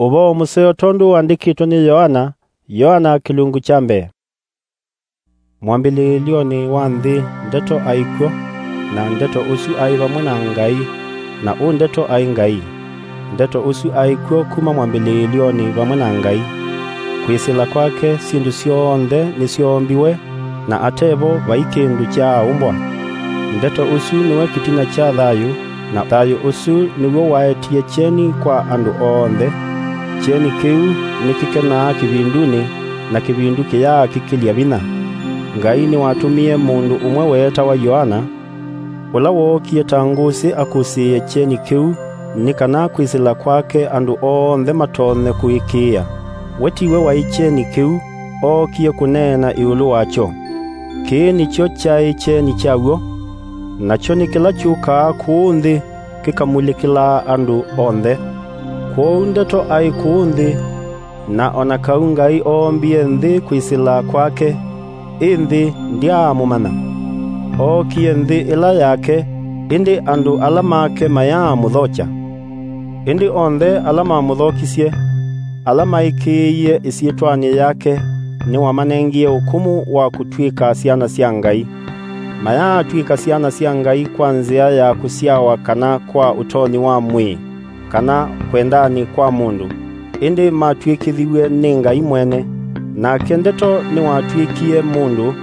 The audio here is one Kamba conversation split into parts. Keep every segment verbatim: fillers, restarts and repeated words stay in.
Ũvoo mũseo tondũ wandĩkĩtwe nĩ Yoana. Yoana kĩlungu kya mbee. Mwambĩlĩĩlyonĩ wa nthĩ Ndeto aĩ kw'o, na Ndeto ũsu aĩ vamwe na Ngai, na ũ Ndeto aĩ Ngai. Ndeto ũsu aĩ kw'o kuma mwambĩlĩĩlyonĩ vamwe na Ngai. Kwĩsĩla kwake syĩndũ syonthe nĩsyoombiwe, na ate vo vai kĩndũ kyaaũmbwa. Ndeto ũsu nĩwe kĩtina kya thayũ, na thayũ ũsu nĩw'o waetie kyeni kwa andũ onthe. Kyeni kĩu nĩkĩkenaa kĩvindunĩ, na kĩvindu kĩyaa kĩkĩlya vinya. Ngai nĩwatũmie mũndũ ũmwe weetawa Yoana, ũla wookie ta ngũsĩ akũsĩĩe kyeni kĩu, nĩ kana kwĩsĩla kwake andũ onthe matonye kũĩkĩĩa. We tiwe waĩ kyeni kĩu, ookie kũneena ĩũlũ wakyo. Kĩĩ nĩkyo kyaĩ kyeni kyaw'o, nakyo nĩ kĩla kyũkaa kũũ nthĩ kĩkamulĩkĩlaa andũ onthe. Kwoou Ndeto aĩ kũũ nthĩ, na o na kau Ngai oombie nthĩ kwĩsĩla kwake, ĩ nthĩ ndyaamũmanya. Ookie nthĩ ĩla yake, ĩndĩ andũ ala make mayaamũthokya. Ĩndĩ onthe ala mamũthokisye, ala maĩkĩĩie ĩsyĩtwanĩ yake, nĩwamanengie ũkũmũ wa kũtw'ĩka syana sya Ngai. Mayaatw'ĩka syana sya Ngai kwa nzĩa ya kũsyawa kana kwa ũtonyi wa mwĩĩ, kana kwendanĩ kwa mũndũ, ĩndĩ matw'ĩkĩthiw'e nĩ Ngai mwene. Nake Ndeto nĩwatw'ĩkie mũndũ,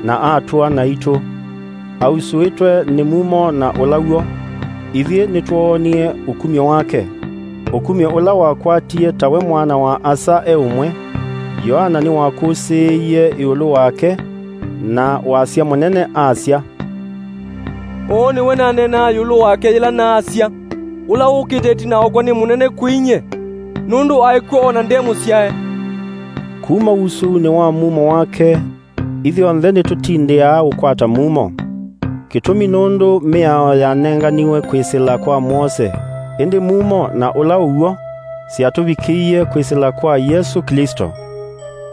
na atũa naitũ. Ausũĩtwe nĩ mumo na ũla w'o, ithyĩ nĩtwoonie ũkumyo wake, ũkumyo ũla wakwatie tawe Mwana wa Asa e ũmwe. Yoana nĩwakũsĩĩie ĩũlũ wake na wasya mũnene, asya, "Ũũ nĩwe naneenaa ĩũlũ wake yĩla naasya, 'Ũla wũkĩte ĩtina wakwa nĩ mũnene kwĩ inyie, nũndũ aĩ kw'o o na nde mũsyae.'" Kuma ũsũunĩ wa mumo wake, ithyonthe nĩtũtindĩaa ũkwata mumo. Kĩtumi nũndũ mĩao yanenganiwe kwĩsĩla kwa Mwose, ĩndĩ mumo na ũla ũw'o syatũvikĩie kwĩsĩla kwa Yesũ Klĩsto.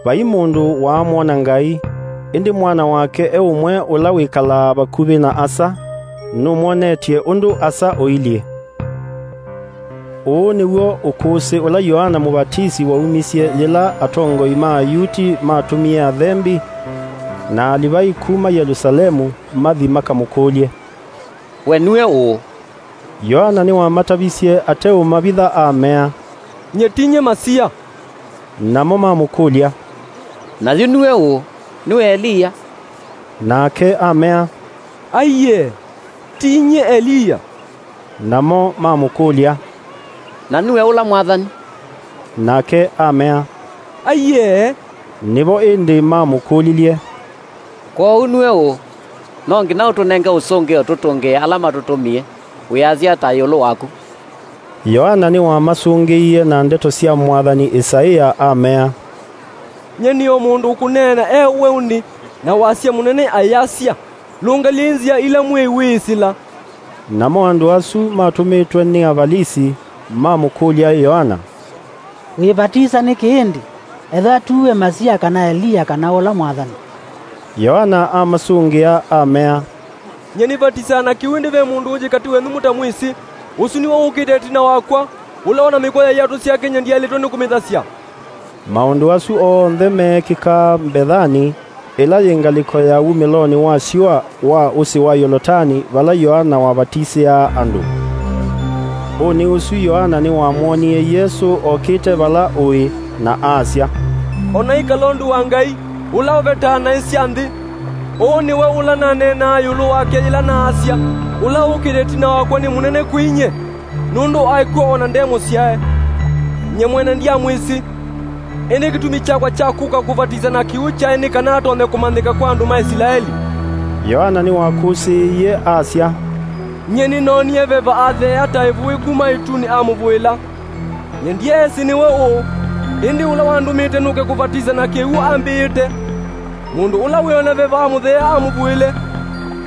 Vai mũndũ waamwona Ngai, ĩndĩ Mwana wake e ũmwe ũla wĩkalaa vakuvĩ na Asa, nũmwonetye ũndũ Asa ũilyĩ. Ũũ nĩw'o ũkũsĩ ũla Yoana Mũvatisi waumisye yĩla atongoi ma Ayuti matũmie athembi na Alivai kuma Yelusalemu mathi makamũkũlye, "We nue ũũ?" Yoana nĩwamatavisye ateũmavitha amea, "Nyie ti nyie Masia." Namo mamũkũlya, "Na yu nue ũũ? Nue Eliya?" Nake amea, "Aiee, ti nyie Eliya." Namo mamũkũlya, "Na nue ũla Mwathani?" Nake amea, "Aiee." Nĩvo ĩndĩ mamũkũlilye, "Kwoou nue ũũ? No nginya ũtũnenge ũsũngĩo tũtũngĩe ala matũtũmie. Wĩasya ata ĩũlũ waku?" Yoana nĩwamasũngĩie na ndeto sya mwathani Isaia amea, "Nyie nĩ o mũndũ ũkũneena e weũnĩ, na wasya mũnene ayasya, 'Lũngalyei nzĩa ila Mwĩai wĩĩsĩla.'" Namo andũ asu matũmĩtwe nĩ Avalisi mamũkũlya Yoana, "Wĩvatisa nĩkĩ ĩndĩ, ethĩwa ti we Masia kana Eliya kana ũla mwathani?" Yoana amasũngĩa amea, "Nyie nĩvatisaa na kĩw'ũ, ĩndĩ ve mũndũ ũngĩ katĩ wenyu mũtamwĩsĩ. Ũsu nĩwe ũkĩte ĩtina wakwa, ũla o na mĩkwa ya iatũ syake nyie ndyaĩlĩtwe nĩ kũmĩthasya." Maũndũ asu onthe meekĩkaa Mbethani, ĩla yĩ ngalĩko ya wumĩlonĩ wa syũa wa ũsĩ wa Yolotani, vala Yoana wavatisĩaa andũ. Ũnĩ ũsu Yoana nĩwamwonie Yesũ okĩte vala ũĩ, na asya, "Onai Kalondu wa Ngai, ũla ũvetaa naĩ sya nthĩ! Ũũ nĩwe ũla naneenaa ĩũlũ wake yĩla naasya, 'Ũla ũkĩte ĩtina wakwa nĩ mũnene kwĩ inyie, nũndũ aĩ kw'o o na nde mũsyae.' Nyie mwene ndyamwĩsĩ, ĩndĩ kĩtumi kyakwa kya kũka kũvatisa na kĩw'ũ kyaĩ nĩ kana atonye kũmanyĩka kwa andũ ma Ĩsilaeli." Yoana nĩwakũsĩĩie asya, "Nyie nĩnoonie veva atheea ta ĩvũĩ kuma ĩtunĩ amũvũĩla. Nyie ndyeesĩ nĩwe ũũ, ĩndĩ ũla wandũmĩte nũke kũvatisa na kĩw'ũ ambĩĩte, 'Mũndũ ũla wĩona veva amũtheea amũvũĩle,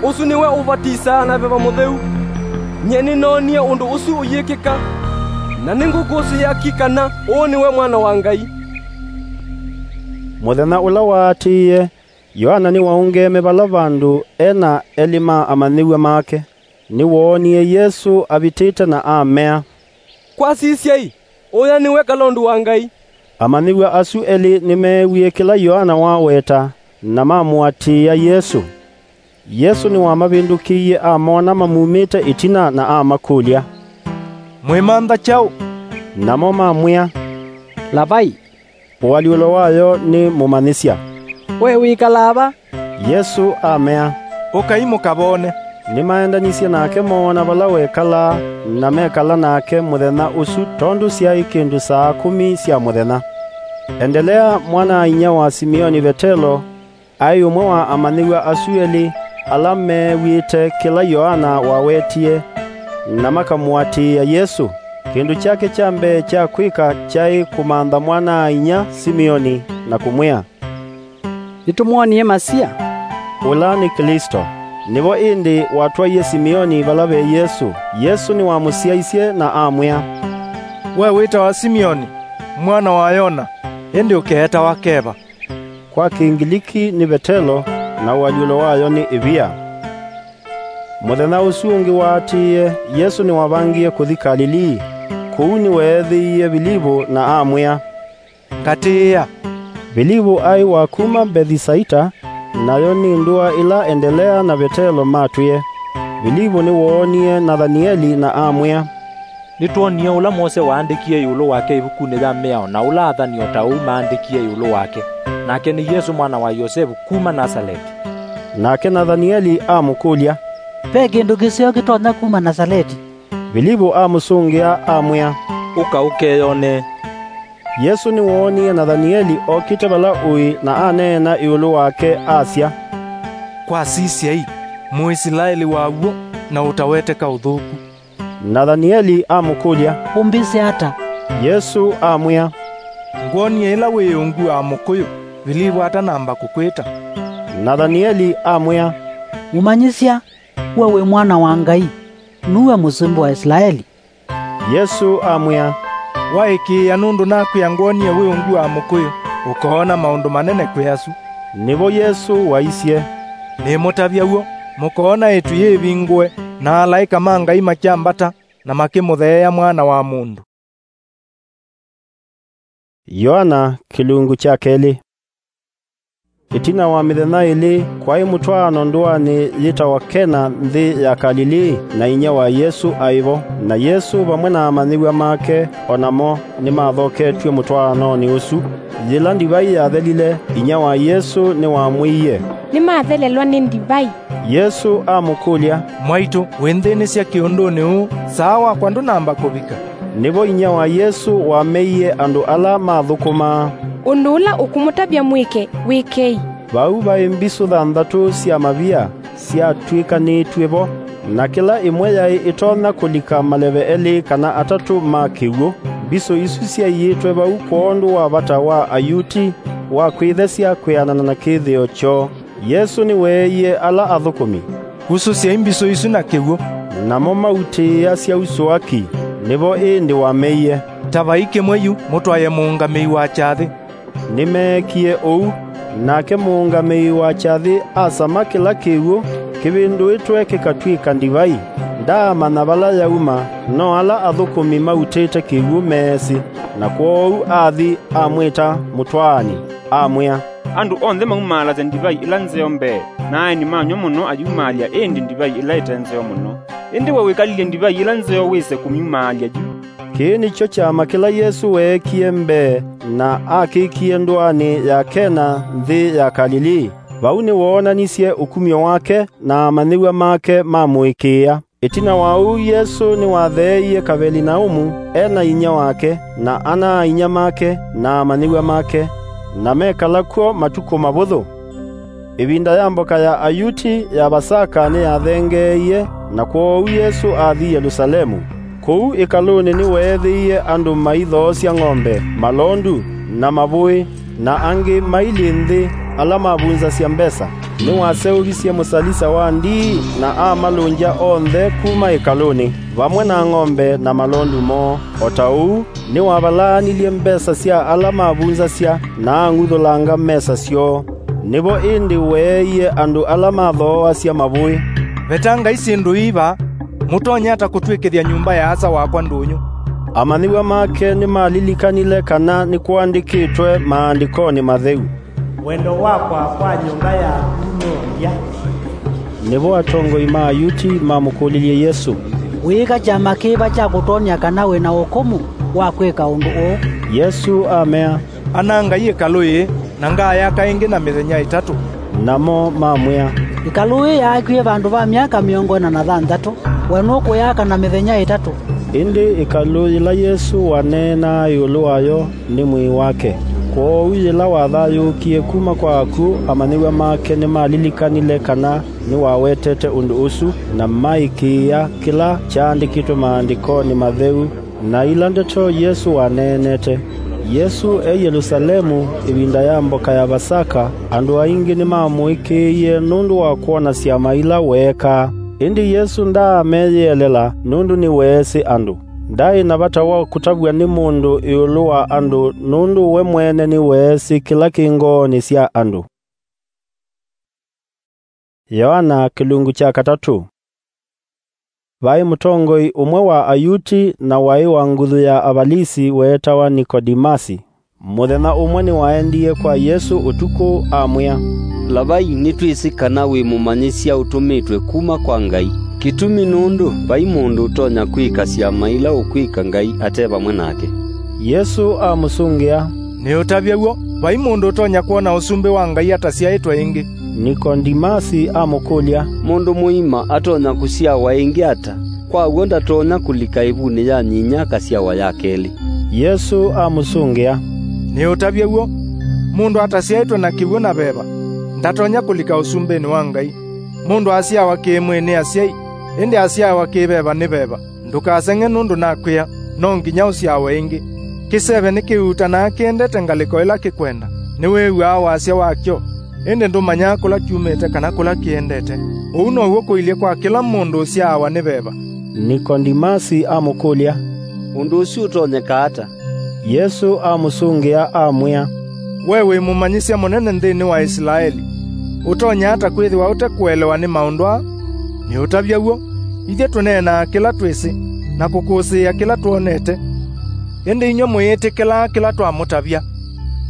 ũsu nĩwe ũvatisaa na Veva Mũtheu.' Nyie nĩnoonie ũndũ ũsu ũyĩkĩka, na nĩngũkũsĩĩa ki kana ũũ nĩwe Mwana wa Ngai." Mũthenya ũla waatĩĩe, Yoana nĩwaũngeeme vala vandũ e na elĩ ma amanyĩw'a make. Nĩwoonie Yesũ avĩtĩte na amea, "Kwasisyai, "Ũya nĩwe Kalondu wa Ngai." Amanyĩw'a asu elĩ nĩmeewie kĩla Yoana waweta, na mamũatĩĩa Yesũ. Yesũ nĩwamavĩndũkĩie amona mamumĩte ĩtina na amakũlya, "Mwĩmantha kyaũ?" Namo mamwĩa, "Lavai," ũalyũlo wayo nĩ Mũmanyĩsya, "we wĩkalaa va?" Yesũ amea, "Ũkai mũkavone." Nĩmaendanisye nake moona vala wekalaa, na mekala nake mũthenya ũsu, tondũ syaĩ kĩndũ saa kũmi sya mũthenya. Endelea, mwana-a-inyia wa Simioni Vetelo, aĩ ũmwe wa amanyĩw'a asu elĩ ala meew'ĩte kĩla Yoana wawetie, na makamũatĩĩa Yesũ. Kĩndũ kyake kya mbee kya kwĩka kyaĩ kũmantha mwana-a-inyia Simioni na kũmwĩa, "Nĩtũmwonie Masia," ũla nĩ Klĩsto. Nĩvo ĩndĩ watwaie Simioni vala ve Yesũ. Yesũ nĩwamũsyaisye na amwĩa, "We wĩtawa Simioni, mwana wa Yona, ĩndĩ ũkeetawa Keva." Kwa Kĩngiliki nĩ Vetelo, na ũalyũlo wayo nĩ ĩvia. Mũthenya ũsu ũngĩ waatĩĩe, Yesũ nĩwavangie kũthi Kalilii. Kũu nĩweethĩie Vilivu na amwĩa, "Ngatĩĩa." Vilivu aĩ wa kuma Mbethisaita, nayo nĩ ndũa ĩla Endelea na Vetelo matwĩe. Vilivu nĩwoonie Nathanieli na amwĩa, "Nĩtwonie ũla Mose waandĩkie ĩũlũ wake ĩvukunĩ ya Mĩao, na ũla athani o ta ũu maandĩkie ĩũlũ wake, nake nĩ Yesũ mwana wa Yosevu kuma Nasaleti." Nake Nathanieli amũkũlya, "Ve kĩndũ kĩseo kĩtonya kuma Nasaleti?" Vilivu amũsũngĩa amwĩa, "Ũka ũkeyonee." Yesũ nĩwoonie Nathanieli okĩte vala ũĩ na aneena ĩũlũ wake, asya, "Kwa sisyai, Mũisilaeli wa w'o na ũtaweteka ũthũku." Nathanieli amũkũlya, "Ũmbĩsĩ ata?" Yesũ amwĩa, "Ngwonie ĩla wĩ ungu wa mũkũyũ, Vilivu atanamba kũkwĩta." Nathanieli amwĩa, "Mũmanyĩsya, we wĩ Mwana wa Ngai, nue Mũsumbĩ wa Isilaeli." Yesũ amwĩa, "Waĩkĩĩa nũndũ nakwĩa ngwonie wĩ ungu wa mũkũyũ, ũkoona maũndũ manene kwĩ asu." Nĩvo Yesũ waisye, "Nĩmũtavya w'o, mũkoona ĩtu yĩvingũe, na alaĩka ma Ngai makyambata, na makĩmũtheea Mwana wa Mũndũ." Yoana kĩlungu kya kelĩ. Ĩtina wa mĩthenya ĩlĩ, kwaĩ mũtwaano ndũanĩ yĩtawa Kena, nthĩ ya Kalilii, na inyia wa Yesũ aĩ vo. Na Yesũ vamwe na amanyĩw'a make o namo nĩmathoketw'e mũtwaanonĩ ũsu. Yĩla ndivai yathelile, inyia wa Yesũ nĩwamwĩie, "Nĩmathelelwa nĩ ndivai." Yesũ amũkũlya, "Mwaitũ, wĩnthĩnĩsya kĩũndũnĩ ũũ, saa wakwa ndũnamba kũvika." Nĩvo inyia wa Yesũ wameie andũ ala mathũkũmaa, "Ũndũ ũla ũkũmũtavya mwĩke, wĩkei." Vau vaĩ mbisũ thanthatũ sya mavia syatw'ĩkanĩtw'e vo, na kĩla ĩmwe yaĩ ĩtonya kũlika maleve elĩ kana atatũ ma kĩw'ũ. Mbisũ isu syaiĩtwe vau kwondũ wa vata wa Ayuti wa kwĩthesya kwĩanana na kĩthĩo kyoo. Yesũ nĩweeie ala athũkũmi, "Usũsyai mbisũ isu na kĩw'ũ." Namo mautĩĩa syausũa ki. Nĩvo ĩndĩ wameie, "Tavai kĩmwe yu mũtwae mũũngamĩi wa kyathĩ." Nĩmeekie ũu. Nake mũũngamĩi wa kyathĩ asama kĩla kĩw'ũ kĩvĩndũĩtwe kĩkatw'ĩka ndivai. Ndaamanya vala yauma, no ala athũkũmi mautĩte kĩw'ũ meesĩ. Na kwoou athi amwĩta mũtwaani, amwĩa, "Andũ onthe maumaalasya ndivai ĩla nzeo mbee, na aeni manyw'a mũno ayumaalya ĩndĩ ndivai ĩla ĩte nzeo mũno. Ĩndĩ we wĩkalilye ndivai ĩla nzeo wĩse kũmyumaalya yu." Kĩĩ nĩkyo kyama kĩla Yesũ weekie mbee na akĩkie ndũanĩ ya Kena nthĩ ya Kalilii. Vau nĩwoonanisye ũkumyo wake, na amanyĩw'a make mamũĩkĩĩa. Ĩtina wa ũu, Yesũ nĩwatheeie Kavelinaumu e na inyia wake, na ana-a-inyia make, na amanyĩw'a make, na mekala kw'o matukũ mavũthũ. Ĩvinda ya mboka ya Ayuti ya Vasaka nĩyathengeeie, na kwoou Yesũ athi Yelusalemu. Kũu ĩkalũnĩ nĩweethĩie andũ maithoosya ng'ombe, malondu, na mavũĩ, na angĩ mailyĩ nthĩ ala mavunzasya mbesa. Nĩwaseũvisye mũsalisa wa ndii na amalũngya onthe kuma ĩkalũnĩ, vamwe na ng'ombe na malondu moo. O ta ũu, nĩwavalaanilye mbesa sya ala mavunzasya na ang'uthũlanga mesa syoo. Nĩvo ĩndĩ weeie andũ ala mathooasya mavũĩ, "Vetangai syĩndũ ii vaa. Mũtonya ata kũtw'ĩkĩthya nyũmba ya Asa wakwa ndũnyũ? Amanyĩw'a make nĩmalilikanile kana nĩkũandĩkĩtwe Maandĩkonĩ Matheu, "Wendo wakwa kwa nyũmba yaku nũthya." Nĩvo atongoi ma Ayuti mamũkũlilye Yesũ, "Wĩĩka kyama kĩva kya kũtwony'a kana wĩ na ũkũmũ wa kwĩka ũndũ ũũ?" Yesũ amea, "Anangai ĩkalũ yĩĩ, na ngayaka ĩngĩ na mĩthenya ĩtatũ." Namo mamwĩa, "Ĩkalũ ĩĩ yaakwie vandũ va myaka mĩongo ĩna na thanthatũ, we nũkũyaka na mĩthenya ĩtatũ?" Ĩndĩ ĩkalũ yĩla Yesũ waneenaa ĩũlũ wayo nĩ mwĩĩ wake. Kwoou yĩla wathayũũkie kuma kwa akw'ũ, amanyĩw'a make nĩmalilikanile kana nĩwawetete ũndũ ũsu, na maĩkĩĩa kĩla kyaandĩkĩtwe Maandĩkonĩ Matheu na ila ndeto Yesũ waneenete. Yesũ e Yelũsalemu ĩvinda ya mboka ya Vasaka, andũ aingĩ nĩmamũĩkĩĩie nũndũ wa kwona syama ila weekaa. Ĩndĩ Yesũ ndaameyĩelela nũndũ nĩweesĩ andũ. Ndaĩ na vata wa kũtavw'a nĩ mũndũ ĩũlũ wa andũ nũndũ we mwene nĩweesĩ kĩla kĩ ngoonĩ sya andũ. Yoana kĩlungu kya katatũ. Vaĩ mũtongoi ũmwe wa Ayuti na waĩ wa nguthu ya Avalisi weetawa Nikodimasi. Mũthenya ũmwe nĩwaendie kwa Yesũ ũtukũ, amwĩa, "Lavai, nĩtwĩsĩ kana wĩ mũmanyĩsya ũtũmĩtwe kuma kwa Ngai. Kĩtumi nũndũ vai mũndũ ũtonya kwĩka syama ila ũkwĩka Ngai ate vamwe nake." Yesũ amũsũngĩa, "Nĩũtavye w'o, vai mũndũ ũtonya kwona ũsumbĩ wa Ngai atasyaĩtwe ĩngĩ." Nikodimasi amũkũlya, "Mũndũ mũima atonya kũsyawa ĩngĩ ata? Kwa w'o ndatonya kũlika ĩvunĩ ya nyinya akasyawa ya kelĩ." Yesũ amũsũngĩa, "Nĩũtavye w'o, mũndũ atasyaĩtwe na kĩw'ũ na veva ndatonya kũlika ũsumbĩnĩ wa Ngai. Mũndũ asyawa kĩ-mwĩĩ nĩ asyai, ĩndĩ asyawa kĩ-veva nĩ veva. Ndũkaseng'e nũndũ nakwĩa, no nginya ũsyawe ĩngĩ. Kĩseve nĩkĩutanaa kĩendete ngalĩko ĩla kĩkwenda. Nĩwĩw'aa wasya wakyo, ĩndĩ ndũmanyaa kũla kyumĩte kana kũla kĩendete. Ũu now'o kũilyĩ kwa kĩla mũndũ ũsyaawa nĩ veva." Nikodimasi amũkũlya, "Ũndũ ũsu ũtonyeka ata?" Yesũ amũsũngĩa, amwĩa, "We wĩ mũmanyĩsya mũnene nthĩnĩ wa Ĩsilaeli, ũtonya ata kwĩthĩwa ũte kũelewa nĩ maũndũ aa? Nĩũtavya w'o, ithyĩ tũneenaa kĩla twĩsĩ, na kũkũsĩĩa kĩla twonete, ĩndĩ inyw'ĩ mũyĩtĩkĩlaa kĩla twamũtavya.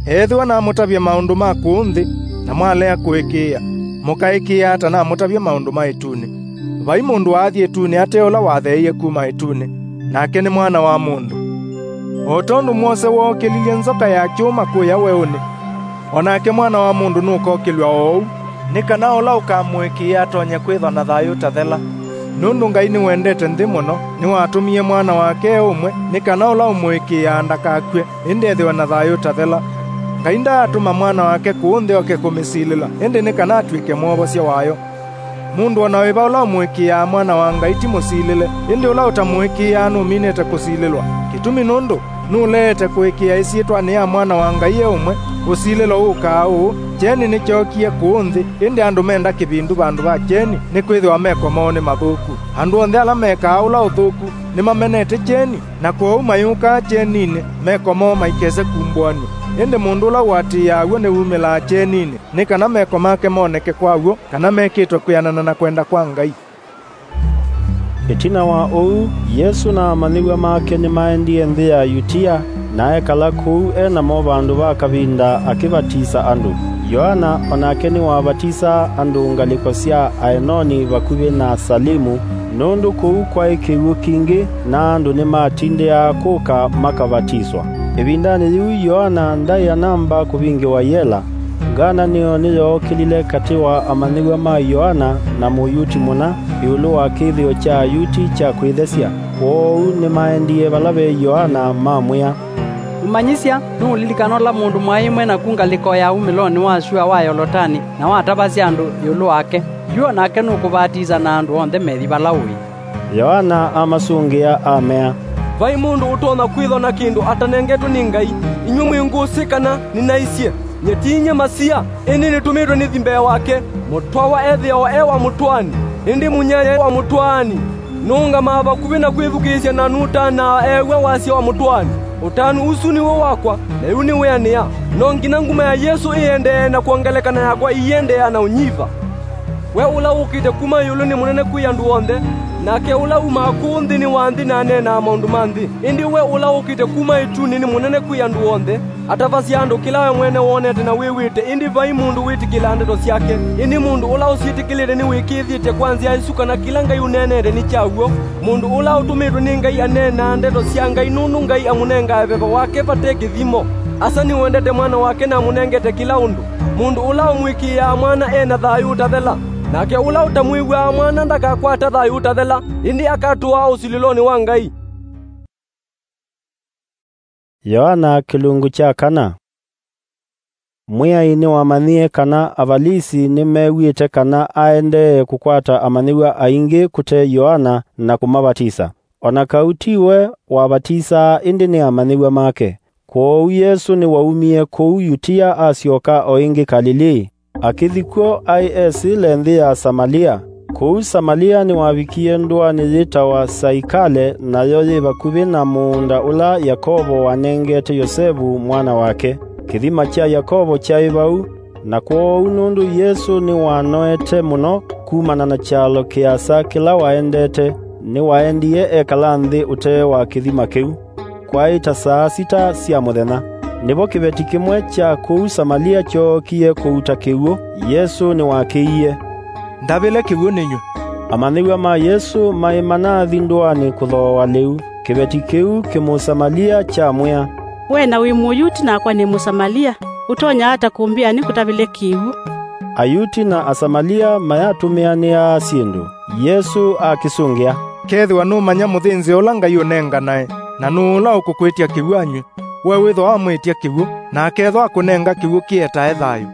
Ethĩwa namũtavya maũndũ ma kũũ nthĩ, na mwalea kũĩkĩĩa, mũkaĩkĩĩa ata namũtavya maũndũ ma ĩtunĩ? Vai mũndũ waathi ĩtunĩ ate ũla watheeie kuma ĩtunĩ, nake nĩ Mwana wa Mũndũ. O tondũ mwose wookĩlilye nzoka ya kyũma kũya weũnĩ, o nake Mwana wa Mũndũ nũkookĩlw'a oou, nĩ kana ũla ũkamũĩkĩĩa atonye kwĩthwa na thayũ ũtathela. Nũndũ Ngai nĩwendete nthĩ mũno, nĩwatũmie Mwana wake e ũmwe, nĩ kana ũla ũmũĩkĩĩaa ndakakw'e, ĩndĩ ethĩwe na thayũ ũtathela. Ngai ndaatũma Mwana wake kũũ nthĩ oke kũmĩsilĩla, ĩndĩ nĩ kana atw'ĩke mwovosya wayo. Mũndũ o na wĩva ũla ũmũĩkĩĩaa Mwana wa Ngai ti mũsilĩle, ĩndĩ ũla ũtamũĩkĩĩaa nũminĩte kũsilĩlwa. Kĩtumi nũndũ nũleete kũĩkĩĩa ĩsyĩtwanĩ ya Mwana wa Ngai e ũmwe, ũsilĩlo ũũkaa ũũ, kyeni nĩkyookie kũũ nthĩ, ĩndĩ andũ menda kĩvindu vandũ va kyeni, nĩkwĩthĩwa meko moo nĩ mathũku. Andũ onthe ala mekaa ũla ũthũku nĩmamenete kyeni, na kwoou mayũkaa kyeninĩ, meko moo maikese kumbũanw'a. Ĩndĩ mũndũ ũla ũatĩĩaa w'o nĩwumĩlaa kyeninĩ, nĩ kana meko make moneke kwa w'o kana mekĩtwe kwĩanana na kwenda kwa Ngai." Ĩtina wa ũu, Yesũ na amanyĩw'a make nĩmaendie nthĩ ya Yutia, na ekala kũu e namo vandũ va kavinda akĩvatisa andũ. Yoana o nake nĩwavatisaa andũ ngalĩko sya Aenoni vakuvĩ na Salimu, nũndũ kũu kwaĩ kĩw'ũ kingĩ, na andũ nĩmatindĩaa kũka makavatiswa. Ĩvindanĩ yĩu Yoana ndaĩ anamba kũvingĩwa yela. Ngananĩo nĩyookĩlile katĩ wa amanyĩw'a ma Yoana na Mũyuti mũna ĩũlũ wa kĩthĩo kya Ayuti kya kwĩthesya. Kwoou nĩmaendie vala ve Yoana, mamwĩa, "Mũmanyĩsya, nũũlilikana ũla mũndũ mwaĩ mwĩ naku ngalĩko ya umĩlonĩ wa syũa wa Yolotani, na watavasya andũ ĩũlũ wake? Yu o nake nũkũvatisa na andũ onthe methi vala ũĩ." Yoana amasũngĩa, amea, "Vai mũndũ ũtonya kwĩthwa na kĩndũ atanengetwe nĩ Ngai. Inyw'ĩ mwĩ ngũsĩ kana nĩnaisye, nyie ti nyie Masia, ĩndĩ nĩtũmĩtwe nĩthi mbee wake. Mũtwawa ethĩawa e wa mũtwaani, ĩndĩ mũnyae wa mũtwaani nũũngamaa vakuvĩ na kwĩthukĩĩsya na nũtanaa eew'a wasya wa mũtwaani. Ũtanu ũsu nĩw'o wakwa, na yu nĩwĩanĩa. No nginya nguma ya Yesũ ĩendee na kwongeleka na yakwa ĩiendeea na ũnyiva. We ũla wũkĩte kuma ĩũlũ nĩ mũnene kwĩ andũ onthe, Nake ũla umaa kũũ nthĩnĩ wa nthĩ na aneenaa maũndũ ma nthĩ, ĩndĩ we ũla ũkĩte kuma ĩtunĩ nĩ mũnene kwĩ andũ onthe. Atavasya andũ kĩla we mwene wonete na wĩw'ĩte, ĩndĩ vai mũndũ wĩtĩkĩlaa ndeto syake. Ĩndĩ mũndũ ũla ũsyĩtĩkĩlĩte nĩwĩkĩĩthĩtye kwa nzĩa ĩsu kana kĩla Ngai ũneenete nĩ kya w'o. Mũndũ ũla ũtũmĩtwe nĩ Ngai aneenaa ndeto sya Ngai, nũndũ Ngai amũnengae veva wake vate kĩthimo. Asa nĩwendete Mwana wake na amũnengete kĩla ũndũ. Mũndũ ũla ũmwĩkĩĩaa Mwana e na thayũ ũtathela, nake ũla ũtamwĩw'aa Mwana ndakakwata thayũ ũtathela, ĩndĩ akatũaa ũsilĩlonĩ wa Ngai. Yoana kĩlungu kya kana. Mwĩai nĩwamanyie kana Avalisi nĩmew'ĩte kana aendee kũkwata amanyĩw'a aingĩ kũte Yoana na kũmavatisa. O na kau ti we wavatisaa, ĩndĩ nĩ amanyĩw'a make. Kwoou Yesũ nĩwaumie kũu Yutia asyoka o ĩngĩ Kalilii. Akĩthi kw'o aĩ esĩle nthĩ ya Samalia. Kũu Samalia nĩwavikie ndũanĩ yĩtawa Saikale, nayo yĩ vakuvĩ na mũũnda ũla Yakovo wanengete Yosevu mwana wake. Kĩthima kya Yakovo kyaĩ vau, na kwoou nũndũ Yesũ nĩwanoete mũno kumana na kyalo kĩasa kĩla waendete, nĩwaendie ekala nthĩ ũtee wa kĩthima kĩu. Kwaĩ ta saa sita sya mũthenya. Nĩvo kĩveti kĩmwe kya kũu Samalia kyookie kũuta kĩw'ũ. Yesũ nĩwakĩie, "Ndavĩle kĩw'ũ nĩnywe." Amanyĩw'a ma Yesũ maĩ manathi ndũanĩ kũthooa lĩu. Kĩveti kĩu kĩmũsamalia kyamwĩa, "We na wĩ Mũyuti nakwa nĩ Mũsamalia, ũtonya ata kũmbĩa nĩkũtavĩle kĩw'ũ?" Ayuti na Asamalia mayatũmĩanĩaa syĩndũ. Yesũ akĩsũngĩa, "Kethĩwa nũmanya mũthĩnzĩo ũla Ngai ũnenganae, na nũũ ũla ũkũkwĩtya kĩw'ũ anyw'e, we wĩthwa wamwĩtya kĩw'ũ, na akethwa akũnenga kĩw'ũ kĩetae thayũ."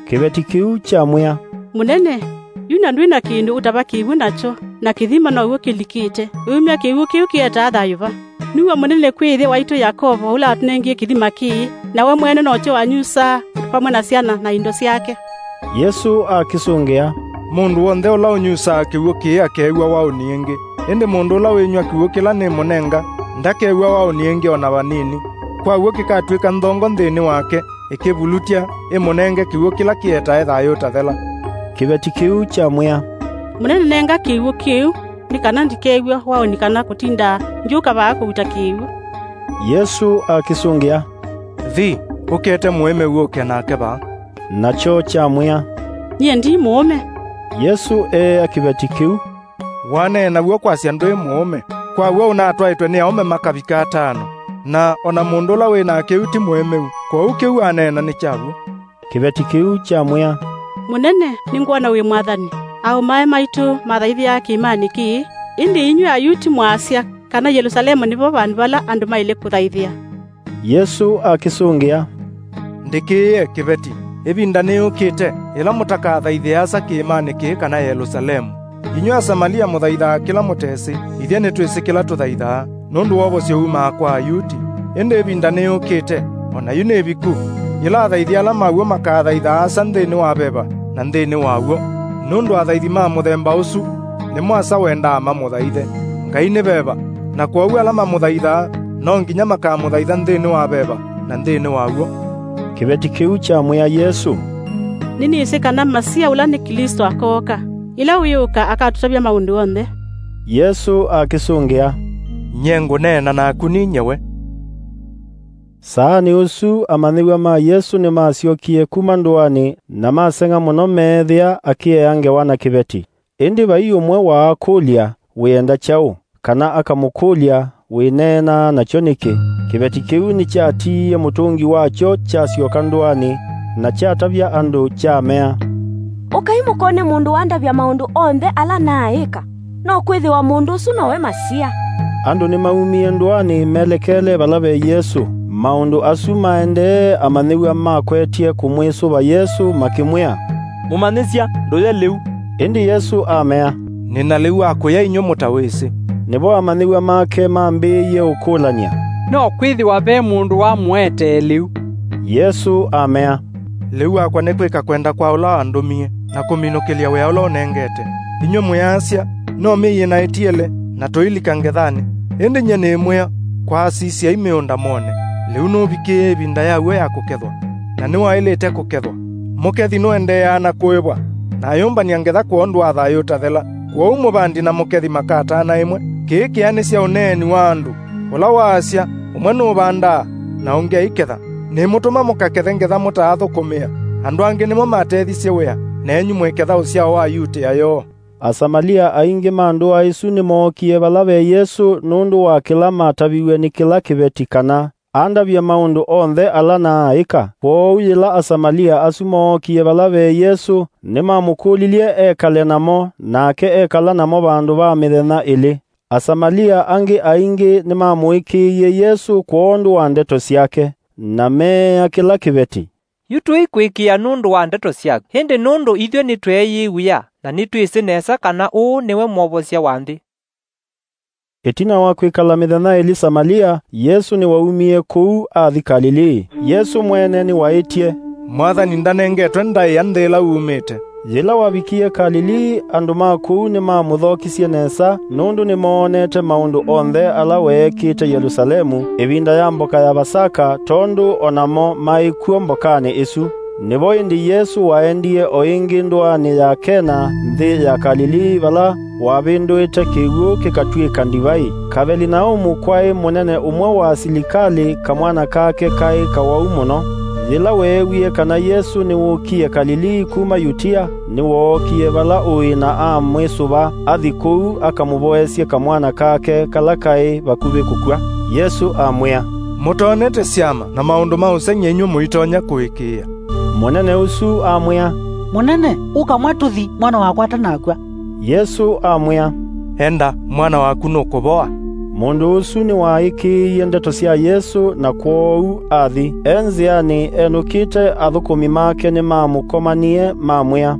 Kĩveti kĩu kyamwĩa, "Mũnene, yu na ndwĩ na kĩndũ ũtava kĩw'ũ nakyo, na kĩthima now'o kĩlikĩte. Wĩumya kĩw'ũ kĩu kĩetaa thayũ va? Nĩw'o mũnene kwĩ ĩthe waitũ Yakovo, ũla watũnengie kĩthima kĩĩ, na we mwene nokyo wanyusaa vamwe na syana na indo syake." Yesũ akĩsũngĩa, "Mũndũ w'onthe ũla ũnyusaa kĩw'ũ kĩĩ akew'a waũni ĩngĩ, ĩndĩ mũndũ ũla wĩnyw'a kĩw'ũ kĩla nĩmũnenga ndakew'a waũni ĩngĩ o na vanini. Kwa w'o kĩkatw'ĩka nthongo nthĩnĩ wake, ĩkĩvulutya, ĩmũnenge kĩw'ũ kĩla kĩetae thayũ ũtathela." Kĩveti kĩu kyamwĩa, "Mũnene, nenga kĩw'ũ kĩu, nĩ kana ndikew'a waũni kana kũtinda ngyũka vaa kũuta kĩw'ũ." Yesũ akĩsũngĩa, "Thi, ũkete mũĩmeu ũke nake vaa." Nakyo kyamwĩa, "Nyie ndi mũũme." Yesũ eea kĩveti kĩu, "Waneena w'o kwasya ndwĩ mũũme. Kwa w'o ũnatwaĩtwe nĩ aũme makavika atano, na o na mũndũ ũla wĩ nake yu ti mũĩmeu, kwoou kĩu aneena nĩ kya w'o." Kĩveti kĩu kyamwĩa, "Mũnene, nĩngwona wĩ mwathani. Aũmae maitũ mathaithĩaa kĩĩmanĩ kĩĩ, ĩndĩ inyw'ĩ Ayuti mwaasya kana Yelũsalemu nĩvo vandũ vala andũ maĩle kũthaithĩa." Yesũ akĩsũngĩa, "Ndĩkĩĩe kĩveti, ĩvinda nĩyũkĩte ĩla mũtakathaithĩa asa kĩĩmanĩ kĩĩ kana Yelũsalemu. Inyw'ĩ Asamalia mũthaithaa kĩla mũtesĩ, ithyĩ nĩtwĩsĩ kĩla tũthaithaa, nũndũ wovosyo wumaa kwa Ayuti. Ĩndĩ ĩvinda nĩyũkĩte, o na yu nĩ ĩviku, yĩla athaithi ala ma w'o makathaithaa asa nthĩnĩ wa veva na nthĩnĩ wa w'o, nũndũ athaithi ma mũthemba ũsu nĩmo asa wendaa mamũthaithe. Ngai nĩ veva, na kwoou ala mamũthaithaa no nginya makamũthaitha nthĩnĩ wa veva na nthĩnĩ wa w'o." Kĩveti kĩu kyamwĩa Yesũ, "Nĩnĩsĩ kana Masia ũla nĩ Klĩsto akooka. Yĩla wĩũka akatũtavya maũndũ onthe." Yesũ akĩsũngĩa, "Nyie ngũneena naku ninyie we." Saanĩ ũsu amanyĩw'a ma Yesũ nĩmasyokie kuma ndũanĩ, na maseng'a mũno meethĩa akĩea ngewa na kĩveti. Ĩndĩ vai ũmwe waakũlya, "Wĩenda kyaũ?" kana akamũkũlya, "Wĩneenaa nakyo nĩkĩ?" Kĩveti kĩu nĩkyatiie mũtũngi wakyo kyasyoka ndũanĩ, na kyatavya andũ kyamea, "Ũkai mũkone mũndũ wandavya maũndũ onthe ala naaĩka. No kwĩthĩwa mũndũ ũsu nowe Masia." Andũ nĩmaumie ndũanĩ melekele vala ve Yesũ. Maũndũ asu maendee, amanyĩw'a makwetye kũmwĩsũva Yesũ, makĩmwĩa, "Mũmanyĩsya, ndũye lĩu." Ĩndĩ Yesũ amea, "Nĩ na lĩu wa kũya inyw'ĩ mũtawĩsĩ." Nĩvo amanyĩw'a make mambĩĩie ũkũlany'a, "No kwĩthĩwa ve mũndũ wamũetee lĩu?" Yesũ amea, "Lĩu wakwa nĩ kwĩka kwenda kwa ũla wandũmie, na kũminũkĩlya wĩa ũla ũnengete. Inyw'ĩ mwĩasya, 'No myei ĩna ĩtiele, na tũilika ngethanĩ.' Ĩndĩ nyie nĩĩmwĩa, 'Kwaasisyai mĩũnda mwone. Lĩu nũvikĩĩe ĩvinda yaw'o ya kũkethwa, na nĩwaĩlĩte kũkethwa. Mũkethi nũendeeaa na kũĩvwa, na ayũmbany'a ngetha kwondũ wa thayũ ũtathela. Kwoou mũvandi na mũkethi makatana ĩmwe. Kĩĩ kĩanĩsya ũneeni wa andũ, ũla waasya, 'Ũmwe nũvandaa, na ũngĩ aiketha.' Nĩmũtũma mũkakethe ngetha mũtaathũkũmĩa. Andũ angĩ nĩmo matethisye wĩa, nenyu mwĩketha ũsyao wa Ayutĩa yoo." Asamalia aingĩ ma ndũa ĩsu nĩmookie vala ve Yesũ nũndũ wa kĩla mataviw'e nĩ kĩla kĩveti kana andavye maũndũ onthe ala naaĩka. Kwoou yĩla Asamalia asu mookie vala ve Yesũ, nĩmamũkũlilye ekale namo, nake ekala namo vandũ va mĩthenya ĩlĩ. Asamalia angĩ aingĩ nĩmamũĩkĩĩie Yesũ kwondũ wa ndeto syake, na meea kĩla kĩveti, "Yu tũikwĩkĩĩa nũndũ wa ndeto syaku, ĩndĩ nũndũ ithyĩ nĩtweeyĩw'ĩa na nĩtwĩsĩ nesa kana ũũ nĩwe Mwovosya wa nthĩ." Ĩtina wa kwĩkala mĩthenya ĩlĩ Samalia, Yesũ nĩwaumie kũu athi Kalilii. Yesũ mwene nĩwaĩtye, "Mwathani ndanengetwe ndaĩa nthĩ ĩla umĩte." Yĩla wavikie Kalilii, andũ ma kũu nĩmamũthokisye nesa, nũndũ nĩmoonete maũndũ onthe ala weekĩte Yelũsalemu ĩvinda ya mboka ya Vasaka, tondũ o namo maĩ kw'o mbokanĩ ĩsu. Nĩvo ĩndĩ Yesũ waendie o ĩngĩ ndũanĩ ya Kena, nthĩ ya Kalilii, vala wavĩndũĩte kĩw'ũ kĩkatw'ĩka ndivai. Kavelinaumu kwaĩ mũnene ũmwe wa asilikalĩ, kamwana kake kaĩ kawau mũno. Yĩla weewie kana Yesũ nĩwũkie Kalilii kuma Yutia, nĩwookie vala ũĩ na amwĩsũva athi kũu akamũvoesye kamwana kake kala kaĩ vakuvĩ kũkw'a. Yesũ amwĩa, "Mũtonete syama na maũndũ ma ũseng'ya inyw'ĩ mũitonya kũĩkĩĩa." Mũnene ũsu amwĩa, "Mũnene, ũkamwa tũthi, mwana wakwa atanakw'a." Yesũ amwĩa, "Enda, mwana waku nũkũvoa." Mũndũ ũsu nĩwaĩkĩĩie ndeto sya Yesũ, na kwoou athi. E nzĩanĩ enũkĩte, athũkũmi make nĩmamũkomanie, mamwĩa,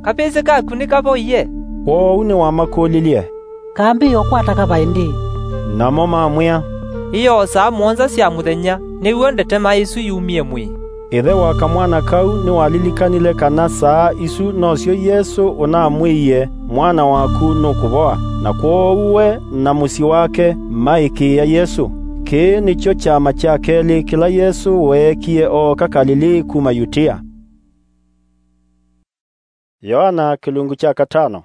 "Kavĩsĩ kaku nĩkavoie." Kwoou nĩwamakũlilye, "Kambĩĩa ũkwata kava ĩndĩĩ?" Namo mamwĩa, "Ĩoo, saa mũonza sya mũthenya, nĩw'o ndetema ĩsu yumie mwĩĩ." Ĩthe wa kamwana kau nĩwalilikanile kana saa isu nosyo Yesũ ũnamwĩie, "Mwana waku nũkũvoa." Na kwoou we na mũsyĩ wake maĩkĩĩa Yesũ. Kĩĩ nĩkyo kyama kya kelĩ kĩla Yesũ weekie ooka Kalilii kuma Yutia. Yoana kĩlungu kya katano.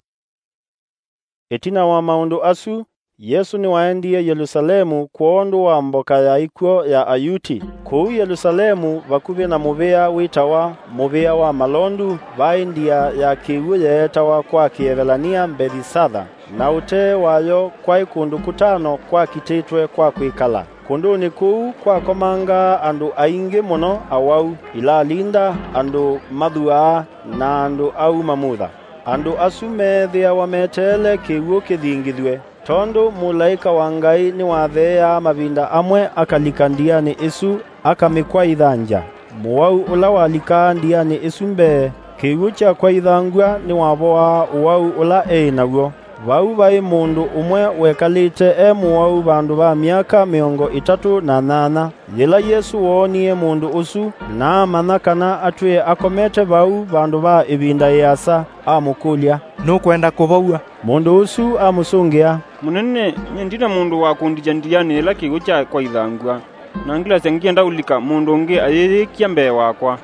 Ĩtina wa maũndũ asu, Yesũ nĩwaendie Yelũsalemu kwondũ wa mboka ya ikw'ũ ya Ayuti. Kũu Yelũsalemu, vakuvĩ na mũvĩa wĩtawa Mũvĩa wa Malondu, vaĩ ndia ya kĩw'ũ yeetawa kwa Kĩevelania Mbethisatha, na ũtee wayo kwaĩ kũndũ kũtano kwakitĩtwe kwa kwĩkala. Kũndũnĩ kũu kwakomangaa andũ aingĩ mũno awau, ilalinda, andũ mathuaa, na andũ auma mutha. Andũ asu meethĩawa meteele kĩw'ũ kĩthingithw'e, tondũ mũlaĩka wa Ngai nĩwatheeaa mavinda amwe akalika ndianĩ ĩsu, akamĩkwaitha ngya. Mũwau ũla walikaa ndianĩ ĩsu mbee, kĩw'ũ kyakwaithangw'a nĩwavoaa ũwau ũla eĩ naw'o. Vau vaĩ mũndũ ũmwe wekalĩte e mũwau vandũ va myaka mĩongo ĩtatũ na nyanya. Yĩla Yesũ woonie mũndũ ũsu, na amanya kana atwĩe akomete vau vandũ va ĩvinda ĩasa, amũkũlya, "Nũkwenda kũvow'a?" Mũndũ ũsu amũsũngĩa, "Mũnene, nyie ndina mũndũ wa kũndikya ndianĩ yĩla kĩw'ũ kyakwaithangw'a, na ngĩlasya ngĩenda ũlika, mũndũ ũngĩ ayĩyĩkya mbee wakwa."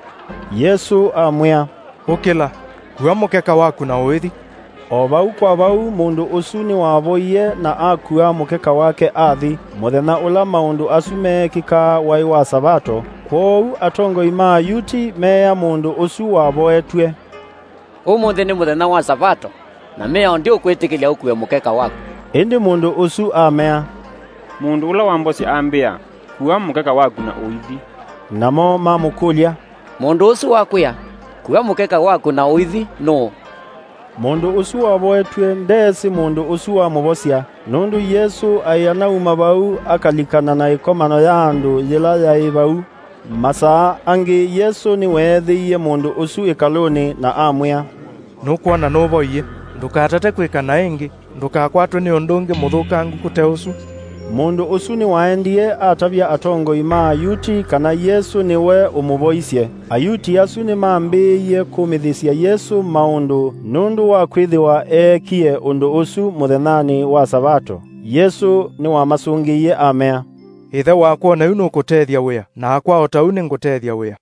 Yesũ amwĩa, "Ũkĩla, kua mũkeka waku na ũithi." O vau kwa vau, mũndũ ũsu nĩwavoie na akua mũkeka wake athi. Mũthenya ũla maũndũ asu meekĩkaa waĩ wa Savato, kwoou atongoi ma Ayuti meea mũndũ ũsu wavoetw'e, "Ũmũnthĩ nĩ mũthenya wa Savato, na mĩao ndĩũkwĩtĩkĩlya ũkue mũkeka waku." Ĩndĩ mũndũ ũsu amea, "Mũndũ ũla wambosya ambĩa, 'Kua mũkeka waku na ũithi.'" Namo mamũkũlya, "Mũndũ ũsu wakwĩa, 'Kua mũkeka waku na ũithi,' nũũ?" Mũndũ ũsu wavoetw'e ndeesĩ mũndũ ũsu wamũvosya, nũndũ Yesũ aĩ anauma vau akalikana na ĩkomano ya andũ yĩla yaĩ vau. Masaa angĩ Yesũ nĩweethĩie mũndũ ũsu ĩkalũnĩ na amwĩa, "Nũkwona nũvoie, ndũkatate kwĩka naĩ ĩngĩ, ndũkakwatwe nĩ ũndũ ũngĩ mũthũkangu kũte ũsu." Mũndũ ũsu nĩwaendie atavya atongoi ma Ayuti kana Yesũ nĩwe ũmũvoisye. Ayuti asu nĩmambĩĩie kũmĩthĩsya Yesũ maũndũ nũndũ wa kwĩthĩwa eekie ũndũ ũsu mũthenyanĩ wa Savato. Yesũ nĩwamasũngĩie amea, "Ĩthe wakwa o na yu nũkũtethya wĩa, nakwa o ta ũu nĩngũtethya wĩa."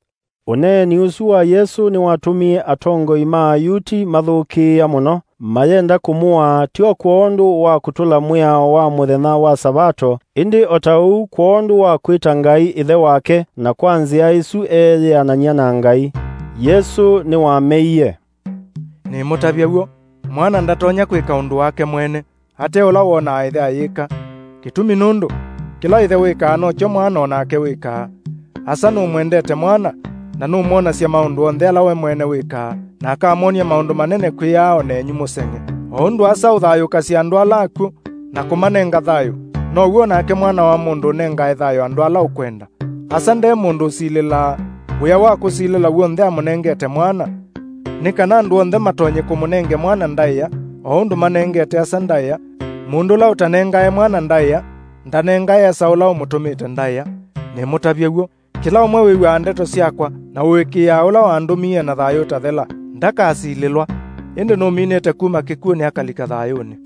Ũneeni ũsu wa Yesũ nĩwatũmie atongoi ma Ayuti mathũkĩĩa mũno, mayenda kũmũaa, ti o kwondũ wa kũtũla mwĩao wa mũthenya wa Savato, ĩndĩ o ta ũu kwondũ wa kwĩta Ngai Ĩthe wake, na kwa nzĩa ĩsu eeyĩanany'a na Ngai. Yesũ nĩwameie, "Nĩmũtavya w'o, Mwana ndatonya kwĩka ũndũ wake mwene, ate ũla wonaa Ĩthe ayĩka. Kĩtumi nũndũ, kĩla Ĩthe wĩkaa nokyo Mwana o nake wĩkaa. Asa nũmwendete Mwana, na nũmwonasya maũndũ onthe ala we mwene wĩkaa, na akamwony'a maũndũ manene kwĩ aa o nenyu mũseng'e. O ũndũ Asa ũthayũkasya andũ ala akw'ũ, na kũmanenga thayũ, now'o o nake Mwana wa Mũndũ ũnengae thayũ andũ ala ũkwenda. Asa nde mũndũ ũsilĩlaa. Wĩa wa kũsilĩla w'onthe amũnengete Mwana, nĩ kana andũ onthe matonye kũmũnenge Mwana ndaĩa, o ũndũ manengete Asa ndaĩa. Mũndũ ũla ũtanengae Mwana ndaĩa, ndanengae Asa ũla ũmũtũmĩte ndaĩa. Nĩmũtavya w'o, kĩla ũmwe wĩw'aa ndeto syakwa, na ũĩkĩĩaa ũla wandũmie na thayũ ũtathela, ndakasilĩlwa, ĩndĩ nũminĩte kuma kĩkw'ũnĩ akalika thayũnĩ.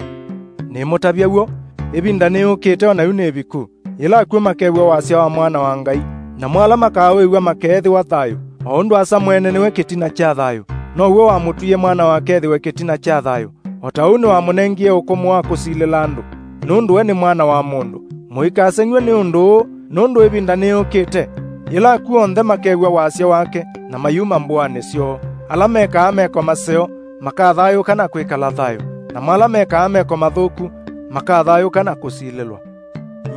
Nĩmũtavya w'o, ĩvinda nĩyũkĩte, o na yu nĩ ĩviku, yĩla akw'ũ makew'a wasya wa Mwana wa Ngai, namo ala makaawĩw'a makeethĩwa thayũ. O ũndũ Asa mwene nĩwe kĩtina kya thayũ, now'o wamũtwie Mwana wake ethĩwe kĩtina kya thayũ. O ta ũu nĩwamũnengie ũkũmũ wa kũsilĩla andũ, nũndũ we nĩ Mwana wa Mũndũ. Mũikaseng'w'e nĩ ũndũ ũũ, nũndũ ĩvinda nĩyũkĩte, yĩla akw'ũ onthe makew'a wasya wake, na mayuma mbũanĩ syoo. Ala mekaa meko maseo makathayũũka na kwĩkala thayũ, namo ala mekaa meko mathũku makathayũũka na kũsilĩlwa.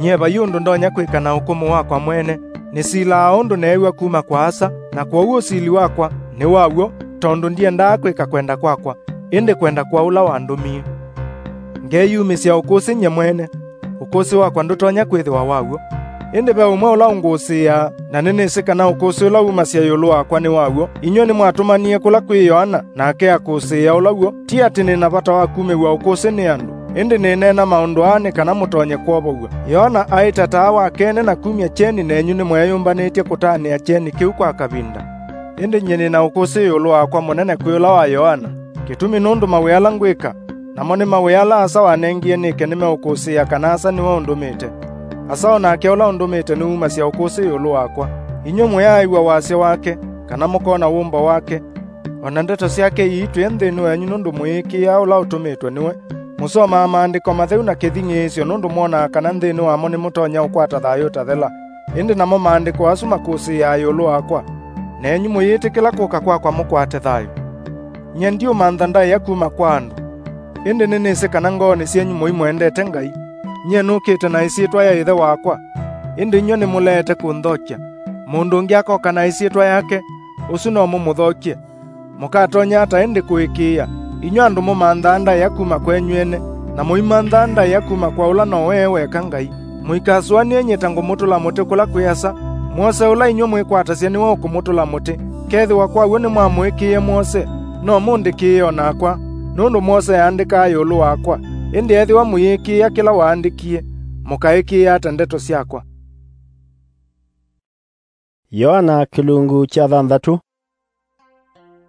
Nyie vai ũndũ ndonya kwĩka na ũkũmũ wakwa mwene, nĩsilaa o ũndũ neew'a kuma kwa Asa, na kwoou ũsili wakwa nĩ wa w'o, tondũ ndiendaa kwĩka kwenda kwakwa, ĩndĩ kwenda kwa ũla wandũmie. Ngeeyumĩsya ũkũsĩ nyie mwene, ũkũsĩ wakwa ndũtonya kwĩthĩwa wa w'o. Ĩndĩ ve ũmwe ũla ũngũsĩĩaa, na nĩnĩsĩ kana ũkũsĩ ũla wumasya ĩũlũ wakwa nĩ wa w'o. Inyw'ĩ nĩmwatũmanie kũla kwĩ Yoana, nake akũsĩĩa ũla w'o. Ti atĩ nĩ na vata wa kumĩw'a ũkũsĩ nĩ andũ, ĩndĩ nĩneena maũndũ aa nĩ kana mũtonye kwovow'a. Yoana aĩ ta taa wa kene na kumya kyeni, nenyu nĩmweeyũmbanĩtye kũtanĩa kyeni kĩu kwa kavinda. Ĩndĩ nyie nĩ na ũkũsĩ ĩũlũ wakwa mũnene kwĩ ũla wa Yoana, kĩtumi nũndũ mawĩa ala ngwĩka, namo nĩ mawĩa ala Asa wanengie nĩke nĩmeũkũsĩĩa kana Asa nĩwe ũndũmĩte. Asa o nake ũla ũndũmĩte nĩwumasya ũkũsĩ ĩũlũ wakwa. Inyw'ĩ mũyaaĩw'a wasya wake, kana mũkona wũmbo wake, o na ndeto syake iitwĩe nthĩnĩ wenyu nũndũ mũyĩkĩĩa ũla ũtũmĩtwe nĩwe. Mũsomaa Maandĩko Matheu na kĩthing'ĩĩsyo nũndũ mwonaa kana nthĩnĩ wamo nĩmũtonya ũkwata thayũ ũtathela. Ĩndĩ namo Maandĩko asu makũsĩĩaa ĩũlũ wakwa, nenyu mũyĩtĩkĩla kũka kwakwa mũkwate thayũ. Nyie ndiũmantha ndaĩa kuma kwa andũ, ĩndĩ nĩnĩsĩ kana ngoonĩ syenyu mũimwendete Ngai. Nyie nũkĩte na ĩsyĩtwa ya Ĩthe wakwa, ĩndĩ inyw'ĩ nĩmũleete kũnthokya. Mũndũ ũngĩ akoka na ĩsyĩtwa yake, ũsu no mũmũthokye. Mũkatonya ata ĩndĩ kũĩkĩĩa, inyw'ĩ andũ mũmanthaa ndaĩa kuma kwenyu ene, na mũimanthaa ndaĩa kuma kwa ũla nowe e weka Ngai? Mũikasũanĩe nyie ta ngũmũtũla mũtĩ kũla kwĩ Asa. Mwose ũla inyw'ĩ mwĩkwatasya nĩwe ũkũmũtũla mũtĩ. Kethĩwa kwa w'o nĩmwamũĩkĩĩe Mwose, no mũndĩkĩĩe o nakwa, nũndũ Mwose aandĩkaa ĩũlũ wakwa. Ĩndĩ ethĩwa mũyĩkĩĩa kĩla waandĩkie, mũkaĩkĩĩa ata ndeto syakwa? Yoana kĩlungu kya thanthatũ.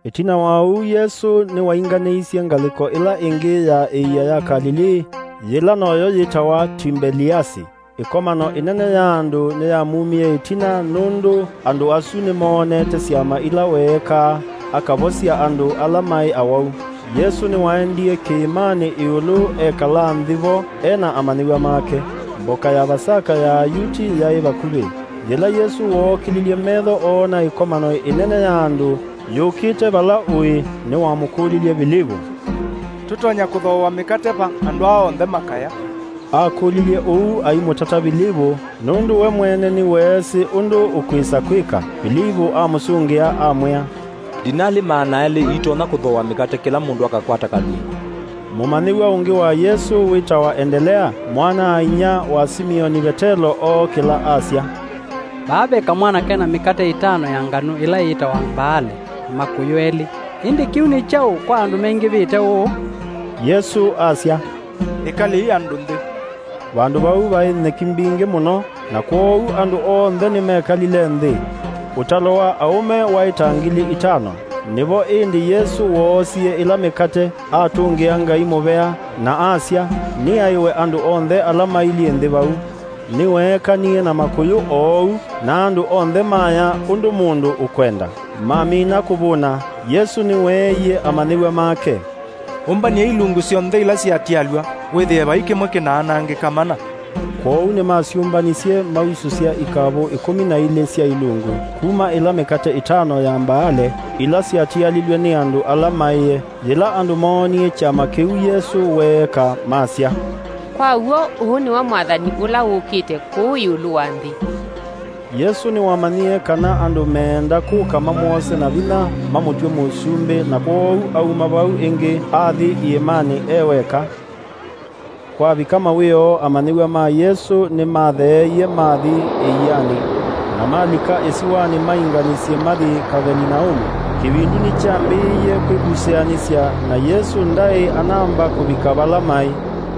Ĩtina wa ũu, Yesũ nĩwainganĩisye ngalĩko ĩla ĩngĩ ya ĩia ya Kalilii, yĩla noyo yĩtawa Timbeliasi. Ĩkomano ĩnene ya andũ nĩyamumie ĩtina, nũndũ andũ asu nĩmoonete syama ila weekaa, akavosya andũ ala maĩ awau. Yesũ nĩwaendie kĩĩmanĩ ĩũlũ ekala nthĩ vo e na amanyĩw'a make. Mboka ya Vasaka ya Ayuti yaĩ vakuvĩ. Yĩla Yesũ wookĩlilye metho oona ĩkomano ĩnene ya andũ yũkĩte vala ũĩ, nĩwamũkũlilye Vilivu, "Tũtonya kũthooa mĩkate va, andũ aa onthe makaya?" Akũlilye ũu aimũtata Vilivu, nũndũ we mwene nĩweesĩ ũndũ ũkwĩsa kwĩka. Vilivu amũsũngĩa, amwĩa, "Ndinalĩ maana elĩ iitonya kũthooa mĩkate kĩla mũndũ akakwata kalungu." Mũmanyĩw'a ũngĩ wa Yesũ wĩtawa Endelea, mwana-a-inyia wa Simioni Vetelo, ookĩla, asya, "Vaa ve kamwana ke na mĩkate ĩtano ya nganũ ĩla yĩtawa mbaale, na makũyũ elĩ. Ĩndĩ kĩu nĩ kyaũ kwa andũ mengĩvĩte ũũ?" Yesũ asya, "Ĩkalei andũ nthĩ." Vandũ vau vaĩ nyeki mbingĩ mũno, na kwoou andũ onthe nĩmekalile nthĩ. Ũtalo wa aũme waĩ ta ngili itano. Nĩvo ĩndĩ Yesũ woosie ĩla mĩkate, atũngĩa Ngai mũvea, na asya, "Nĩaĩwe andũ onthe ala mailyĩ nthĩ vau." Nĩweekanie na makũyũ oou, na andũ onthe maya ũndũ mũndũ ũkwenda. Mamina kũvũna, Yesũ nĩweeie amanyĩw'a make, Ũmbany'ei ilungu syonthe ila syatialw'a, wĩthĩe vai kĩmwe kĩnaanangĩka mana. Kwoou nĩmasyũmbanisye, mausũsya ikavũ ĩkũmi na ilĩ sya ilungu kuma ĩla mĩkate ĩtano ya mbaale ila syatialilw'e nĩ andũ ala maĩe. Yĩla andũ moonie kyama kĩu Yesũ weeka, masya, "Kwa w'o, ũũ nĩwe Mwathani ũla wũkĩte kũũ ĩũlũ wa nthĩ." Yesũ nĩwamanyie kana andũ meenda kũka mamwose na vinya mamũtw'e mũsumbĩ, na kwoou auma vau ĩngĩ athi iĩmanĩ e weka. Kwavika mawĩoo, amanyĩw'a ma Yesũ nĩmatheeie mathi ĩianĩ, na malika ĩsiwanĩ mainganisye mathi Kavelinaumu. Kĩvindu nĩkyambĩĩie kwĩkusĩanĩsya, na Yesũ ndaĩ anamba kũvika vala maĩ.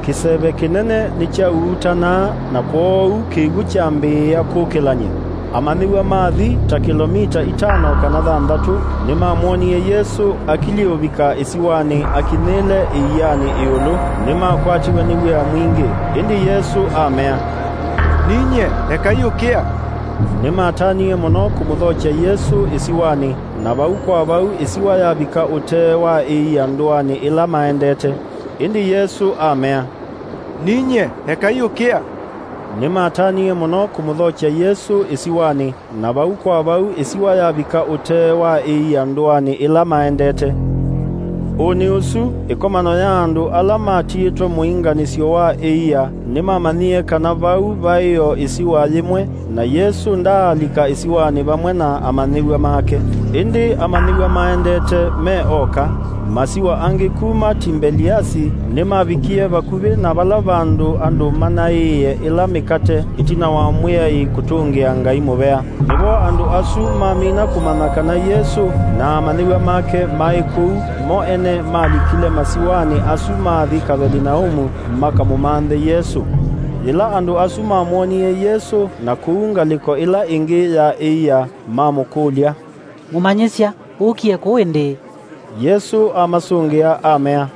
Kĩseve kĩnene nĩkyauutanaa, na kwoou kĩw'ũ kyambĩĩa kũkĩlany'a. Amanyĩw'a mathi ta kĩlomita itano kana thanthatũ, nĩmamwonie Yesũ akilyĩ ũvika ĩsiwanĩ akinyĩle ĩianĩ ĩũlũ. Nĩmakwatiwe nĩ wia mwingĩ, ĩndĩ Yesũ amea, "Ninyie, ekai ũkĩa." Nĩmatanie mũno kũmũthokya Yesũ ĩsiwanĩ, na vau kwa vau ĩsiwa yavika ũtee wa ĩia ndũanĩ ĩla maendete. Ĩndĩ Yesũ amea, "Ninyie, ekai ũkĩa." Nĩmatanie mũno kũmũthokya Yesũ ĩsiwanĩ, na vau kwa vau ĩsiwa yavika ũtee wa ĩia ndũanĩ ĩla maendete. Ũnĩ ũsu, ĩkomano ya andũ ala matiĩtwe mũinganĩsyo wa ĩia nĩmamanyie kana vau vaĩ o ĩsiwa yĩmwe, na Yesũ ndaalika ĩsiwanĩ vamwe na amanyĩw'a make. Ĩndĩ amanyĩw'a maendete me oka, masiwa angĩ kuma Timbeliasi nĩmavikie vakuvĩ na vala vandũ andũ manaĩĩe ĩla mĩkate ĩtina wa Mwĩai kũtũngĩa Ngai mũvea. Nĩvo andũ asu mamina kũmanya kana Yesũ na amanyĩw'a make maĩ kũu, mo ene malikile masiwanĩ asu mathi Kavelinaumu makamũmanthe Yesũ. Yĩla andũ asu mamwonie Yesũ na kũu ngalĩko ĩla ĩngĩ ya ĩia, mamũkũlya, "Mũmanyĩsya, ũkie kũũ ĩndĩĩ?" Yesũ amasũngĩa amea,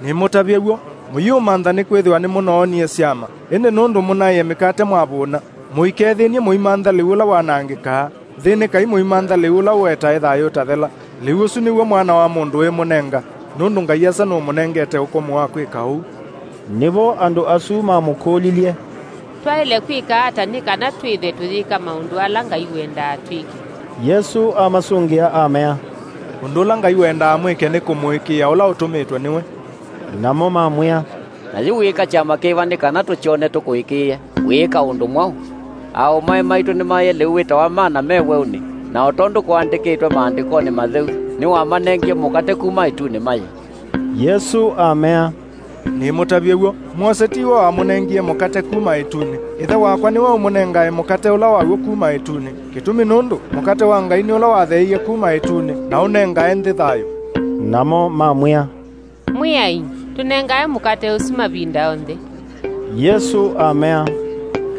"Nĩmũtavye w'o, mũyĩũmantha nĩkwĩthĩwa nĩmũnoonie syama, ĩndĩ nũndũ mũnaĩe mĩkate mwavũna, mũikethĩny'e mũimantha lĩu ũla wanangĩkaa. Thĩnĩkai mũimantha lĩu ũla ũetae thayũ ũtathela. Lĩu ũsu nĩw'o Mwana wa Mũndũ wĩmũnenga, nũndũ Ngai Asa nũmũnengete ũkũmũ wa kwĩka ũu." Nĩvo andũ asu mamũkũlilye, "Twaĩle kwĩka ata nĩ kana twĩthwe tũyĩka maũndũ ala Ngai wendaa twĩke?" Yesũ amasũngĩa amea, "Ũndũ ũla Ngai wendaa mwĩke nĩ kũmũĩkĩĩa ũla ũtũmĩtwe nĩwe." Namo mamwĩa, "Na yu wĩĩka kyama kĩva nĩ kana tũkyone tũkũĩkĩĩe? Wĩĩka ũndũ mwaũ? Aaũmae maitũ nĩmaĩe lĩu wĩtawa mana me weũnĩ, na o tondũ kũandĩkĩtwe Maandĩkonĩ Matheu, 'Nĩwamanengie mũkate kuma ĩtunĩ mayĩ.'" Yesũ amea, "Nĩmũtavye w'o, Mwose tiwe wamũnengie mũkate kuma ĩtunĩ. Ĩthe wakwa nĩwe ũmũnengae mũkate ũla waw'o kuma ĩtunĩ. Kĩtumi nũndũ mũkate wa Ngai nĩ ũla watheeie kuma ĩtunĩ na ũnengae nthĩ thayũ." Namo mamwĩa, "Mwĩai, tũnengae mũkate ũsu mavinda onthe." Yesũ amea,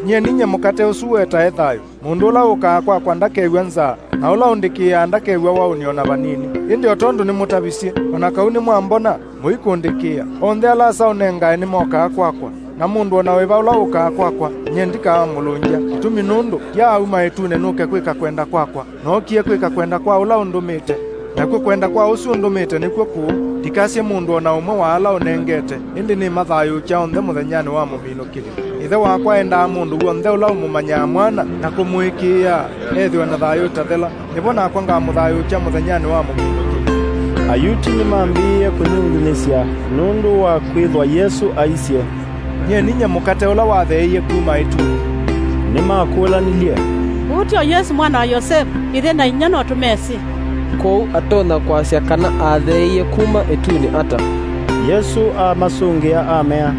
"Nyie ninyie mũkate ũsu ũetae thayũ. Mũndũ ũla ũkaa kwakwa ndakew'a nzaa, na ũla ũndĩkĩĩaa ndakew'a waũni o na vanini. Ĩndĩ o tondũ nĩmũtavisye, o na kau nĩmwambona, mũikũndĩkĩĩa. Onthe ala Asa ũnengae nĩmokaa kwakwa, na mũndũ o na wĩva ũla ũkaa kwakwa, nyie ndikamũlũngya, kĩtumi nũndũ ndiaauma ĩtunĩ nũke kwĩka kwenda kwakwa. Nookie kwĩka kwenda kwa ũla ũndũmĩte, nakw'o kwenda kwa ũsu ũndũmĩte nĩkw'o kũũ. Ndikasye mũndũ o na ũmwe wa ala ũnengete, ĩndĩ nĩmathayũũkya onthe mũthenyanĩ wa mũminũkĩlyo. Ĩthe wakwa endaa mũndũ w'onthe ũla ũmũmanyaa Mwana na kũmũĩkĩĩaa ethĩwe na thayũ ũtathela. Nĩvo nakwa ngamũthayũũkya mũthenyanĩ wa mũminũkĩlyo." Ayuti nĩmambĩĩe kũnyungunyĩsya nũndũ wa kwĩthwa Yesũ aisye, "Nyie ninyie mũkate ũla watheeie kuma ĩtunĩ." Nĩmakũlanilye, "Ũũ tio Yesũ mwana wa Yosevu? Ĩthe na inyia no tũmesĩ. Kwoou atonya kwasya kana atheeie kuma ĩtunĩ ata?" Yesũ amasũngĩa amea,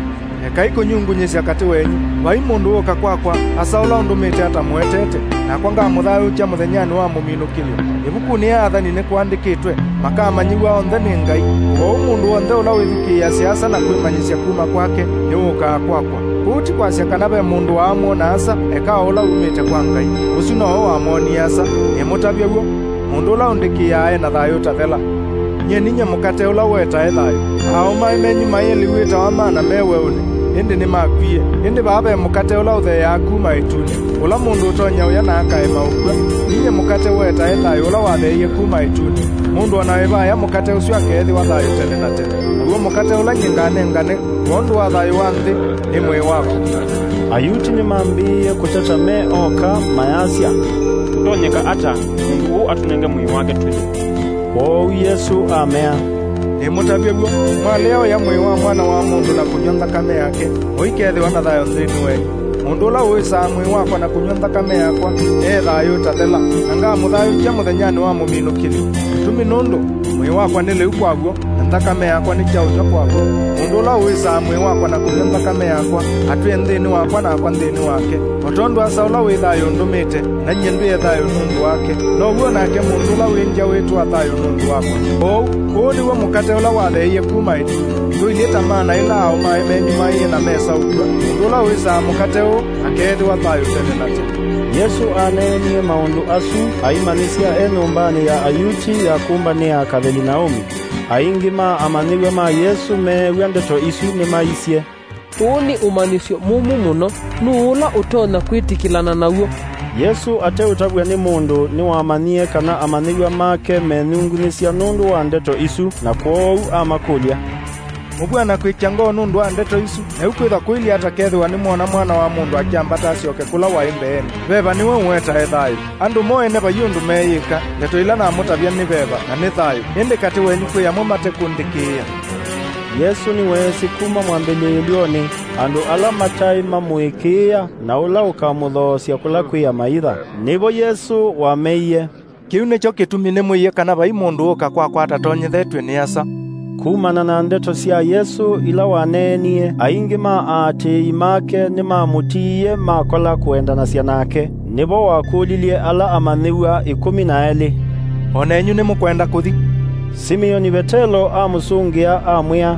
"Ekai kũnyungunyĩsya katĩ wenyu. Vai mũndũ wũka kwakwa, asa ũla ũndũmĩte atamũetete, nakwa ngamũthayũũkya mũthenyanĩ wa mũminũkĩlyo. Ĩvukunĩ ya Athani nĩkũandĩkĩtwe, 'Makamanyĩw'a onthe nĩ Ngai.' Kwoou mũndũ w'onthe ũla wĩthukĩĩasya Asa na kwĩmanyĩsya kuma kwake, nĩwũkaa kwakwa. Kũu ti kwasya kana ve mũndũ waamwona Asa, eka o ũla umĩte kwa Ngai. Ũsu nowe wamwonie Asa. Nĩmũtavye w'o, mũndũ ũla ũndĩkĩĩaa e na thayũ ũtathela. Nyie ninyie mũkate ũla ũetae thayũ. Aaũmae menyu maĩe lĩu wĩtawa mana me weũnĩ, ĩndĩ nĩmakwie. Ĩndĩ vaa ve mũkate ũla ũtheeaa kuma ĩtunĩ, ũla mũndũ ũtonya ũya na akaema ũkw'a. Ninyie mũkate ũetae thayũ ũla watheeie kuma ĩtunĩ. Mũndũ o na wĩva aya mũkate ũsu akeethĩwa thayũ tene na tene. Mũkate ũla nyie nganengane kwondũ wa thayũ wa nthĩ nĩ mwĩĩ wakwa. Ayuti nĩmambĩĩe kũteta me oka, mayasya, "Kũtonyeka ata mũndũ ũũ atũnenge mwĩĩ wake tũlye?" Kwoou Yesũ amea, "Nĩmũtavye w'o, mwalea ũya mwĩĩ wa Mwana wa Mũndũ na kũnyw'a nthakame yake, mũikethĩwa na thayũ nthĩnĩ wenyu. Mũndũ ũla ũĩsaa mwĩĩ wakwa na kũnyw'a nthakame yakwa e thayũ ũtathela, na ngamũthayũũkya mũthenyanĩ wa mũminũkĩlyo. Kĩtumi nũndũ mwĩĩ wakwa nĩ lĩu kwa w'o, na nthakame yakwa nĩ kyaũnyw'a kwa w'o. Mũndũ ũla ũĩsaa mwĩĩ wakwa na kũnyw'a nthakame yakwa atwĩe nthĩnĩ wakwa, nakwa nthĩnĩ wake. O tondũ Asa ũla wĩ thayũ ũndũmĩte, na nyie ndwĩe thayũ nũndũ wake, now'o nake mũndũ ũla wĩ ngya wĩtwaa thayũ nũndũ wakwa. Kwoou, ũũ nĩw'o mũkate ũla watheeie kuma ĩtunĩ. Ndũilyĩ ta mana ĩla aũmae menyumaĩe na mesaũkw'a. Mũndũ ũla ũĩsaa mũkate ũũ akeethĩwa thayũ tene na tene." Yesũ aneenie maũndũ asu, aimanyĩsya e nyũmbanĩ ya Ayuti ya kũmbanĩa Kavelinaumi. Aingĩ ma amanyĩw'a ma Yesũ meew'a ndeto isu nĩmaisye, "Ũũ nĩ ũmanyĩsyo mũmũ mũno. Nũũ ũla ũtonya kwĩtĩkĩlana naw'o?" Yesũ ateũtavw'a nĩ mũndũ, nĩwamanyie kana amanyĩw'a make menyungunyĩsya nũndũ wa ndeto isu, na kwoou amakũlya, "Mũvw'ana kwĩkya ngoo nũndũ wa ndeto isu? Na yu kwĩthwa kũilyĩ ata kethĩwa nĩmwona Mwana wa Mũndũ akyambata asyoke kũla waĩ mbeenĩ? Veva nĩwe ũetae thayũ. Andũ mo ene vai ũndũ meeyĩka. Ndeto ila namũtavya nĩ veva, na nĩ thayũ, ĩndĩ katĩ wenyu kwĩ amwe mate kũnthĩkĩĩa." Yesũ nĩweesĩ kuma mwambĩlĩĩlyonĩ andũ ala mataĩ mamũĩkĩĩa na ũla ũkamũthoosya kũla kwĩ amaitha. Nĩvo Yesũ wameie, "Kĩu nĩkyo kĩtumi nĩmwĩie kana vai mũndũ ũũka kwakwa atatonyethetw'e nĩ Asa." Kumana na ndeto sya Yesũ ila waneenie, aingĩ ma aatĩĩi make nĩmamũtiie makola kũendanasya nake. Nĩvo wakũlilye ala amanyĩw'a ĩkũmi na elĩ, "O nenyu nĩmũkwenda kũthi?" Simioni Vetelo amũsũngĩa, amwĩa,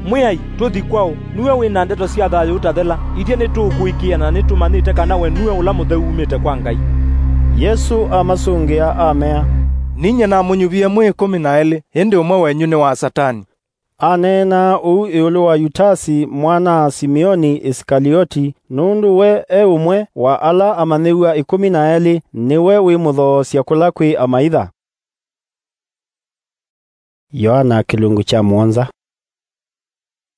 "Mwĩai, tũthi kwaũ? Nue wĩ na ndeto sya thayũ ũtathela. Ithyĩ nĩtũũkũĩkĩĩa na nĩtũmanyĩte kana we nue ũla mũtheu umĩte kwa Ngai." Yesũ amasũngĩa, amea, "Ninyie namũnyuvie mwĩ ĩkũmi na elĩ, ĩndĩ ũmwe wenyu nĩ wa Satani." Aneenaa ũu ĩũlũ wa Yutasi, mwana-a-Simioni Isikalioti, nũndũ we e ũmwe wa ala amanyĩw'a ĩkũmi na elĩ, nĩwe wĩmũthoosya kũla kwĩ amaitha. Yoana kĩlungu kya mũonza.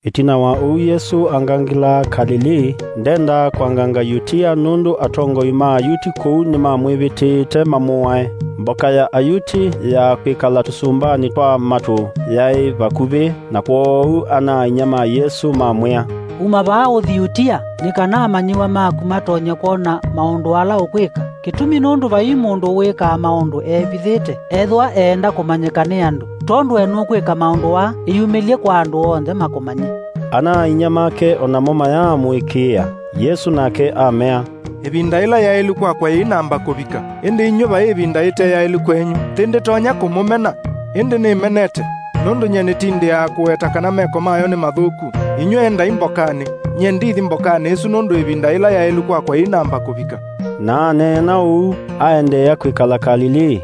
Ĩtina wa ũu Yesũ angangĩlaa Kalilii, ndendaa kwanganga Yutia, nũndũ atongoi ma Ayuti kũu nĩmamwĩvĩtĩĩte mamũae. Mboka ya Ayuti ya kwĩkala tũsũmbanĩ twa matũ yaĩ vakuvĩ, na kwoou ana-a-inyia ma Yesũ mamwĩa, "Uma vaa ũthi Yutia, nĩ kana amanyĩw'a maku matonye kwona maũndũ ala ũkwĩka. Kĩtumi nũndũ vai mũndũ wĩkaa maũndũ eevithĩte, ethĩwa eenda kũmanyĩka nĩ andũ. Tondũ we nũkwĩka maũndũ aa, ĩyumĩlye kwa andũ onthe makũmanye." Ana-a-inyia make o namo mayaamũĩkĩĩa. Yesũ nake amea, "Ĩvinda ĩla yaĩlu kwakwa yĩinamba kũvika, ĩndĩ inyw'ĩ vai ĩvinda ĩte yaĩlu kwenyu. Nthĩ ndĩtonya kũmũmena, ĩndĩ nĩmenete, nũndũ nyie nĩtindĩaa kũweta kana meko mayo nĩ mathũku. Inyw'ĩ endai mbokanĩ, nyie ndithi mbokanĩ ĩsu, nũndũ ĩvinda ĩla yaĩlu kwakwa yĩinamba kũvika." Na aneena ũu, aendeea kwĩkala Kalilii.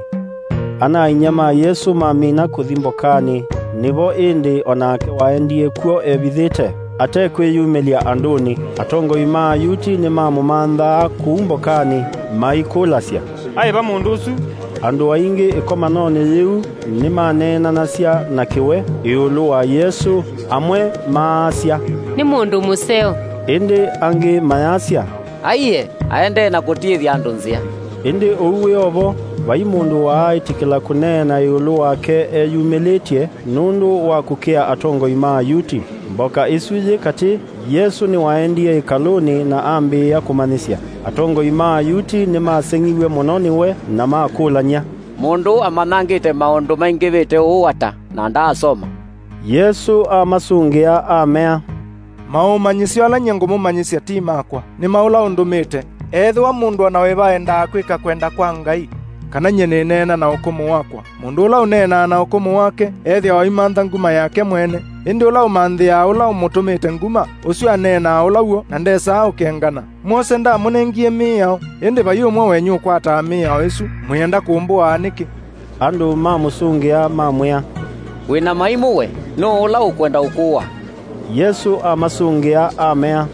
Ana-a-inyia ma Yesũ mamina kũthi mbokanĩ, nĩvo ĩndĩ o nake waendie kw'o evithĩte, atekwĩyumĩlya andũnĩ. Atongoi ma Ayuti nĩmamũmanthaa kũu mbokanĩ, maikũlasya, "Aĩ va mũndũ ũsu?" Andũ aingĩ ĩkomanonĩ yĩu nĩmaneenanasya na kĩwe ĩũlũ wa Yesũ, amwe maasya, "Nĩ mũndũ mũseo." Ĩndĩ angĩ mayasya, "Aiee, aendee na kũtiĩthya andũ nzĩa." Ĩndĩ ũu wĩ o vo, vai mũndũ waaĩtĩkĩla kũneena ĩũlũ wake eyumĩlĩtye nũndũ wa kũkĩa atongoi ma Ayuti. Mboka ĩsu yĩ katĩ, Yesũ nĩwaendie ĩkalũnĩ na ambĩĩa kũmanyĩsya. Atongoi ma Ayuti nĩmaseng'iw'e mũno nĩwe na makũlany'a, "Mũndũ ũũ amanyangĩte maũndũ maingĩvĩte ũũ ata, na ndaasoma?" Yesũ amasũngĩa, amea, "Maũmanyĩsyo ala nyie ngũmũmanyĩsya ti makwa, nĩ ma ũla ũndũmĩte. Ethĩwa mũndũ o na wĩva endaa kwĩka kwenda kwa Ngai, kana nyie nĩneena na ũkũmũ wakwa. Mũndũ ũla ũneenaa na ũkũmũ wake ethĩawa aimantha nguma yake mwene, ĩndĩ ũla ũmanthĩaa ũla ũmũtũmĩte nguma, ũsu aneenaa ũla w'o na ndesaa ũkengana. Mwose ndamũnengie mĩao, ĩndĩ vai ũmwe wenyu ũkwataa mĩao ĩsu, mwĩenda kũmbũaa nĩkĩ?" Andũ mamũsũngĩa, mamwĩa, "Wĩ na maimũ we! Nũũ ũla ũkwenda ũkũa?" Yesũ amasũngĩa, amea,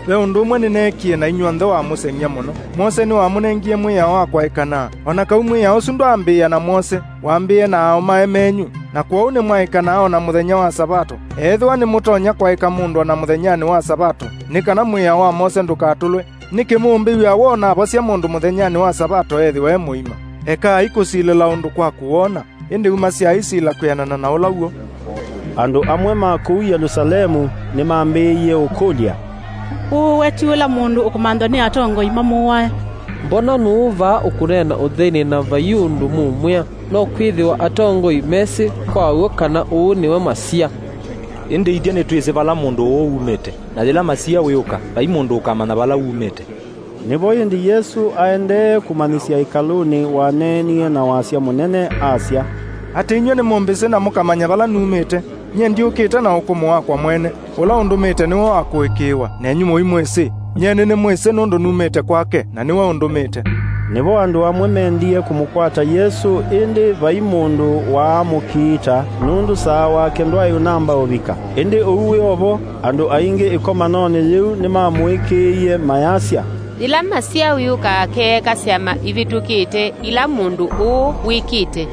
Ve ũndũ ũmwe nĩneekie na inyw'onthe wa mũseng'ya mũno. Mwose nĩwamũnengie mwĩao wa kwaĩkanaa. O na kau mwĩao ũsu ndwaambĩĩa na Mwose, wambĩĩe na aaũmae menyu, na kwoou nĩmwaĩkanaa o na mũthenya wa Savato. Ethĩwa nĩmũtonya kwaĩka mũndũ o na mũthenyanĩ wa Savato, nĩ kana mwĩao wa Mwose ndũkatũlwe, nĩkĩ mũũmbĩw'a woo navosya mũndũ mũthenyanĩ wa Savato ethĩwe e mũima? Ekai kũsilĩla ũndũ kwa kũwona, ĩndĩ umasyai sila kwĩanana na ũla w'o. Andũ amwe ma kũu Yelũsalemu nĩmambĩĩie ũkũlya, "Ũũ we ti ũla mũndũ ũkũmanthwa nĩ atongoi mamũae? Mbona nũũ vaa ũkũneena ũtheinĩ na vai ũndũ mũũmwĩa? No kwĩthĩwa atongoi mesĩ kwa w'o kana ũũ nĩwe Masia. Ĩndĩ ithyĩ nĩtwĩsĩ vala mũndũ ũũ umĩte, na yĩla Masia wĩũka, vai mũndũ ũkamanya vala umĩte." Nĩvo ĩndĩ Yesũ aendee kũmanyĩsya ĩkalũnĩ waneenie na wasya mũnene, asya, "Atĩ inyw'ĩ nĩmũmbĩsĩ na mũkamanya vala numĩte. Nyie ndyũkĩte na ũkũmũ wakwa mwene. Ũla ũndũmĩte nĩwe wa kũĩkĩĩwa, nenyu mũimwĩsĩ. Nyie nĩnĩmwĩsĩ nũndũ numĩte kwake, na nĩwe ũndũmĩte." Nĩvo andũ amwe mendie kũmũkwata Yesũ, ĩndĩ vai mũndũ waamũkiita, nũndũ saa wake ndwaĩ ũnamba ũvika. Ĩndĩ ũu wĩ o vo, andũ aingĩ ĩkomanonĩ yĩu nĩmamũĩkĩĩie, mayasya, "Yĩla Masia wĩũka akeeka syama ivĩtũkĩte ila mũndũ ũũ wĩkĩte."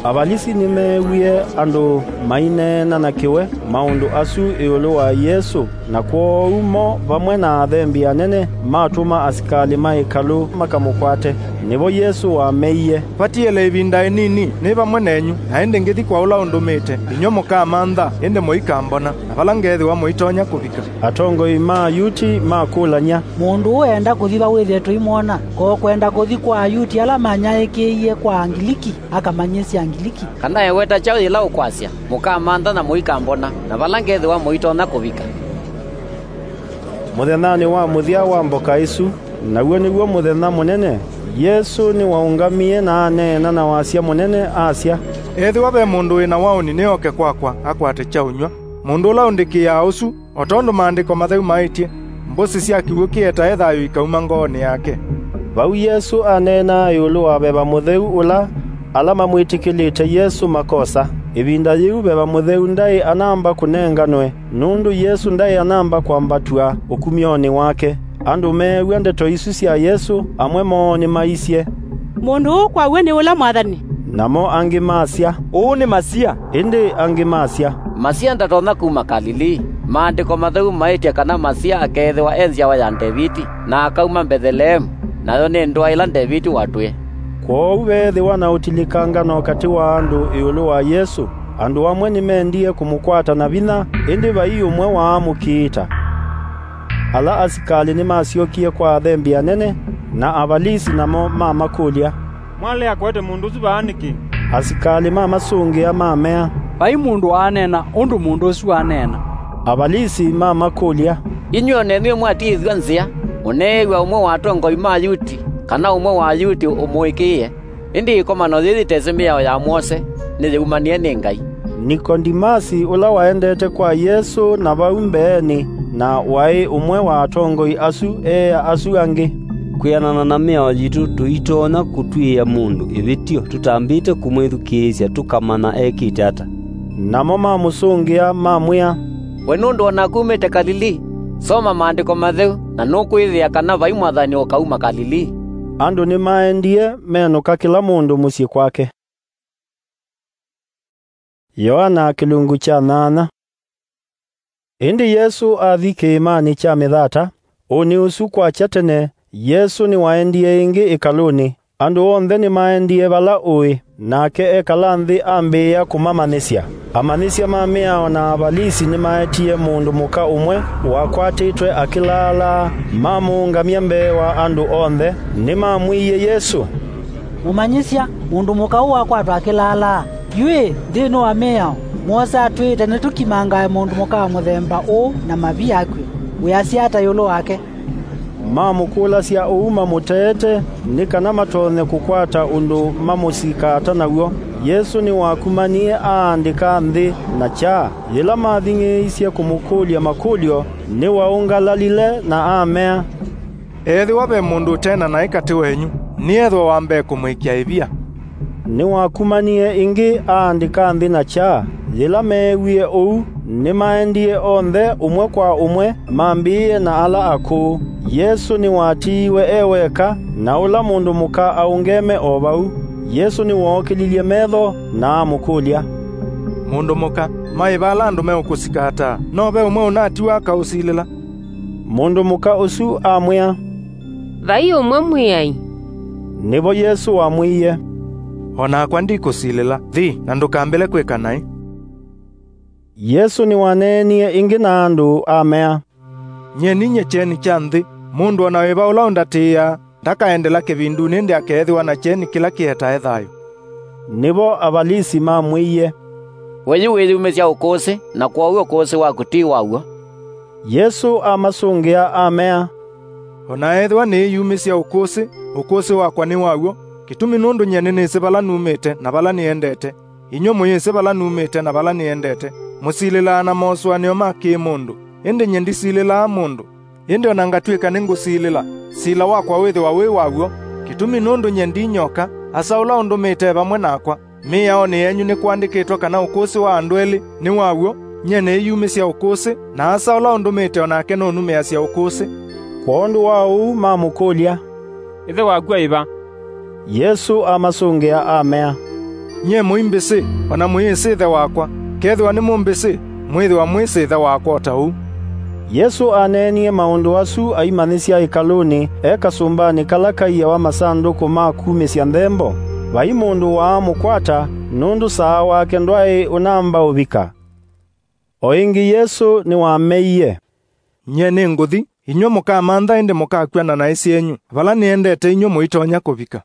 Avalisi nĩmeewie andũ maineena na kĩwe maũndũ asu ĩũlũ wa Yesũ, na kwoou mo vamwe na athembi anene matũma asikalĩ ma ĩkalũ makamũkwate. Nĩvo Yesũ wameie, "Vatiele ĩvinda ĩnini nĩ vamwe nenyu, na ĩndĩ ngĩthi kwa ũla ũndũmĩte. Inyw'ĩ mũkamantha, ĩndĩ mũikambona, na vala ngethĩwa mũitonya kũvika." Atongoi ma Ayuti makũlany'a, "Mũndũ ũũ eenda kũthi va wĩthĩe tũimwona? Ko kwenda kũthi kwa Ayuti ala manyaĩĩkĩie kwa Angiliki, akamanyĩsye Angiliki? Kana eweta kyaũ yĩla ũkwasya, 'Mũkamantha na mũikambona, na vala ngethĩwa mũitonya kũvika'?" Mũthenyanĩ wa mũthya wa mboka ĩsu, naw'o nĩw'o mũthenya mũnene, Yesũ nĩwaũngamie na aneena na wasya mũnene, asya, "Ethĩwa ve mũndũ wĩ na waũni, nĩoke kwakwa, akwate kya ũnyw'a." Mũndũ ũla ũndĩkĩĩaa ũsu, o tondũ Maandĩko Matheu maĩtye, "Mbũsĩ sya kĩw'ũ kĩetae thayũ ikauma ngoonĩ yake." Vau Yesũ aneenaa ĩũlũ wa Veva Mũtheu ũla ala mamwĩtĩkĩlĩte Yesũ makosa. Ĩvinda yĩu Veva Mũtheu ndaĩ anamba kũnenganwe, nũndũ Yesũ ndaĩ anamba kwambatw'a ũkumyonĩ wake. Andũ meew'a ndeto isu sya Yesũ, amwe moo nĩmaisye, "Mũndũ ũũ kwa w'o nĩ ũla Mwathani." Namo angĩ masya, "Ũũ nĩ Masia." Ĩndĩ angĩ masya, "Masia ndatonya kuma Kalilii. Maandĩko Matheu maĩtye kana Masia akeethĩwa e nzyawa ya Ndeviti, na akauma Mbetheleemu, nayo nĩ ndũa ĩla Ndeviti watwĩe." Kwoou veethĩwa na ũtilĩkangano katĩ wa andũ ĩũlũ wa Yesũ. Andũ amwe nĩmendie kũmũkwata na vinya, ĩndĩ vai ũmwe waamũkiita. Ala asikalĩ nĩmasyokie kwa athembi anene na Avalisi, namo mamakũlya, "Mwalea kũete mũndũ ũsu vaa nĩkĩ?" Asikalĩ mamasũngĩa, mamea, "Vai mũndũ waaneena ũndũ mũndũ ũsu waneena." Avalisi mamakũlya, "Inyw'ĩ o nenyu nĩmwatiĩthw'a nzĩa, mũneew'a ũmwe wa atongoi ma Ayuti, kana ũmwe wa Ayuti ũmũĩkĩĩe? Ĩndĩ ĩkomano yĩĩ yĩtesĩ mĩao ya Mwose, nĩyĩumanĩe nĩ Ngai." Nikodimasi, ũla waendete kwa Yesũ na vau mbeenĩ, na waĩ ũmwe wa atongoi asu, eea asu angĩ, "Kwĩanana na mĩao yitũ, tũitonya kũtw'ĩĩa mũndũ ĩvĩtyo tũtambĩte kũmwĩthukĩĩsya tũkamanya ekĩte ata." Namo mamũsũngĩa, mamwĩa, "We nũndũ o naku umĩte Kalilii? Soma Maandĩko Matheu, na nũkwĩthĩa kana vai Mwathani ũkauma Kalilii." Andũ nĩmaendie menũka kĩla mũndũ mũsyĩ kwake. Yoana kĩlungu kya nyanya. Ĩndĩ Yesũ athi kĩĩmanĩ kya Mĩthata, ũnĩ ũsu kwakya tene, Yesũ nĩwaendie ĩngĩ ĩkalũnĩ. Andũ onthe nĩmaendie vala ũĩ, nake ekala nthĩ ambĩĩa kũmamanyĩsya. Amanyĩsya ma mĩao na Avalisi nĩmaetie mũndũ mũka ũmwe wakwatĩtwe akĩlaalaa, mamũũngamya mbee wa andũ onthe. Nĩmamwĩie Yesũ, "Mũmanyĩsya, mũndũ mũka ũũ wakwatwa akĩlaalaa. Yu-ĩ, nthĩnĩ wa mĩao, Mwose atwĩĩte nĩtũkimangae mũndũ mũka wa mũthemba ũũ na mavi akw'e. Wĩasya ata ĩũlũ wake?" Mamũkũlasya ũu mamũteete, nĩ kana matonye kũkwata ũndũ mamũsika ata naw'o. Yesũ nĩwakumanie aandĩka nthĩ na kyaa. Yĩla mathing'ĩĩisye kũmũkũlya makũlyo, nĩwaũngalalile na amea, "Ethĩwa ve mũndũ ũte na naĩ katĩ wenyu, nĩethwe wa mbee kũmũĩkya ĩvia." Nĩwakumanie ĩngĩ aandĩka nthĩ na kyaa. Yĩla meewie ũu, Nĩmaendie onthe ũmwe kwa ũmwe, mambĩĩe na ala akũũ. Yesũ nĩwatiiwe e weka, na ũla mũndũ mũka aũngeme o vau. Yesũ nĩwookĩlilye metho na amũkũlya, "Mũndũ mũka, maĩ va ala andũ meũkũsika ata? No ve ũmwe ũnatiwa akaũsilĩla?" Mũndũ mũka ũsu amwĩa, "Vai ũmwe, Mwĩai." Nĩvo Yesũ wamwĩie, "O nakwa ndikũsilĩla. Thi, na ndũkambĩle kwĩka naĩ." Yesũ nĩwaneenie ĩngĩ na andũ, amea, "Nyie ninyie kyeni kya nthĩ. Mũndũ o na wĩva ũla ũndatĩĩaa, ndakaendela kĩvindunĩ, ĩndĩ akeethĩwa na kyeni kĩla kĩetae thayũ." Nĩvo Avalisi mamwĩie, "We yu wĩyumĩsya ũkũsĩ, na kwoou ũkũsĩ waku ti wa w'o." Yesũ amasũngĩa, amea, "O na ethĩwa nĩĩyumĩsya ũkũsĩ, ũkũsĩ wakwa nĩ wa w'o, kĩtumi nũndũ nyie nĩnĩsĩ vala numĩte na vala nĩendete. Inyw'ĩ mũyĩsĩ vala numĩte na vala nĩendete. Mũsilĩlaa na mosũanĩo ma kĩ-mũndũ, ĩndĩ nyie ndisilĩlaa mũndũ. Ĩndĩ o na ngatw'ĩka nĩngũsilĩla, sila wakwa wĩthĩwa wĩ wa w'o, kĩtumi nũndũ nyie ndi nyoka, Asa ũla ũndũmĩte e vamwe nakwa. Mĩaonĩ yenyu nĩkũandĩkĩtwe kana ũkũsĩ wa andũ elĩ nĩ wa w'o. Nyie nĩĩyumĩsya ũkũsĩ, na Asa ũla ũndũmĩte o nake nũnumĩasya ũkũsĩ." Kwondũ wa ũu mamũkũlya, "Ĩthe waku aĩ va?" Yesũ amasũngĩa, amea, "Nyie mũimbĩsĩ, o na mũyĩsĩ Ĩthe wakwa. Kethĩwa nĩmũmbĩsĩ, mwĩthĩwa mwĩsĩ Ĩthe wakwa o ta ũu." Yesũ aneenie maũndũ asu aimanyĩsya ĩkalũnĩ e kasũmbanĩ kala kaiawa masandũkũ ma kumĩsya nthembo. Vai mũndũ waamũkwata, nũndũ saa wake ndwaĩ ũnamba ũvika. O ĩngĩ Yesũ nĩwameie, "Nyie nĩngũthi, inyw'ĩ mũkamantha, ĩndĩ mũkakw'a na naĩ syenyu. Vala nĩendete inyw'ĩ mũitonya kũvika."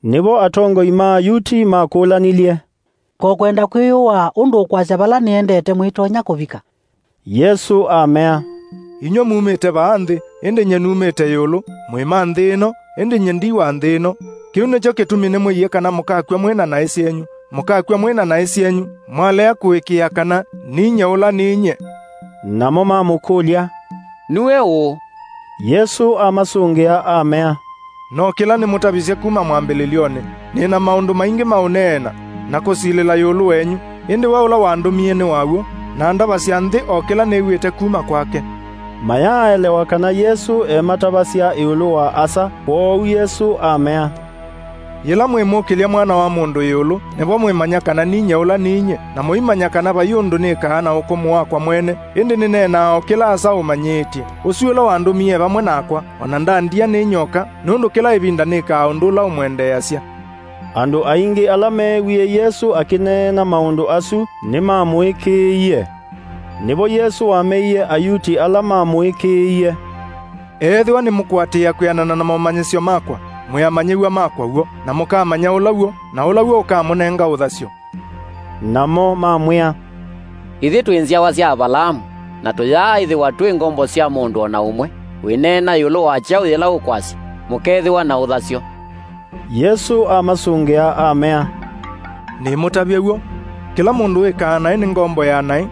Nĩvo atongoi ma Ayuti makũlanilye, "Ko kwenda kwĩyũaa ũndũ ũkwasya vala nĩendete mũitonya kũvika?" Yesũ amea, "Inyw'ĩ mumĩte vaa nthĩ, ĩndĩ nyie numĩte ĩũlũ. Mwĩ ma nthĩ ĩno, ĩndĩ nyie ndi wa nthĩ ĩno. Kĩu nĩkyo kĩtumi nĩmwĩie kana mũkakw'a mwĩ na naĩ syenyu. Mũkakw'a mwĩ na naĩ syenyu, mwalea kũĩkĩĩa kana ninyie ũla ninyie." Namo mamũkũlya, "Nue ũũ?" Yesũ amasũngĩa, amea, "No kĩla nĩmũtavisye kuma mwambĩlĩlyonĩ. Nĩ na maũndũ maingĩ ma ũneena na kũsilĩla ĩũlũ wenyu, ĩndĩ we ũla wandũmie nĩ wa w'o, na ndavasya nthĩ o kĩla nĩw'ĩte kuma kwake." Mayaaelewa kana Yesũ ematavasya ĩũlũ wa Asa, kwoou Yesũ amea, "Yĩla mwĩmũkĩlya Mwana wa Mũndũ ĩũlũ, nĩvo mwĩmanya kana ninyie ũla ninyie, na mũimanya kana vai ũndũ nĩkaa na ũkũmũ wakwa mwene, ĩndĩ nĩneenaa o kĩla Asa ũmanyĩĩtye. Ũsu ũla wandũmie e vamwe nakwa, o na ndandia nĩ nyoka, nũndũ kĩla ĩvinda nĩkaa ũndũ ũla ũmwendeeasya." Andũ aingĩ ala meewie Yesũ akĩneena maũndũ asu nĩmamũĩkĩĩie. Nĩvo Yesũ wameie Ayuti ala mamũĩkĩĩie, "Ethĩwa nĩmũkũatĩĩa kwĩanana na momanyĩsyo makwa, mwĩ amanyĩw'a makwa w'o, na mũkamanya ũla w'o, na ũla w'o ũkamũnenga ũthasyo." Namo mamwĩa, "Ithyĩ twĩ nzyawa sya Avalaamu, na tũyaaĩthĩwa twĩ ngombo sya mũndũ o na ũmwe. Wĩneena ĩũlũ wa kyaũ yĩla ũkwasya, 'Mũkeethĩwa na ũthasyo'?" Yesũ amasũngĩa, amea, "Nĩmũtavye w'o. Kĩla mũndũ wĩkaa naĩ nĩ ngombo ya naĩ.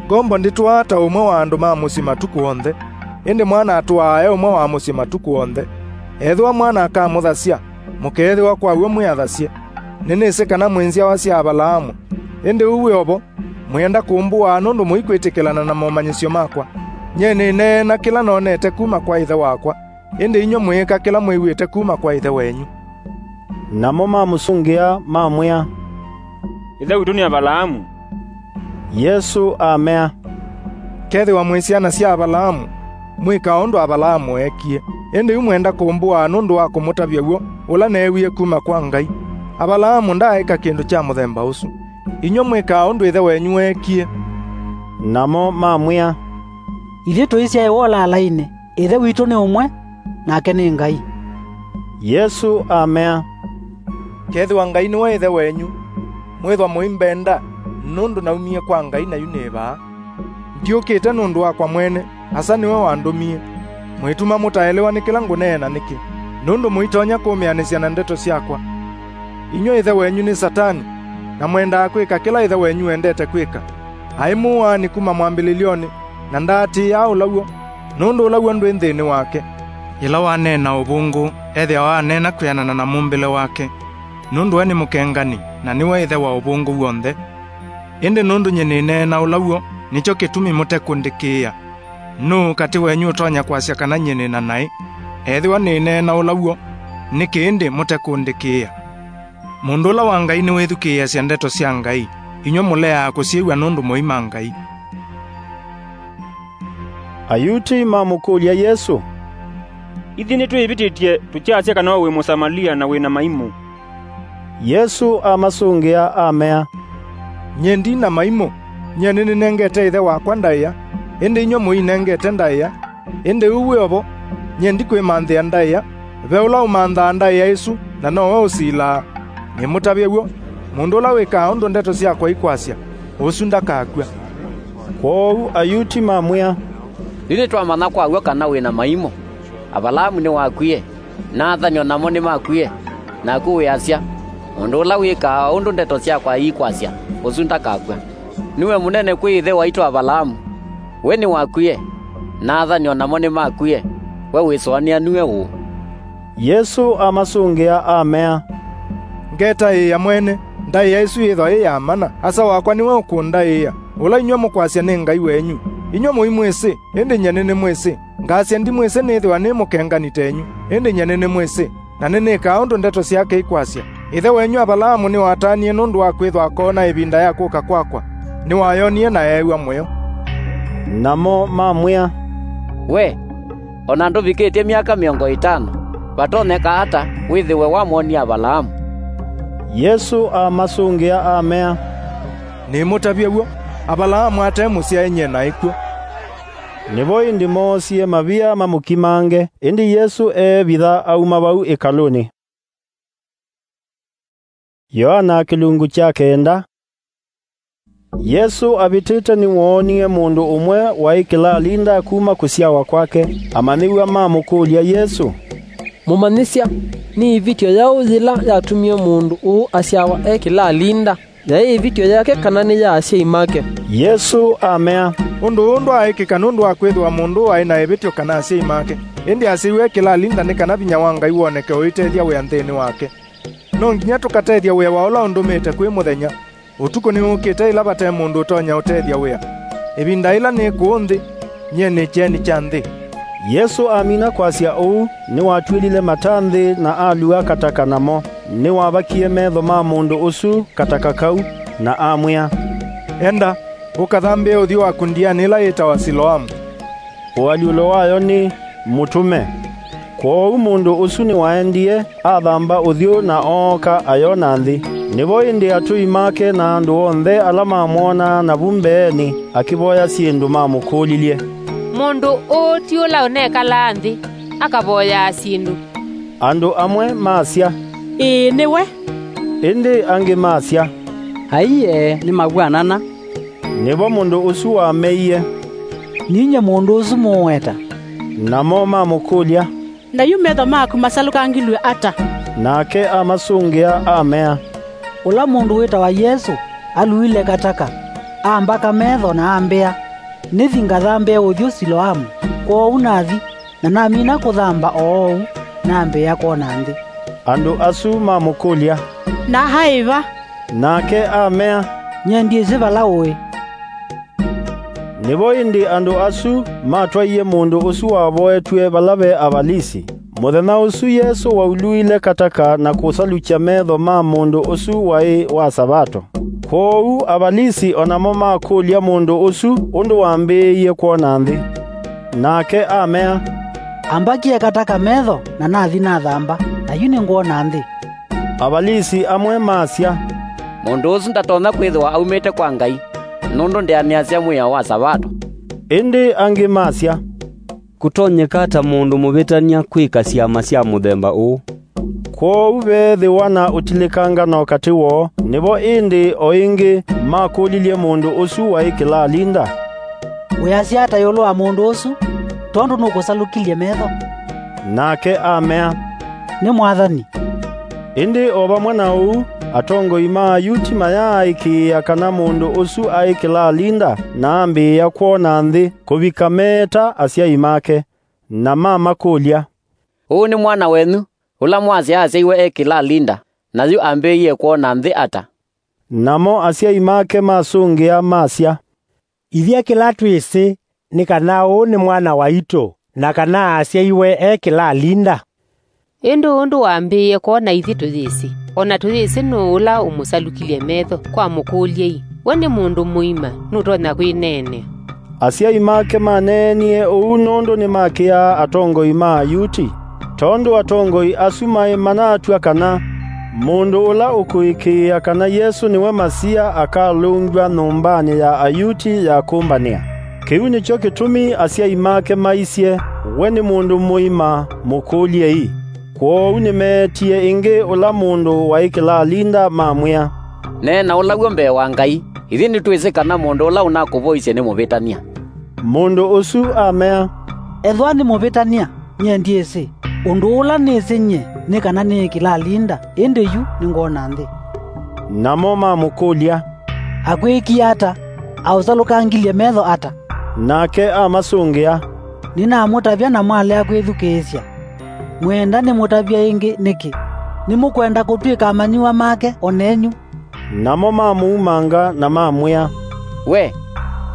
Ngombo ndĩtũaa ta ũmwe wa andũ ma mũsyĩ matukũ onthe, ĩndĩ mwana atũaa e ũmwe wa mũsyĩ matukũ onthe. Ethĩwa mwana akamũthasya, mũkeethĩwa kwa w'o mwĩ athasye. Nĩnĩsĩ kana mwĩ nzyawa sya Avalaamu, ĩndĩ ũu wĩ o vo, mwĩenda kũmbũaa nũndũ mũikwĩtĩkĩlana na momanyĩsyo makwa. Nyie nĩneena kĩla nonete kuma kwa Ĩthe wakwa, ĩndĩ inyw'ĩ mwĩĩka kĩla mwĩw'ĩte kuma kwa ĩthe wenyu." Namo mamũsũngĩa, mamwĩa, "Ĩthe witũ nĩ Avalaamu." Yesũ amea, "Kethĩwa mwĩ syana sya Avalaamu, mwĩkaa ũndũ Avalaamu eekie. Ĩndĩ yu mwenda kũmbũaa nũndũ wa kũmũtavya w'o ũla neewie kuma kwa Ngai. Avalaamu ndaaĩka kĩndũ kya mũthemba ũsu. Inyw'ĩ mwĩkaa ũndũ ĩthe wenyu weekie." Namo mamwĩa, "Ithyĩ tũisyaĩwa ũlaalainĩ, Ĩthe witũ nĩ ũmwe, nake nĩ Ngai." Yesũ amea, "Kethĩwa Ngai nĩwe Ĩthe wenyu, mwĩthwa mũimbenda, nũndũ naumie kwa Ngai na yu nĩ vaa. Ndiũkĩte nũndũ wakwa mwene, Asa nĩwe wandũmie. Mwĩtuma mũtaelewa nĩ kĩla ngũneena nĩkĩ, nũndũ mũitonya kũmĩanĩsya na ndeto syakwa. Inyw'ĩ ĩthe wenyu nĩ Satani, na mwendaa kwĩka kĩla ĩthe wenyu wendete kwĩka. Aĩ mũũaani kuma mwambĩlĩlyonĩ, na ndaatĩĩaa ũlaw'o, nũndũ ũlaw'o ndwĩ nthĩnĩ wake. Yĩla waneena ũvũngũ, ethĩawa aneena kwĩanana na mũmbĩle wake, nũndũ we nĩ mũkengani, na nĩwe ĩthe wa ũvũngũ w'onthe. Ĩndĩ nũndũ nyie nĩneena ũlaw'o, nĩkyo kĩtumi mũtekũndĩkĩĩa. Nũũ katĩ wenyu ũtonya kwasya kana nyie nĩ na naĩ? Ethĩwa nĩneena ũla w'o, nĩkĩ ĩndĩ mũtekũndĩkĩĩa? Mũndũ ũla wa Ngai nĩwĩthukĩĩasya ndeto sya Ngai, inyw'ĩ mũleaa kũsyĩw'a nũndũ mũima Ngai. Ayuti mamũkũlya Yesũ, "Ithyĩ nĩtwĩĩvĩtĩtye tũkyasya kana we wĩ Mũsamalia na wĩ na maimũ." Yesũ amasũngĩa amea, "Nyie ndi na maimũ. Nyie nĩnĩnengete Ĩthe wakwa ndaĩa, ĩndĩ inyw'ĩ mũinengete ndaĩa. Ĩndĩ ũu wĩ o vo, nyie ndikwĩmanthĩa ndaĩa. Ve ũla ũmanthaa ndaĩa ĩsu, na nowe ũsilaa. Nĩmũtavye w'o, mũndũ ũla wĩkaa ũndũ ndeto syakwa ikwasya, ũsu ndakakw'a." Kwoou Ayuti mamwĩa, "Yu nĩtwamanya kwa w'o kana wĩ na maimũ. Avalaamu nĩwakwie, na athani o namo nĩmakwie, naku wĩasya, 'Mũndũ ũla wĩkaa ũndũ ndeto syakwa ikwasya, ũsu ndakakw'a.' Nĩwe mũnene kwĩ ĩthe waitũ Avalaamu. We nĩwakwie, na athani o namo nĩmakwie, we wĩsũanĩa nue ũũ?" Yesũ amasũngĩa amea, "Ngetaĩĩa mwene, ndaĩa ĩsu yĩthwa yĩ ya mana, Asa wakwa nĩwe ũkũndaĩĩa, ũla inyw'ĩ mũkwasya nĩ Ngai wenyu. Inyw'ĩ mũimwĩsĩ, ĩndĩ nyie nĩnĩmwĩsĩ. Ngasya ndimwĩsĩ nĩĩthĩwa nĩ mũkengani tenyu, ĩndĩ nyie nĩnĩmwĩsĩ, na nĩnĩkaa ũndũ ndeto syake ikwasya. Ĩthe wenyu Avalaamu nĩwatanie nũndũ wa kwĩthwa akoona ĩvinda ya kũka kwakwa. Nĩwayonie na eew'a mũyo." Namo mamwĩa, "We, o na ndũvikĩtye myaka mĩongo ĩtano, vatonyeka ata wĩthĩwe wamwonie Avalaamu?" Yesũ amasũngĩa amea, "Nĩmũtavye w'o, Avalaamu ate mũsyae nyie naĩ kw'o." Nĩvo ĩndĩ moosie mavia mamũkimange, ĩndĩ Yesũ eevitha auma vau ĩkalũnĩ. Yoana kĩlungu kya kenda. Yesũ avĩtĩte nĩwoonie mũndũ ũmwe waĩ kĩlalinda kuma kũsyawa kwake. Amanyĩw'a mamũkũlya Yesũ, "Mũmanyĩsya, nĩ ĩvĩtyo yaũ yĩla yatumie mũndũ ũũ asyawa e kĩlalinda? Yaĩ ĩvĩtyo yake kana nĩ ya asyai make?" Yesũ amea, "Ũndũ ũũ ndwaaĩkĩka nũndũ wa kwĩthĩwa mũndũ ũũ aĩ na ĩvĩtyo kana asyai make. Ĩndĩ asyaiwe e kĩlalinda nĩ kana vinya wa Ngai woneke ũitethya wĩa nthĩnĩ wake. No nginya tũkatethya wĩa wa ũla ũndũmĩte kwĩ mũthenya. Ũtukũ nĩwũkĩte ĩla vate mũndũ ũtonya ũtethya wĩa. Ĩvinda ĩla nĩ kũũ nthĩ, nyie nĩ kyeni kya nthĩ." Yesũ amina kwasya ũu, nĩwatw'ĩlile mata nthĩ na alua kataka namo. Nĩwavakie metho ma mũndũ ũsu kataka kau, na amwĩa, "Enda, ũkathambĩe ũthyũ waku ndianĩ ĩla yĩtawa Siloamu." Ũalyũlo wayo nĩ, "Mũtũme." Kwoou mũndũ ũsu nĩwaendie, athamba ũthyũ na ooka ayona nthĩ. Nĩvo ĩndĩ atũi make na andũ onthe ala mamwonaa navu mbeenĩ, akĩvoya syĩndũ mamũkũlilye, "Mũndũ ũũ ti ũla ũnekalaa nthĩ, akavoyaa syĩndũ?" Andũ amwe masya, "Ĩĩ, nĩwe." Ĩndĩ angĩ masya, "Aiee, nĩmavw'anana." Nĩvo mũndũ ũsu wameie, "Ninyie mũndũ ũsu mũũweta." Namo mamũkũlya, "Na yu metho maku masalũkangilw'e ata?" Nake amasũngĩa amea, "Ũla mũndũ wĩtawa Yesũ aluile kataka, ambaka metho na ambĩa, 'Nĩthi ngathambĩe ũthyũ Siloamu.' Kwoou nathi, na namina kũthamba o oou, nambĩĩa kwona nthĩ." Andũ asu mamũkũlya, "Na aĩ va?" Nake amea, "Nyie ndyĩsĩ vala ũĩ." Nĩvo ĩndĩ andũ asu matwaie mũndũ ũsu wavoetw'e vala ve Avalisi. Mũthenya ũsu Yesũ wauluile kataka na kũsalukya metho ma mũndũ ũsu waĩ wa Savato. Kwoou Avalisi o namo makũlya mũndũ ũsu ũndũ wambĩĩie kwona nthĩ. Nake amea, "Ambakie kataka metho, na nathi nathamba, na yu nĩngwona nthĩ." Avalisi amwe masya, "Mũndũ ũsu ndatonya kwĩthĩwa aumĩte kwa Ngai, nũndũ ndĩanĩasya mwĩao wa Savato." Ĩndĩ angĩ masya, "Kũtonyeka ata mũndũ mũvĩtany'a kwĩka syama sya mũthemba ũũ?" Kwoou veethĩwa na ũtilĩkangano katĩ woo. Nĩvo ĩndĩ o ĩngĩ makũlilye mũndũ ũsu waĩ kĩlalinda, "Wĩasya ata ĩũlũ wa mũndũ ũsu, tondũ nũkũsalukilye metho?" Nake amea, "Nĩ Mwathani." Ĩndĩ o vamwe na ũu, atongoi ma Ayuti mayaaĩkĩĩa kana mũndũ ũsu aĩ kĩlalinda na ambĩĩa kwona nthĩ kũvika meeta asyai make, na mamakũlya, "Ũũ nĩ mwana wenyu, ũla mwasya asyaĩwe e kĩlalinda, na yu ambĩĩie kwona nthĩ ata?" Namo asyai make masũngĩa, masya, Ithyĩ kĩla twĩsĩ nĩ kana ũũ nĩ mwana waitũ, na kana asyaiwe e kĩlalinda. Ĩndĩ ũndũ wambĩĩe kwona ithyĩ tũyĩsĩ, o na tũyĩsĩ nũũ ũla ũmũsalukilye metho. Kwamũkũlya-ĩ, we nĩ mũndũ mũima, nũtonya kwĩneenea. Asyai make maneenie ũu nũndũ nĩmakĩaa atongoi ma Ayuti, tondũ atongoi asu maĩ manatw'a kana mũndũ ũla ũkũĩkĩĩa kana Yesũ nĩwe Masia akalũngw'a nyũmbanĩ ya Ayuti ya kũmbanĩa. Kĩu nĩkyo kĩtumi asyai make maisye, "We nĩ mũndũ mũima, mũkũlyei." Kwoou nĩmeetie ĩngĩ ũla mũndũ waĩ kĩlalinda, mamwĩa, "Neena ũla w'o mbee wa Ngai. Ithyĩ nĩtwĩsĩ kana mũndũ ũla ũnakũvoisye nĩ mũvĩtany'a." Mũndũ ũsu amea, "Ethĩwa nĩ mũvĩtany'a, nyie ndyĩsĩ. Ũndũ ũla nĩsĩ nyie nĩ kana nĩĩ kĩlalinda, ĩndĩ yu nĩngwona nthĩ." Namo mamũkũlya, "Akwĩkie ata? Aũsalũkangilye metho ata?" Nake amasũngĩa, "Nĩnamũtavya na mwalea kwĩthukĩĩsya. Mwĩenda nĩmũtavye ĩngĩ nĩkĩ? Nĩmũkwenda kũtw'ĩka amanyĩw'a make o nenyu?" Namo mamũumanga na mamwĩa, "We,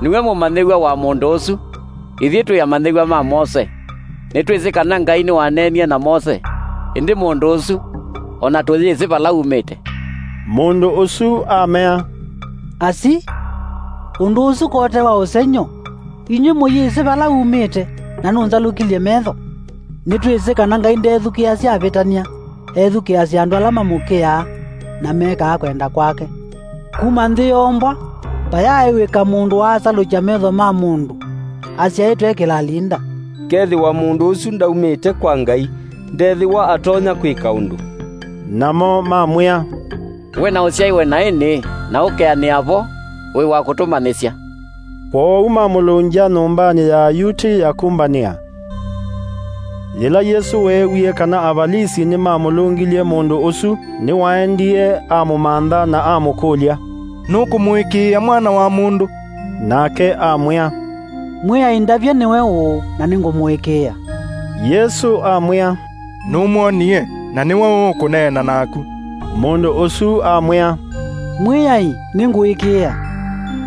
nĩwe mũmanyĩw'a wa mũndũ ũsu. Ithyĩ twĩ amanyĩw'a ma Mose. Nĩtwĩsĩ kana Ngai nĩwaneenie na Mose, ĩndĩ mũndũ ũsu, o na tũyĩsĩ vala umĩte." Mũndũ ũsu amea, "Asi, ũndũ ũsu kote wa ũsengy'o? Inyw'ĩ mũyĩsĩ vala umĩte, na nũnzalũkilye metho. Nĩtwĩsĩ kana Ngai ndethukĩĩasya avĩtany'a, ethukĩĩasya andũ ala mamũkĩaa na mekaa kwenda kwake. Kuma nthĩ yoombwa, vayaaĩw'ĩka mũndũ waasalũkya metho ma mũndũ asyaĩtwe e kĩlalinda. Kethĩwa mũndũ ũsu ndaumĩte kwa Ngai, ndethĩwa atonya kwĩka ũndũ." Namo mamwĩa, "We na ũsyaiwe naĩ nĩĩ, na ũkeanĩa vo, wĩ wa kũtũmanyĩsya?" Kwoou mamũlũngya nyũmbanĩ ya Ayuti ya kũmbanĩa. Yĩla Yesũ weewie kana Avalisi nĩmamũlũngilye mũndũ ũsu, nĩwaendie amũmantha na amũkũlya, "Nũkũmũĩkĩĩa Mwana wa Mũndũ?" Nake amwĩa, "Mwĩai ndavye nĩwe ũũ, na nĩngũmũĩkĩĩa." Yesũ amwĩa, "Nũmwonie, na nĩwe ũũkũneena naku." Mũndũ ũsu amwĩa, "Mwĩai, nĩngũĩkĩĩa."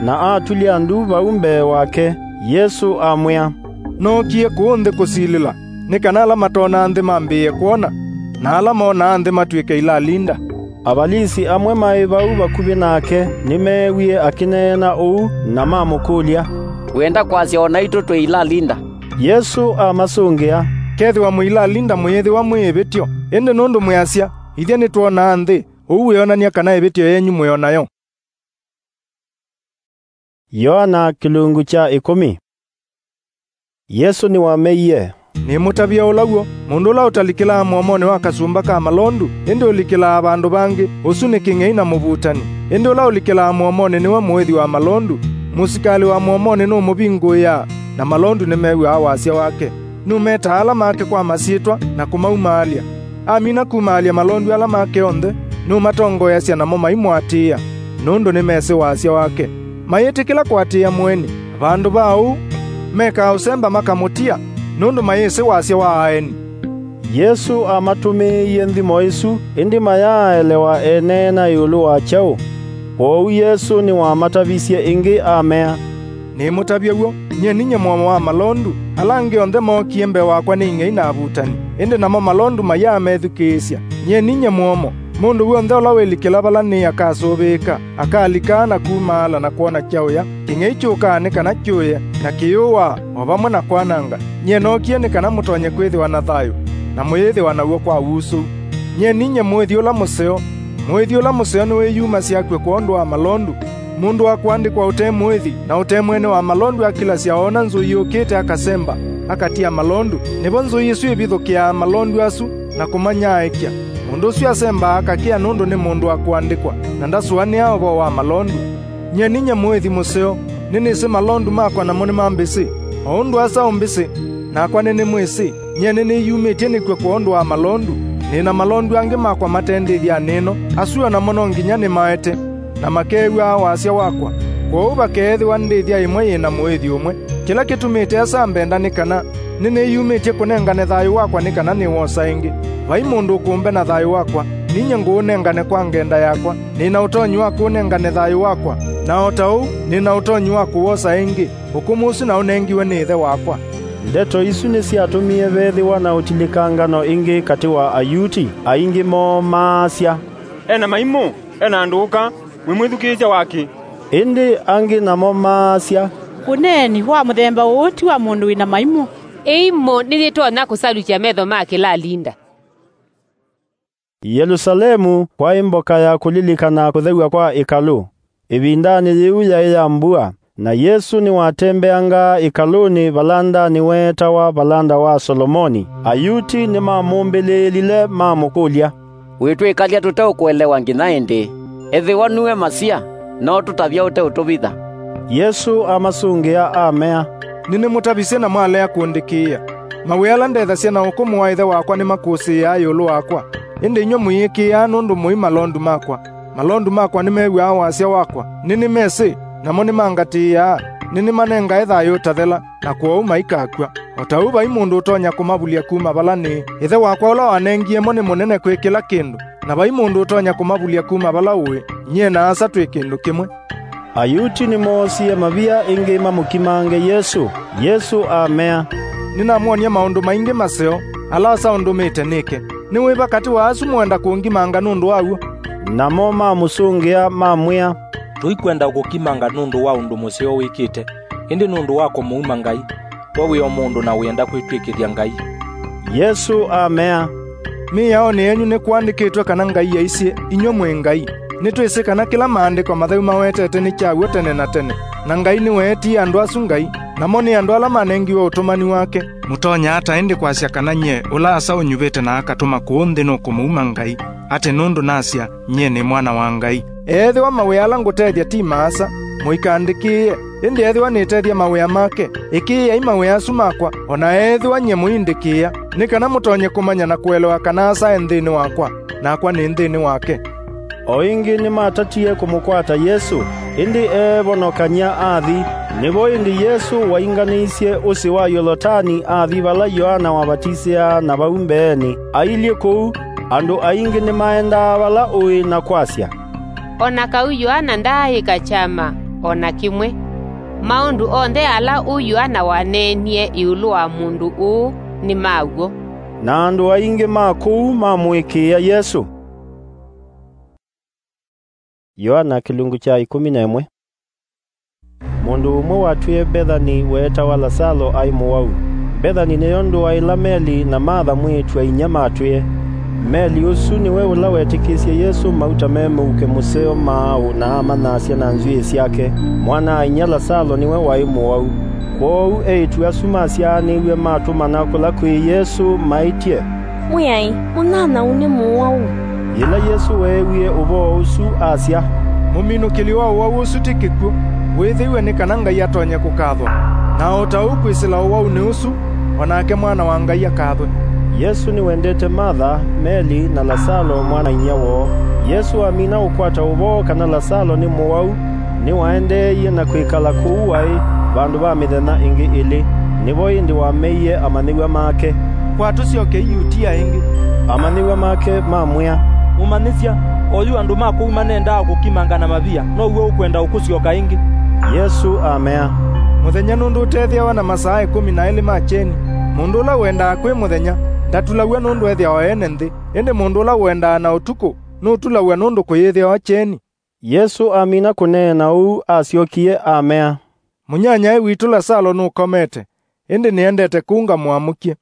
Na atulya ndu vau mbee wake. Yesũ amwĩa, "Nookie kũũ nthĩ kũsilĩla, nĩ kana ala matonaa nthĩ mambĩĩe kwona, na ala monaa nthĩ matw'ĩke ilalinda." Avalisi amwe maĩ vau vakuvĩ nake nĩmeewie akĩneena ũu, na mamũkũlya, "Wĩenda kwasya o naitũ twĩ ilalinda?" Yesũ amasũngĩa, "Kethĩwa mwĩ ilalinda mũyĩthĩwa mwĩ ĩvĩtyo, ĩndĩ nũndũ mwĩasya, 'Ithyĩ nĩtwonaa nthĩ,' ũu wĩonany'a kana ĩvĩtyo yenyu mwĩ o nayo." Yoana kĩlungu kya ĩkũmi. Yesũ nĩwameie, "Nĩmũtavya ũla w'o, mũndũ ũla ũtalikĩlaa mũomonĩ wa kasumba ka malondu, ĩndĩ ũlikĩlaa vandũ vangĩ, ũsu nĩ kĩng'ei na mũvutani. Ĩndĩ ũla ũlikĩlaa mũomonĩ nĩwe mũĩthi wa malondu. Mũsikalĩ wa mũomonĩ nũmũvingũĩaa, na malondu nĩmew'aa wasya wake. Nũmetaa ala make kwa masyĩtwa na kũmaumaalya. Amina kumaalya malondu ala make onthe, nũmatongoeasya namo maimũatĩĩa, nũndũ nĩmesĩ wasya wake. Mayĩtĩkĩla kũatĩĩa mũeni. Vandũ va ũu, mekaa ũsemba makamũtia, nũndũ mayĩsĩ wasya wa aeni." Yesũ amatũmĩĩie nthimo ĩsu, ĩndĩ mayaaelewa eneena ĩũlũ wa kyaũ. Kwoou Yesũ nĩwamatavisye ĩngĩ amea, "Nĩmũtavya w'o, nyie ninyie mũomo wa malondu. Ala angĩ onthe mookie mbee wakwa nĩ ing'ei na avutani, ĩndĩ namo malondu mayaa methukĩĩsya. Nyie ninyie mũomo. Mũndũ w'onthe ũla wĩlikĩla vala nĩĩ akasũvĩĩka, akalikaa na kumaala na kwona kyaũya. Kĩng'ei kyũkaa nĩ kana kyũye, na kĩyũaa, o vamwe na kwananga. Nyie nookie nĩ kana mũtonye kwĩthĩwa na thayũ, na mũyĩthĩwa naw'o kwa usũu. Nyie ninyie mũĩthi ũla mũseo. Mũĩthi ũla mũseo nĩwĩyumasya akw'e kwondũ wa malondu. Mũndũ wa kũandĩkwa ũte mũĩthi na ũte mwene wa malondu akilasya oona nzũi yũkĩte, akasemba, akatia malondu, nĩvo nzũi ĩsu ĩvithũkĩaa malondu asu na kũmanyaaĩkya. Mũndũ ũsu asembaa akakĩa nũndũ nĩ mũndũ wa kũandĩkwa, na ndasũanĩaa ũvoo wa malondu. Nyie ninyie mũĩthi mũseo, nĩnĩsĩ malondu makwa namo nĩmambĩsĩ, o ũndũ asa ũmbĩsĩ, nakwa nĩnĩmwĩsĩ. Nyie nĩnĩyumĩtye nĩkw'e kwondũ wa malondu. Nĩ na malondu angĩ makwa mate ndĩthyanĩ ĩno, asu o namo no nginya nĩmaete, na makeew'aa wasya wakwa. Kwoou vakeethĩwa ndĩthya ĩmwe yĩ na mũĩthi ũmwe. Kĩla kĩtumĩte asa ambenda nĩ kana nĩnĩyumĩtye kũnengane thayũ wakwa nĩ kana nĩwosa ĩngĩ. Vai mũndũ ũkũmbena thayũ wakwa, ninyie ngũũnengane kwa ngenda yakwa. Nĩ na ũtonyi wa kũũnengane thayũ wakwa, na o ta ũu nĩ na ũtonyi wa kũwosa ĩngĩ. Ũkũmũ ũsu naũnengiwe nĩ Ĩthe wakwa. Ndeto isu nĩsyatũmie vethĩwa na ũtilĩkangano ĩngĩ katĩ wa Ayuti, aingĩ moo maasya, "E na maimũ, e na ndũũka, mwĩmwĩthukĩĩsya wakĩ?" Ĩndĩ angĩ namo maasya, "Ũneeni wa mũthemba ũũ ti wa mũndũ wĩ na maimũ." Ĩimũ nĩyĩtonya kũsalukya metho ma kĩlalinda. Yelusalemu kwaĩ mboka ya kũlilikana kũthew'a kwa ĩkalũ. Ĩvindanĩ yĩu yaĩ ya mbua, na Yesũ nĩwatembeangaa ĩkalũnĩ valandanĩ weetawa Valanda wa Solomoni. Ayuti nĩmamũmbĩlĩĩlile, mamũkũlya, "Wĩtwĩkalya tũteũkũelewa nginya ĩndĩĩ? Ethĩwa nue Masia, no tũtavya ũteũtũvitha." Yesũ amasũngĩa, amea, "Nĩnĩmũtavisye na mwalea kũndĩkĩĩa. Mawĩa ala ndethasya na ũkũmũ wa Ĩthe wakwa nĩmakũsĩĩaa ĩũlũ wakwa, ĩndĩ inyw'ĩ mũyĩkĩĩaa nũndũ mũi malondu makwa. Malondu makwa nĩmew'aa wasya wakwa, nĩnĩmesĩ, namo nĩmangatĩĩaa. Nĩnĩmanengae thayũ ũtathela, na kwoou maikakw'a. O ta ũu vai mũndũ ũtonya kũmavulya kuma vala nĩĩ. Ĩthe wakwa ũla wanengie mo nĩ mũnene kwĩ kĩla kĩndũ, na vai mũndũ ũtonya kũmavulya kuma vala ũĩ. Nyie na Asa twĩ kĩndũ kĩmwe." Ayuti nĩmoosie mavia ĩngĩ mamũkimange Yesũ. Yesũ amea, "Nĩnamwony'a maũndũ maingĩ maseo, ala Asa ũndũmĩte nĩke. Nĩ wĩva katĩ wa asu mũenda kũngimanga nũndũ wa w'o?" Namo mamũsũngĩa, mamwĩa, "Tũikwenda ũkũkimanga nũndũ wa ũndũ mũseo wĩkĩte, ĩndĩ nũndũ wa kũmũuma Ngai. We wĩ o mũndũ na wĩenda kwĩtw'ĩkĩthya Ngai." Yesũ amea, "Mĩaonĩ yenyu nĩkũandĩkĩtwe kana Ngai aisye, 'Inyw'ĩ mwĩ ngai.' Nĩtwĩsĩ kana kĩla Maandĩko Matheu mawetete nĩ kya w'o tene na tene, na Ngai nĩweetie andũ asu ngai, namo nĩ andũ ala manengiwe ũtũmani wake. Mũtonya ata ĩndĩ kwasya kana nyie, ũla Asa ũnyuvĩte na akatũma kũũ nthĩ nũkũmũuma Ngai, atĩ nũndũ nasya, 'Nyie nĩ Mwana wa Ngai'? Ethĩwa mawĩa ala ngũtethya ti ma Asa, mũikandĩkĩĩe. Ĩndĩ ethĩwa nĩtethya mawĩa make, ĩkĩĩai mawĩa asu makwa, o na ethĩwa nyie mũindĩkĩĩa, nĩ kana mũtonye kũmanya na kũelewa kana Asa e nthĩnĩ wakwa, nakwa nĩ nthĩnĩ wake." O ĩngĩ nĩmatatie kũmũkwata Yesũ, ĩndĩ eevonokany'a athi. Nĩvo ĩndĩ Yesũ wainganĩisye ũsĩ wa Yolotani athi vala Yoana wavatisĩaa, na vau mbeenĩ, ailyĩ kũu, andũ aingĩ nĩmaendaa vala ũĩ na kwasya, "O na kau Yoana ndaaĩka kyama o na kĩmwe. Maũndũ onthe ala ũu Yoana waneenie ĩũlũ wa mũndũ ũũ nĩ ma w'o." Na andũ aingĩ ma kũu mamũĩkĩĩa Yesũ. Yoana kĩlungu kya ĩkũmi na ĩmwe. Mũndũ ũmwe watwĩe Mbethani weetawa Lasalo aĩ mũwau. Mbethani nĩyo ndũa ĩla Meli na Matha mwĩĩtu-a-inyia matwĩe. Meli ũsu nĩwe ũla wetĩkĩsye Yesũ mauta me mũuke mũseo maaũ na amanyasya na nzw'ĩĩ syake. Mwana-a-inyia Lasalo nĩwe waĩ mũwau. Kwoou eĩtu asu masyaanĩw'e matũmana kũla kwĩ Yesũ maĩtye, "Mwĩai, mũnyanyaũ nĩ mũwau." Yĩla Yesũ weewie ũvoo ũsu, asya, "Mũminũkĩlyo wa ũwau ũsu ti kĩkw'ũ, wĩthĩw'e nĩ kana Ngai atonye kũkathwa. Na o ta ũu kwĩsĩla ũwaunĩ ũsu, o nake Mwana wa Ngai akathwe." Yesũ nĩwendete Matha, Meli, na Lasalo mwana-a-inyia woo. Yesũ amina ũkwata ũvoo kana Lasalo nĩ mũwau, nĩwaendeeie na kwĩkala kũu waĩ vandũ va mĩthenya ĩngĩ ĩlĩ. Nĩvo ĩndĩ wameie amanyĩw'a make, "Kwa tũsyokei Yutia ĩngĩ." Amanyĩw'a make mamwĩa, "Mũmanyĩsya, oyu andũ ma kũu manendaa kũkimanga na mavia, now'o ũkwenda ũkũsyoka ĩngĩ?" Yesũ amea, "Mũthenya nũndũ ũtethĩawa na masaa ĩkũmi na elĩ ma kyeni. Mũndũ ũla ũendaa kwĩ mũthenya ndatulaw'a nũndũ ethĩawa ene nthĩ, ĩndĩ mũndũ ũla ũendaa na ũtukũ nũtulaw'a nũndũ kũyĩthĩawa kyeni." Yesũ amina kũneena ũu, asyokie amea, "Mũnyanyae witũ Lasalo nũkomete, ĩndĩ nĩendete kũu ngamũamũkye."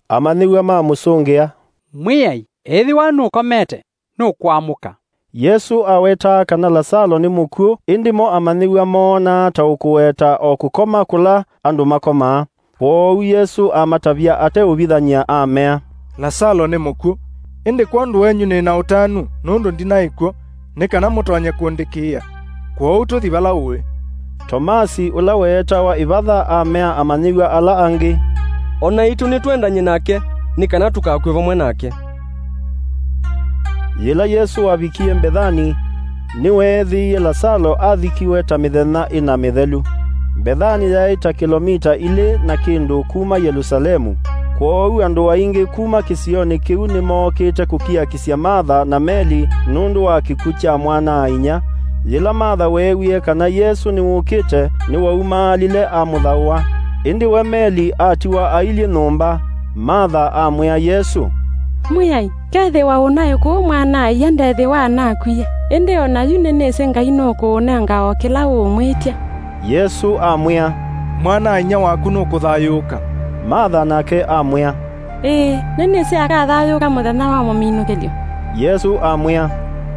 Amanyĩw'a mamũsũngĩa, "Mwĩai, ethĩwa nũkomete, nũkũamũka." Yesũ awetaa kana Lasalo nĩ mũkw'ũ, ĩndĩ mo amanyĩw'a moonaa ta ũkũweta o kũkoma kũla andũ makomaa. Kwoou Yesũ amatavya ateũvithany'a, amea, "Lasalo nĩ mũkw'ũ, ĩndĩ kwondũ wenyu nĩ na ũtanu, nũndũ ndinaĩ kw'o, nĩ kana mũtonye kũndĩkĩĩa. Kwoou tũthi vala ũĩ." Tomasi, ũla weetawa Ĩvatha, amea amanyĩw'a ala angĩ, "O naitũ nĩtwendany'e nake, nĩ kana tũkakw'e vamwe nake." Yĩla Yesũ wavikie Mbethani, nĩweethĩie Lasalo athikiwe ta mĩthenya ĩna mĩthelu. Mbethani yaĩ ta kĩlomita ilĩ na kĩndũ kuma Yelũsalemu. Kwoou andũ aingĩ kuma kĩsionĩ kĩu nĩmookĩte kũkiakisya Matha na Meli nũndũ wa kĩkw'ũ kya mwana-a-inyia. Yĩla Matha weewie kana Yesũ nĩwũkĩte, nĩwaumaalile amũthaũa. Ĩndĩ we Meli atiwa ailyĩ nyũmba. Matha amwĩa Yesũ, "Mwĩai, kethĩwa ũnaĩ kũũ mwana-a-ia ndethĩwa anakwie, ĩndĩ o na yu nĩnĩsĩ Ngai nũkũũnenga o kĩla ũũmwĩtya." Yesũ amwĩa, "Mwana-a-inyia waku nũkũthayũũka." Matha nake amwĩa, "Ĩĩ, nĩnĩsĩ akathayũũka mũthenya wa mũminũkĩlyo." Yesũ amwĩa,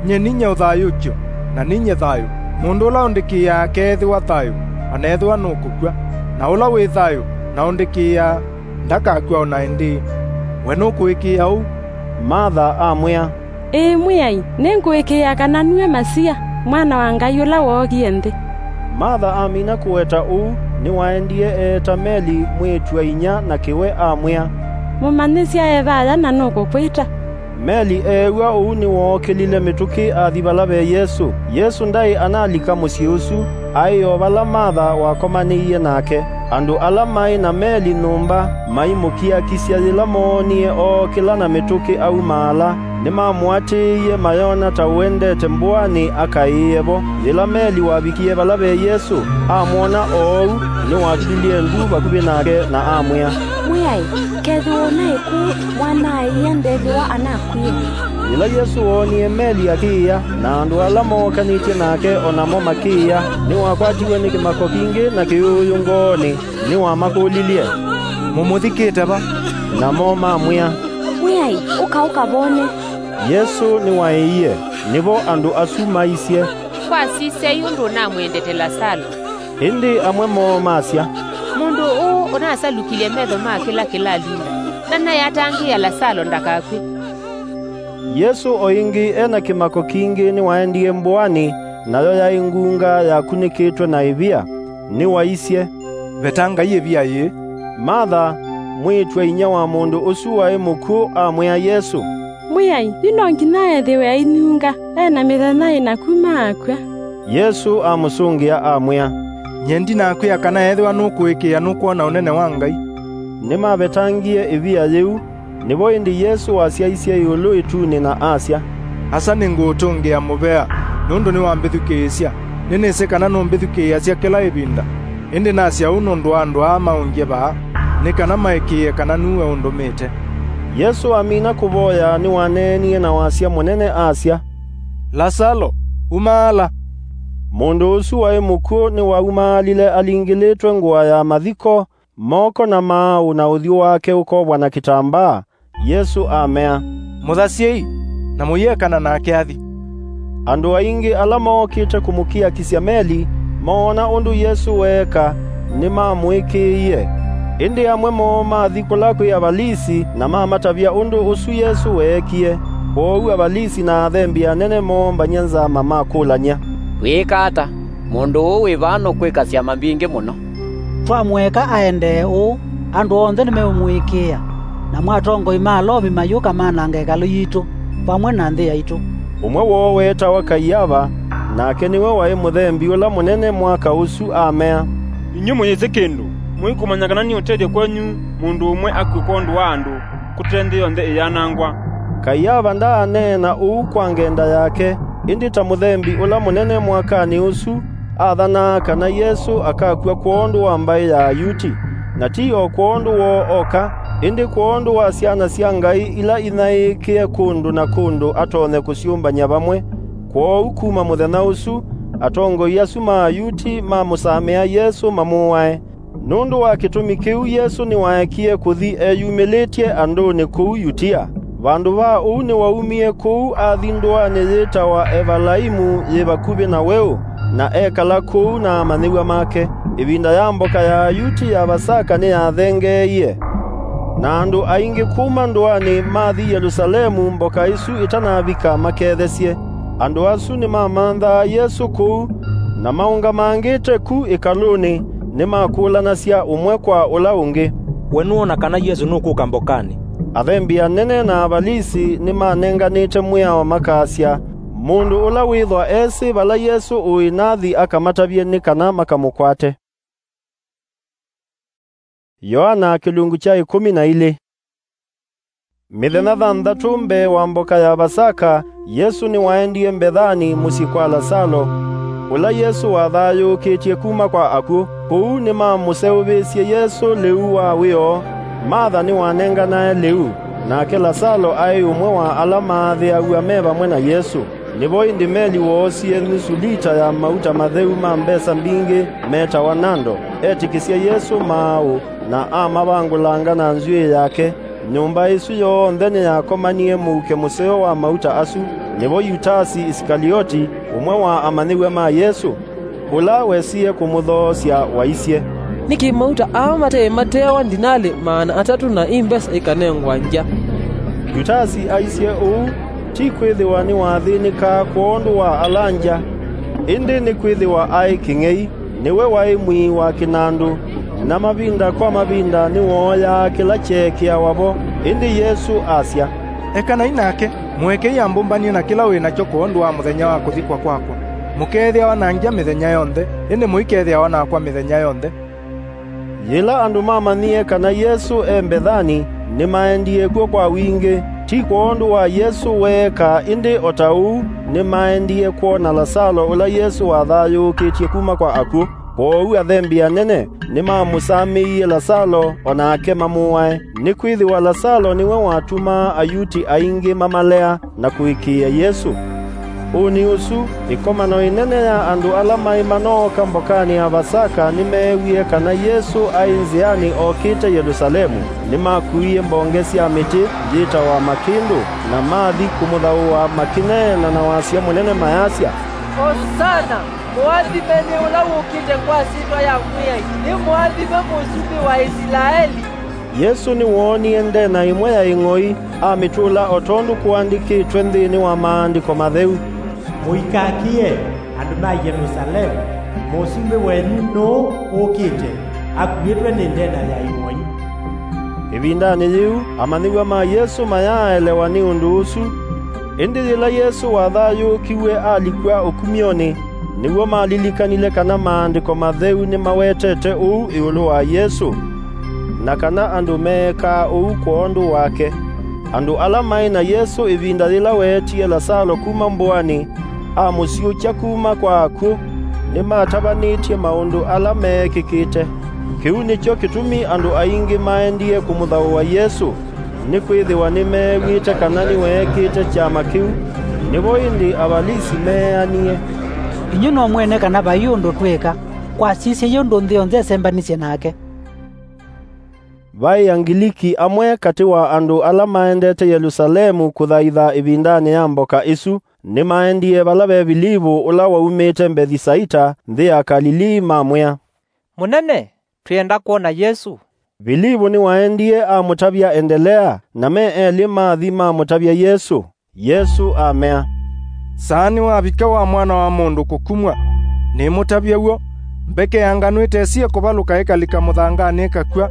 "Nyie ninyie ũthayũũkyo, na ninyie thayũ. Mũndũ ũla ũndĩkĩĩaa akeethĩwa thayũ, o na ethĩwa nũkũkw'a, na ũla wĩ thayũ na ũndĩkĩĩaa ndakakw'a o na ĩndĩĩ. We nũkũĩkĩĩa ũu?" Matha amwĩa, "Ĩĩ Mwĩai, nĩngũĩkĩĩa kana nue Masia, Mwana wa Ngai ũla wookie nthĩ." Matha amina kũweta ũu, nĩwaendie eeta Meli mwĩĩtu-a-inyia na kĩwe amwĩa, "Mũmanyĩsya e vaya na nũkũkwĩta." Meli eew'a ũu nĩwookĩlile mĩtũkĩ athi vala ve Yesũ. Yesũ ndaĩ analika mũsyĩ ũsu, aĩ o vala Matha wakomanĩie nake. Andũ ala maĩ na Meli nyũmba maimũkiakisya yĩla moonie ookĩla na mĩtũkĩ aumaala. Nĩmamũatĩĩie mayona ta ũendete mbũanĩ akaĩĩe vo. Yĩla Meli wavikie vala ve Yesũ, amwona oou, nĩwakililye ndu vakuvĩ nake na amwĩa, "Mwĩai, kethĩwa ũnaĩ kũũ, mwana-a-ia ndethĩwa anakwie." Yĩla Yesũ woonie Meli akĩĩa, na andũ ala mookanĩtye nake o namo makĩĩa, nĩwakwatiwe nĩ kĩmako kingĩ na kĩũũyũ ngoonĩ. Nĩwamakũlilye, "Mũmũthikĩte va?" Namo mamwĩa, "Mwĩai, ũka ũkavone." Yesũ nĩwaĩie. Nĩvo andũ asu maisye, "Kwasisyai ũndũ ũnamwendete Lasalo." Ĩndĩ amwe moo masya, "Mũndũ ũũ ũnasalukilye metho ma kĩla kĩlalinda, ndanayatangĩĩa Lasalo ndakakw'e." Yesũ o ĩngĩ e na kĩmako kingĩ nĩwaendie mbũanĩ, nayo yaĩ ngunga yakunĩkĩtwe na ĩvia. Nĩwaisye, "Vetangai ĩvia yĩĩ." Matha, mwĩĩtu-a-inyia wa mũndũ ũsu waĩ mũkw'ũ, amwĩa Yesũ, "Mwĩai, yu no nginya ethĩwe ainyunga, e na mĩthenya ĩna kuma akw'a." Yesũ amũsũngĩa amwĩa, "Nyie ndinakwĩa kana ethĩwa nũkũĩkĩĩa nũkwona ũnene wa Ngai." Nĩmavetangie ĩvia yĩu. Nĩvo ĩndĩ Yesũ wasyaisye ĩũlũ ĩtunĩ na asya, "Asa nĩngũũtũngĩa mũvea, nũndũ nĩwambĩthukĩĩsya. Nĩnĩsĩ kana nũmbĩthukĩĩasya kĩla ĩvinda. Ĩndĩ nasya ũu nũndũ wa andũ aa maũngye vaa, nĩ kana maĩkĩĩe kana nue ũndũmĩte." Yesũ amina kũvoya, nĩwaneenie na wasya mũnene asya, "Lasalo, umaala!" Mũndũ ũsu waĩ mũkw'ũ nĩwaumaalile alingĩlĩtwe ngũa ya mathiko, moko na maaũ na ũthyũ wake ũkovwa na kĩtambaa. Yesũ amea, "Mũthasyei, na mũiekana nake athi." Andũ aingĩ ala mookĩte kũmũkiakisya Meli, moona ũndũ Yesũ weeka, nĩmamũĩkĩĩie. Ĩndĩ amwe moo mathi kũla kwĩ Avalisi na mamatavya ũndũ ũsu Yesũ weekie. Kwoou Avalisi na athembi anene moombany'a nzama makũlany'a, "Twĩĩka ata? Mũndũ ũũ wĩ vaa nũkwĩka syama mbingĩ mũno. Twamũeka aendee ũũ, andũ onthe nĩmeũmũĩkĩĩa, namo atongoi ma Alomi mayũka manange ĩkalũ yitũ vamwe na nthĩ yaitũ." Ũmwe woo weetawa Kaiava, nake nĩwe waĩ mũthembi ũla mũnene mwaka ũsu, amea, "Inyw'ĩ mũyĩsĩ kĩndũ, mũikũmanya kana nĩ ũtethyo kwenyu mũndũ ũmwe akw'e kwondũ wa andũ, kũte nthĩ yonthe ĩyanangwa." Kaiava ndaaneena ũu kwa ngenda yake, ĩndĩ ta mũthembi ũla mũnene mwakanĩ ũsu, aathanaa kana Yesũ akakw'a kwondũ wa mbaĩ ya Ayuti, na ti o kwondũ woo oka, ĩndĩ kwondũ wa syana sya Ngai ila inyaĩĩkĩe kũndũ na kũndũ atonye kũsyũmbany'a vamwe. Kwoou kuma mũthenya ũsu, atongoi asu ma Ayuti mamũsamĩa Yesũ mamũae. Nũndũ wa kĩtumi kĩu Yesũ nĩwaekie kũthi eyumĩlĩtye andũnĩ kũu Yutia. Vandũ va ũu nĩwaumie kũu athi ndũanĩ yĩtawa Evalaimu yĩ vakuvĩ na weũ, na ekala kũu na amanyĩw'a make. Ĩvinda ya mboka ya Ayuti ya Vasaka nĩyathengeeie, na andũ aingĩ kuma ndũanĩ mathi Yelũsalemu mboka ĩsu ĩtanavika makethesye. Andũ asu nĩmamanthaa Yesũ kũu, na maũngamangĩte ku ĩkalũnĩ, nĩmakũlanasya ũmwe kwa ũla ũngĩ, "We nũona kana Yesũ nũkũka mbokanĩ?" Athembi anene na Avalisi nĩmanenganĩte mwĩao makasya, "Mũndũ ũla wĩthwa esĩ vala Yesũ ũĩ nathi akamatavye nĩ kana makamũkwate." Yoana kĩlungu kya ĩkũmi na ilĩ. Mĩthenya thanthatũ mbee wa mboka ya Vasaka, Yesũ nĩwaendie Mbethani mũsyĩ kwa Lasalo, Ũla Yesũ wathayũũkĩtye kuma kwa akw'ũ. Kũu nĩmamũseũvĩsye Yesũ lĩu wa wĩoo. Matha nĩwanenganae lĩu, nake Lasalo aĩ ũmwe wa ala maathĩaw'a me vamwe na Yesũ. Nĩvo ĩndĩ Meli woosie nusu lita ya mauta matheu ma mbesa mbingĩ metawa nando, etĩkĩsya Yesũ maaũ, na amavangũlanga na nzw'ĩĩ yake. Nyũmba ĩsu yonthe nĩyakomanie mũuke mũseo wa mauta asu. Nĩvo Yutasi Isikalioti, ũmwe wa amanyĩw'a ma Yesũ, ũla wesie kũmũthoosya, waisye, "Nĩkĩ mauta aa mataĩ mateawa ndinalĩ maana atatũ na ĩ mbesa ikanengwa ngya?" Yutasi aisye ũu, ti kwĩthĩwa nĩwathĩnĩkaa kwondũ wa ala ngya, ĩndĩ nĩkwĩthĩwa aĩ kĩng'ei. Nĩwe waĩ mwii wa kĩnandũ, na mavinda kwa mavinda nĩwooyaa kĩla kyeekĩawa vo. Ĩndĩ Yesũ asya, "Ekanai nake, mũekei ambũmbany'e na kĩla wĩ nakyo kwondũ wa mũthenya wa kũthikwa kwakwa. Mũkeethĩawa na ngya mĩthenya yonthe, ĩndĩ mũikethĩawa nakwa mĩthenya yonthe." Yĩla andũ mamanyie kana Yesũ e Mbethani, nĩmaendie kw'o kwa wingĩ, ti kwondũ wa Yesũ weeka, ĩndĩ o ta ũu nĩmaendie kwona Lasalo ũla Yesũ wathayũũkĩtye kuma kwa akw'ũ. Kwoou athembi anene nĩmamũsamĩie Lasalo o nake mamũae, nĩkwĩthĩwa Lasalo nĩwe watumaa Ayuti aingĩ mamalea na kũĩkĩĩa Yesũ. Ũnĩ ũsu, ĩkomano ĩnene ya andũ ala maĩ manooka mbokanĩ ya Vasaka nĩmeewie kana Yesũ aĩ nzĩanĩ okĩte Yelũsalemu. Nĩmakuie mbonge sya mĩtĩ yĩtawa makĩndũ, na mathi kũmũthaũa makĩneena na wasya mũnene mayasya, "Osana! Mũathime nĩ ũla wũkĩte kwa syĩtwa ya Mwĩai! Nĩ mũathime Mũsumbĩ wa Ĩsilaeli!" Yesũ nĩwoonie ndena ĩmwe ya ĩng'oi, amĩtũla o tondũ kũandĩkĩtwe nthĩnĩ wa Maandĩko Matheu, "Mũikakĩe andũ ma Yelũsalemu, Mũsumbĩ wenyu nũũ ũkĩte, akuĩtwe nĩ ndena ya ĩng'oi." Ĩvindanĩ yĩu, amanyĩw'a ma Yesũ mayaaelewa nĩ ũndũ ũsu. Ĩndĩ yĩla Yesũ wathayũũkiw'e alikw'a ũkumyonĩ, nĩw'o malilikanile kana Maandĩko Matheu nĩmawetete ũu ĩũlũ wa Yesũ, na kana andũ meekaa ũu kwondũ wake. Andũ ala maĩ na Yesũ ĩvinda yĩla weetie Lasalo kuma mbũanĩ, amũsyũkya kuma kwa akw'ũ, nĩmatavanĩtye maũndũ ala meekĩkĩte. Kĩu nĩkyo kĩtumi andũ aingĩ maendie kũmũthaũa Yesũ, nĩkwĩthĩwa nĩmeew'ĩte kana nĩweekĩte kyama kĩu. Nĩvo ĩndĩ Avalisi meeanie, "Inyw'ĩ no mwene kana vai ũndũ twĩka. Kwasisye ũndũ nthĩ yonthe ĩsembanisye nake." Vaĩ Angiliki amwe katĩ wa andũ ala maendete Yelũsalemu kũthaitha ĩvindanĩ ya mboka ĩsu, nĩmaendie vala ve Vilivũ ũla waumĩte Mbethisaita, nthĩ ya Kalilii, mamwĩa, "Mũnene, twĩenda kwona Yesũ." Vilivũ nĩwaendie amũtavya endelea, na me elĩ mathi mamũtavya Yesũ. Yesũ amea, "Saa nĩwavika wa Mwana wa Mũndũ kũkumw'a. Nĩmũtavya w'o, mbeke ya nganũ ĩtesie kũvalũka ĩkalika mũthanganĩ ĩkakw'a,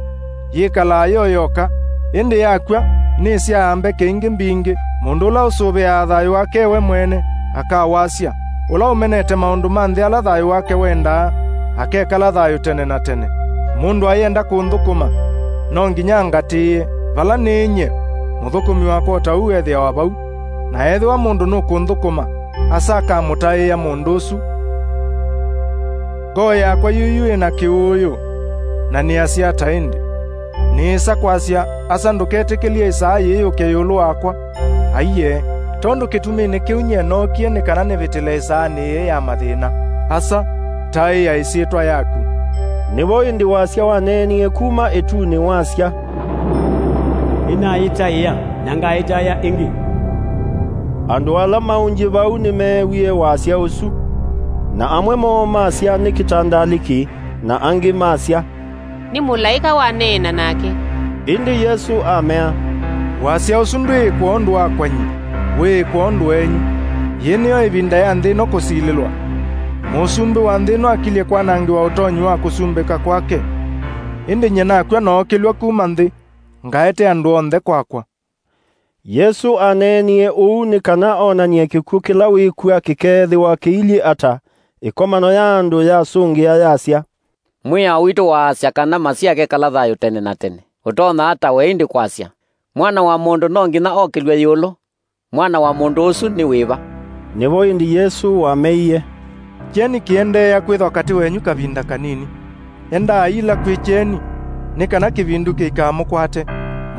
yĩkalaa yo yoka, ĩndĩ yakw'a, nĩsyaa mbeke ingĩ mbingĩ. Mũndũ ũla ũsũvĩaa thayũ wake we mwene, akawasya. Ũla ũmenete maũndũ ma nthĩ ala thayũ wake wendaa, akekala thayũ tene na tene. Mũndũ ayenda kũnthũkũma, no nginya angatĩĩe. Vala nĩĩ nyie, mũthũkũmi wakwa o ta ũu ethĩawa vau. Na ethĩwa mũndũ nũkũnthũkũma, Asa akamũtaĩĩa mũndũ ũsu. Ngoo yakwa yuyu ĩ na kĩũũyũ, na nĩasya ata ĩndĩ? Nĩĩsa kwasya, 'Asa, ndũketĩkĩlye ĩsaa yĩĩ yũke ĩũlũ wakwa'? Aiee, tondũ kĩtuminĩ kĩu nyie nookie nĩ kana nĩvĩtĩle ĩsaanĩ yĩĩ ya mathĩna. Asa, taĩa ĩsyĩtwa yaku." Nĩvo ĩndĩ wasya waneenie kuma ĩtunĩ wasya, "Nĩnayĩtaĩa, na ngaĩtaĩa ĩngĩ." Andũ ala maũngye vau nĩmeewie wasya ũsu, na amwe moo masya, "Nĩ kĩtandalĩki," na angĩ masya, "Nĩ mũlaĩka waneena nake." Ĩndĩ Yesũ amea, "Wasya ũsu ndwĩĩ kwondũ wakwa nyie, wĩĩ kwondũ wenyu. Yĩĩ nĩyo ĩvinda ya nthĩ ĩno kũsilĩlwa. Mũsumbĩ wa nthĩ ĩno akilye kwanangĩwa ũtonyi wa kũsumbĩka kwake. Ĩndĩ nyie nakw'a nookĩlw'a kuma nthĩ, ngaete andũ onthe kwakwa." Yesũ aneenie ũu nĩ kana onany'e kĩkw'ũ kĩla wĩkw'a kĩkeethĩwa kĩilyĩ ata. Ĩkomano ya andũ yasũngĩa yasya, "Mwĩao witũ waasya kana Masia akekala thayũ tene na tene. Ũtonya ata we ĩndĩ kwasya, 'Mwana wa mũndũ no nginya okĩlw'e ĩũlũ'? Mwana wa mũndũ ũsu nĩ wĩva?" Nĩvo ĩndĩ Yesũ wameie, Kyeni kĩendeea kwĩthwa katĩ wenyu kavinda kanini. Endaai ĩla kwĩ kyeni, nĩ kana kĩvindu kĩikamũkwate.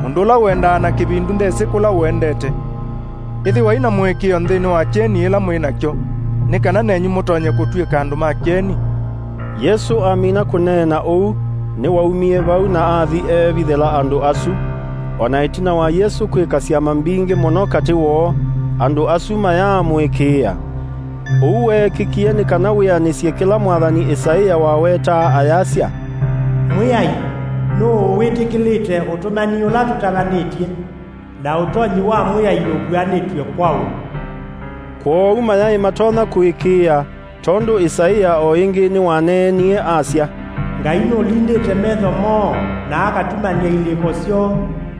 Mũndũ ũla ũendaa na kĩvindu ndesĩ kũla ũendete. Ĩthĩwai na mũĩkĩĩo nthĩnĩ wa kyeni ĩla mwĩ nakyo, nĩ kana nenyu mũtonye kũtw'ĩka andũ ma kyeni. Yesũ amina kũneena ũu, nĩwaumie vau na athi eevithĩla andũ asu. O na ĩtina wa Yesũ kwĩka syama mbingĩ mũno katĩ woo, andũ asu mayaamũĩkĩĩa. Ũu weekĩkie nĩ kana wĩanĩsye kĩla mwathani Ĩsaĩa wawetaa ayasya, "Mwĩai, nũũ wĩtĩkĩlĩte ũtũmani ũla tũtavanĩtye, na ũtonyi wa Mwĩai ũvuanĩtw'e kwaũ?" Kwoou mayaĩ matonya kũĩkĩĩa, tondũ Ĩsaĩa o ĩngĩ nĩwaneenie asya, "Ngai nũlindĩte metho moo, na akatumany'a ilĩko syoo,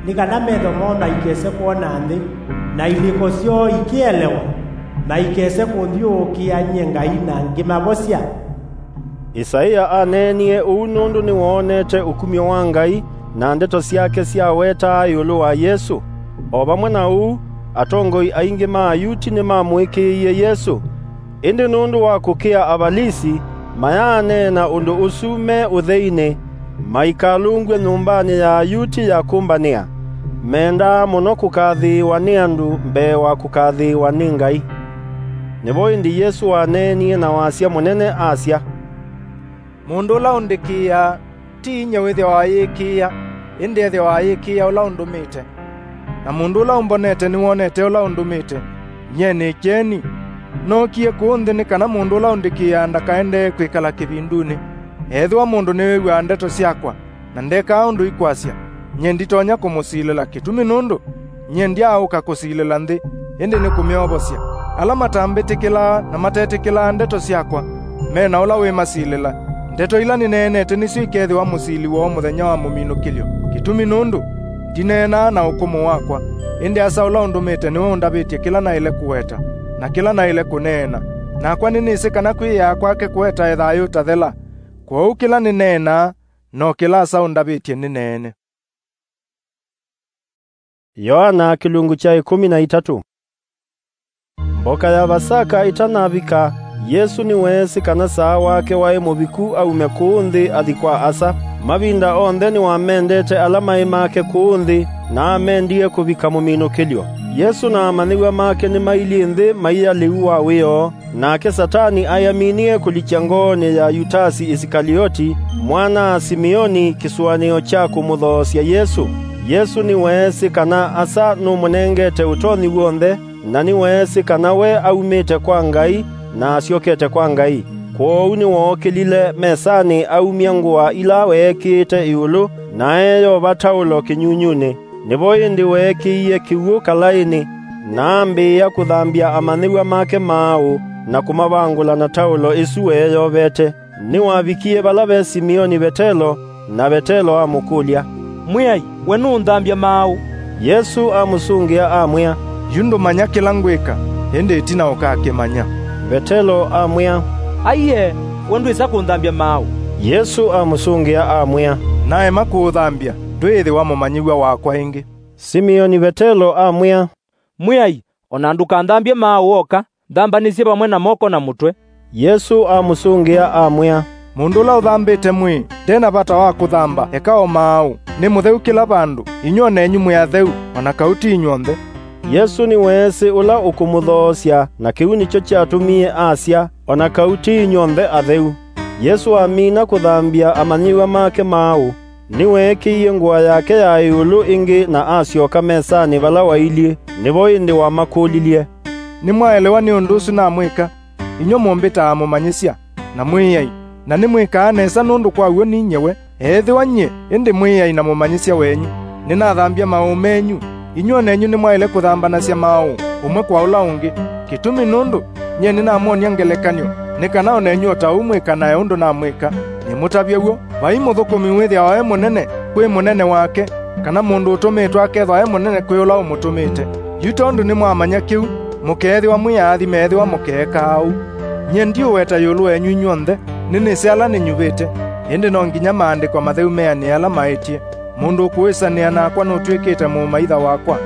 nĩ kana metho moo maikese kwona nthĩ, na ilĩko syoo ikĩelewa, maikese kũnthyũũkĩa nyie Ngai na ngĩmavosya." Ĩsaĩa aneenie ũu nũndũ nĩwoonete ũkumyo wa Ngai, na ndeto syake syawetaa ĩũlũ wa Yesũ. O vamwe na ũu, atongoi aingĩ ma Ayuti nĩmamũĩkĩĩie Yesũ. Ĩndĩ nũndũ wa kũkĩa Avalisi, mayaaneena ũndũ ũsu me ũtheinĩ, maikalũngw'e nyũmbanĩ ya Ayuti ya kũmbanĩa. Mendaa mũno kũkathĩĩwa nĩ andũ mbee wa kũkathĩĩwa nĩ Ngai. Nĩvo ĩndĩ Yesũ waneenie na wasya mũnene asya, "Mũndũ ũla ũndĩkĩĩaa, ti inyie wĩthĩawa ayĩkĩĩa, ĩndĩ ethĩawa ayĩkĩĩa ũla ũndũmĩte. Na mũndũ ũla ũmbonete nĩwonete ũla ũndũmĩte. Nyie nĩ kyeni. Nookie kũũ nthĩ nĩ kana mũndũ ũla ũndĩkĩĩaa ndakaendee kwĩkala kĩvindunĩ. Ethĩwa mũndũ nĩwĩw'aa ndeto syakwa, na ndekaa ũndũ ikwasya, nyie nditonya kũmũsilĩla, kĩtumi nũndũ nyie ndyaaũka kũsilĩla nthĩ, ĩndĩ nĩ kũmyovosya. Ala matambĩtĩkĩlaa na matetĩkĩlaa ndeto syakwa, me na ũla wĩmasilĩla. Ndeto ila nĩneenete nĩsyo ikethĩwa mũsili woo mũthenya wa mũminũkĩlyo, kĩtumi nũndũ ndineenaa na ũkũmũ wakwa, ĩndĩ Asa ũla ũndũmĩte nĩwe ũndavĩtye kĩla naĩle kũweta, na kĩla naĩle kũneena. Nakwa nĩnĩsĩ kana kwĩyĩaa kwake kũetae thayũ ũtathela. Kwoou kĩla nĩneenaa, no kĩla Asa ũndavĩtye nĩneene." Yoana kĩlungu kya ĩkũmi na itatũ. Mboka ya Vasaka ĩtanavika, Yesũ nĩweesĩ kana saa wake waĩ mũviku aume kũũ nthĩ athi kwa Asa. Mavinda onthe nĩwamendete ala maĩ make kũũ nthĩ, na amendie kũvika mũminũkĩlyo. Yesũ na amanyĩw'a make nĩmailyĩ nthĩ maia lĩu wa wĩoo. Nake Satani ayaminie kũlikya ngoonĩ ya Yutasi Isikalioti, mwana-a-Simeoni, kĩsũanĩo kya kũmũthoosya Yesũ. Yesũ nĩweesĩ kana Asa nũmũnengete ũtonyi w'onthe, na nĩweesĩ kana we aumĩte kwa Ngai na asyokete kwa Ngai. Kwoou nĩwookĩlile mesanĩ aumya ngũa ila weekĩĩte ĩũlũ, na eeyova taũlo kĩnyunyunĩ. Nĩvo ĩndĩ weekĩie kĩw'ũ kalaĩnĩ, na ambĩĩa kũthambya amanyĩw'a make maaũ na kũmavangũla na taũlo ĩsu weeyovete. Nĩwavikie vala ve Simeoni Vetelo, na Vetelo amũkũlya, "Mwĩai, we nũũnthambya maaũ?" Yesũ amũsũngĩa amwĩa, "Yu ndũmanya kĩla ngwĩka, ĩndĩ ĩtina ũkakĩmanya." Vetelo amwĩa, "Aiee, we ndwĩsa kũnthambya maaũ." Yesũ amũsũngĩa amwĩa, "Naema kũũthambya, ndwĩĩthĩwa mũmanyĩw'a wakwa ĩngĩ." Simeoni Vetelo amwĩa, "Mwĩai, o na ndũkanthambye maaũ oka, thambanĩsye vamwe na moko na mũtwe." Yesũ amũsũngĩa amwĩa, "Mũndũ ũla ũthambĩte mwĩĩ nde na vata wa kũthamba eka o maaũ. Nĩ mũtheu kĩla vandũ, inyw'ĩ o nenyu mwĩ atheu, o na kau ti inyw'onthe." Yesũ nĩweesĩ ũla ũkũmũthoosya, na kĩu nĩkyo kyatũmie asya, "O na kau ti inyw'onthe atheu." Yesũ amina kũthambya amanyĩw'a make maaũ, nĩweekĩie ngũa yake ya ĩũlũ ĩngĩ na asyoka mesanĩ vala wailyĩ. Nĩvo ĩndĩ wamakũlilye, "Nĩmwaelewa nĩ ũndũ ũsu namwĩka? Inyw'ĩ mũmbĩtaa Mũmanyĩsya na Mwĩai, na nĩmwĩkaa nesa nũndũ kwa w'o ninyie we. Ethĩwa nyie ĩndĩ Mwĩai na Mũmanyĩsya wenyu, nĩnathambya maaũ menyu, inyw'ĩ o nenyu nĩmwaĩle kũthambanasya maaũ ũmwe kwa ũla ũngĩ. Kĩtumi nũndũ nyie nĩnamwony'a ngelekany'o, nĩ kana o nenyu o ta ũu mwĩkanae ũndũ namwĩka. Nĩmũtavye w'o, vai mũthũkũmi wĩthĩawa e mũnene kwĩ mũnene wake, kana mũndũ ũtũmĩtwe akethwa e mũnene kwĩ ũla ũmũtũmĩte. Yu tondũ nĩmwamanya kĩu, mũkeethĩwa mwĩ aathime ethĩwa mũkeekaa ũu. Nyie ndiũweta ĩũlũ wenyu inyw'onthe, nĩnĩsĩ ala nĩnyuvĩte, ĩndĩ no nginya Maandĩko matheu meanĩe ala maĩtye, 'Mũndũ ũkũĩsanĩa nakwa nũtw'ĩkĩte mũũmaitha wakwa.'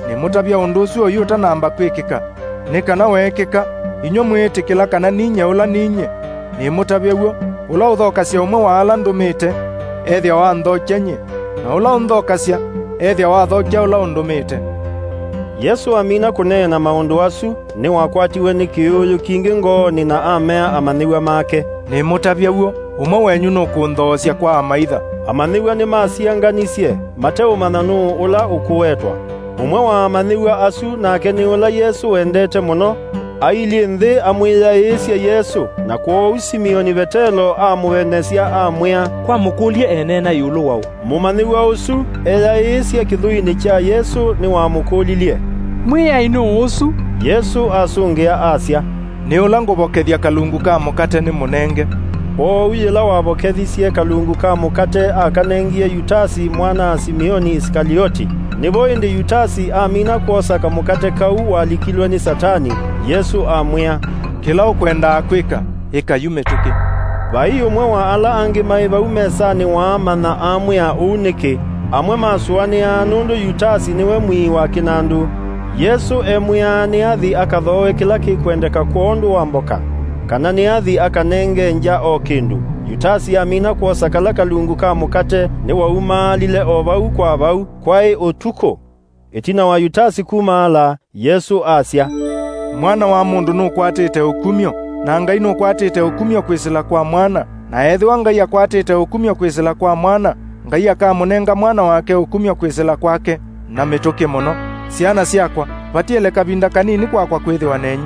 Nĩmũtavya ũndũ ũsu oyu ũtanamba kwĩkĩka, nĩ kana weekĩka, Inyw'ĩ mwĩĩtĩkĩla kana ninyie ũla ninyie, nĩmũtavya w'o, ũla ũthokasya ũmwe wa ala ndũmĩte, ethĩawa anthokya nyie, na ũla ũnthokasya, ethĩawa athokya ũla ũndũmĩte. Yesũ amina kũneena maũndũ asu, nĩwakwatiwe nĩ kĩũũyũ kingĩ ngoonĩ na amea amanyĩw'a make, "Nĩmũtavya w'o, ũmwe wenyu nũkũnthoosya kwa amaitha." Amanyĩw'a nĩmasianganisye, mateũmanya nũũ ũla ũkũwetwa. Ũmwe wa amanyĩw'a asu nake nĩ ũla Yesũ wendete mũno, ailyĩ nthĩ amwĩyaĩĩsye Yesũ, na kwoou Simioni Vetelo amũenesya amwĩa, "Kwamũkũlye eneena ĩũlũ waũ?" Mũmanyĩw'a ũsu eyaĩĩsye kĩthũinĩ kya Yesũ nĩwamũkũlilye, "Mwĩai nũũ ũsu?" Yesũ asũngĩa asya, "Nĩ ũla ngũvokethya kalungu ka mũkate nĩmũnenge." Kwoou yĩla wavokethisye kalungu ka mũkate akanengie Yutasi mwana-a-Simioni Isikalioti. Nĩvo ĩndĩ Yutasi amina kwosa kamũkate kau walikilwe nĩ Satani, Yesũ amwĩa, "Kĩla ũkwendaa kwĩka, ĩka yu mĩtũkĩ." Vai ũmwe wa ala angĩ maĩ vau mesanĩ waamanya amwĩa ũu nĩkĩ. Amwe masũanĩaa nũndũ Yutasi nĩwe mwii wa kĩnandũ. Yesũ emwĩaa nĩathi akathooe kĩla kĩkwendeka kwondũ wa mboka, kana nĩathi akanenge ngya o kĩndũ. Yutasi amina kwosa kala kalungu ka mũkate, nĩwaumaalile o vau kwa vau. Kwaĩ ũtukũ. Ĩtina wa Yutasi kumaala, Yesũ asya, "Mwana wa Mũndũ nũkwatĩte ũkumyo, na Ngai nũkwatĩte ũkumyo kwĩsĩla kwa Mwana, na ethĩwa Ngai akwatĩte ũkumyo kwĩsĩla kwa Mwana, Ngai akamũnenga Mwana wake ũkumyo kwĩsĩla kwake." Na mĩtũkĩ mũno. Syana syakwa, vatiele kavinda kanini kwakwa kwĩthĩwa nenyu.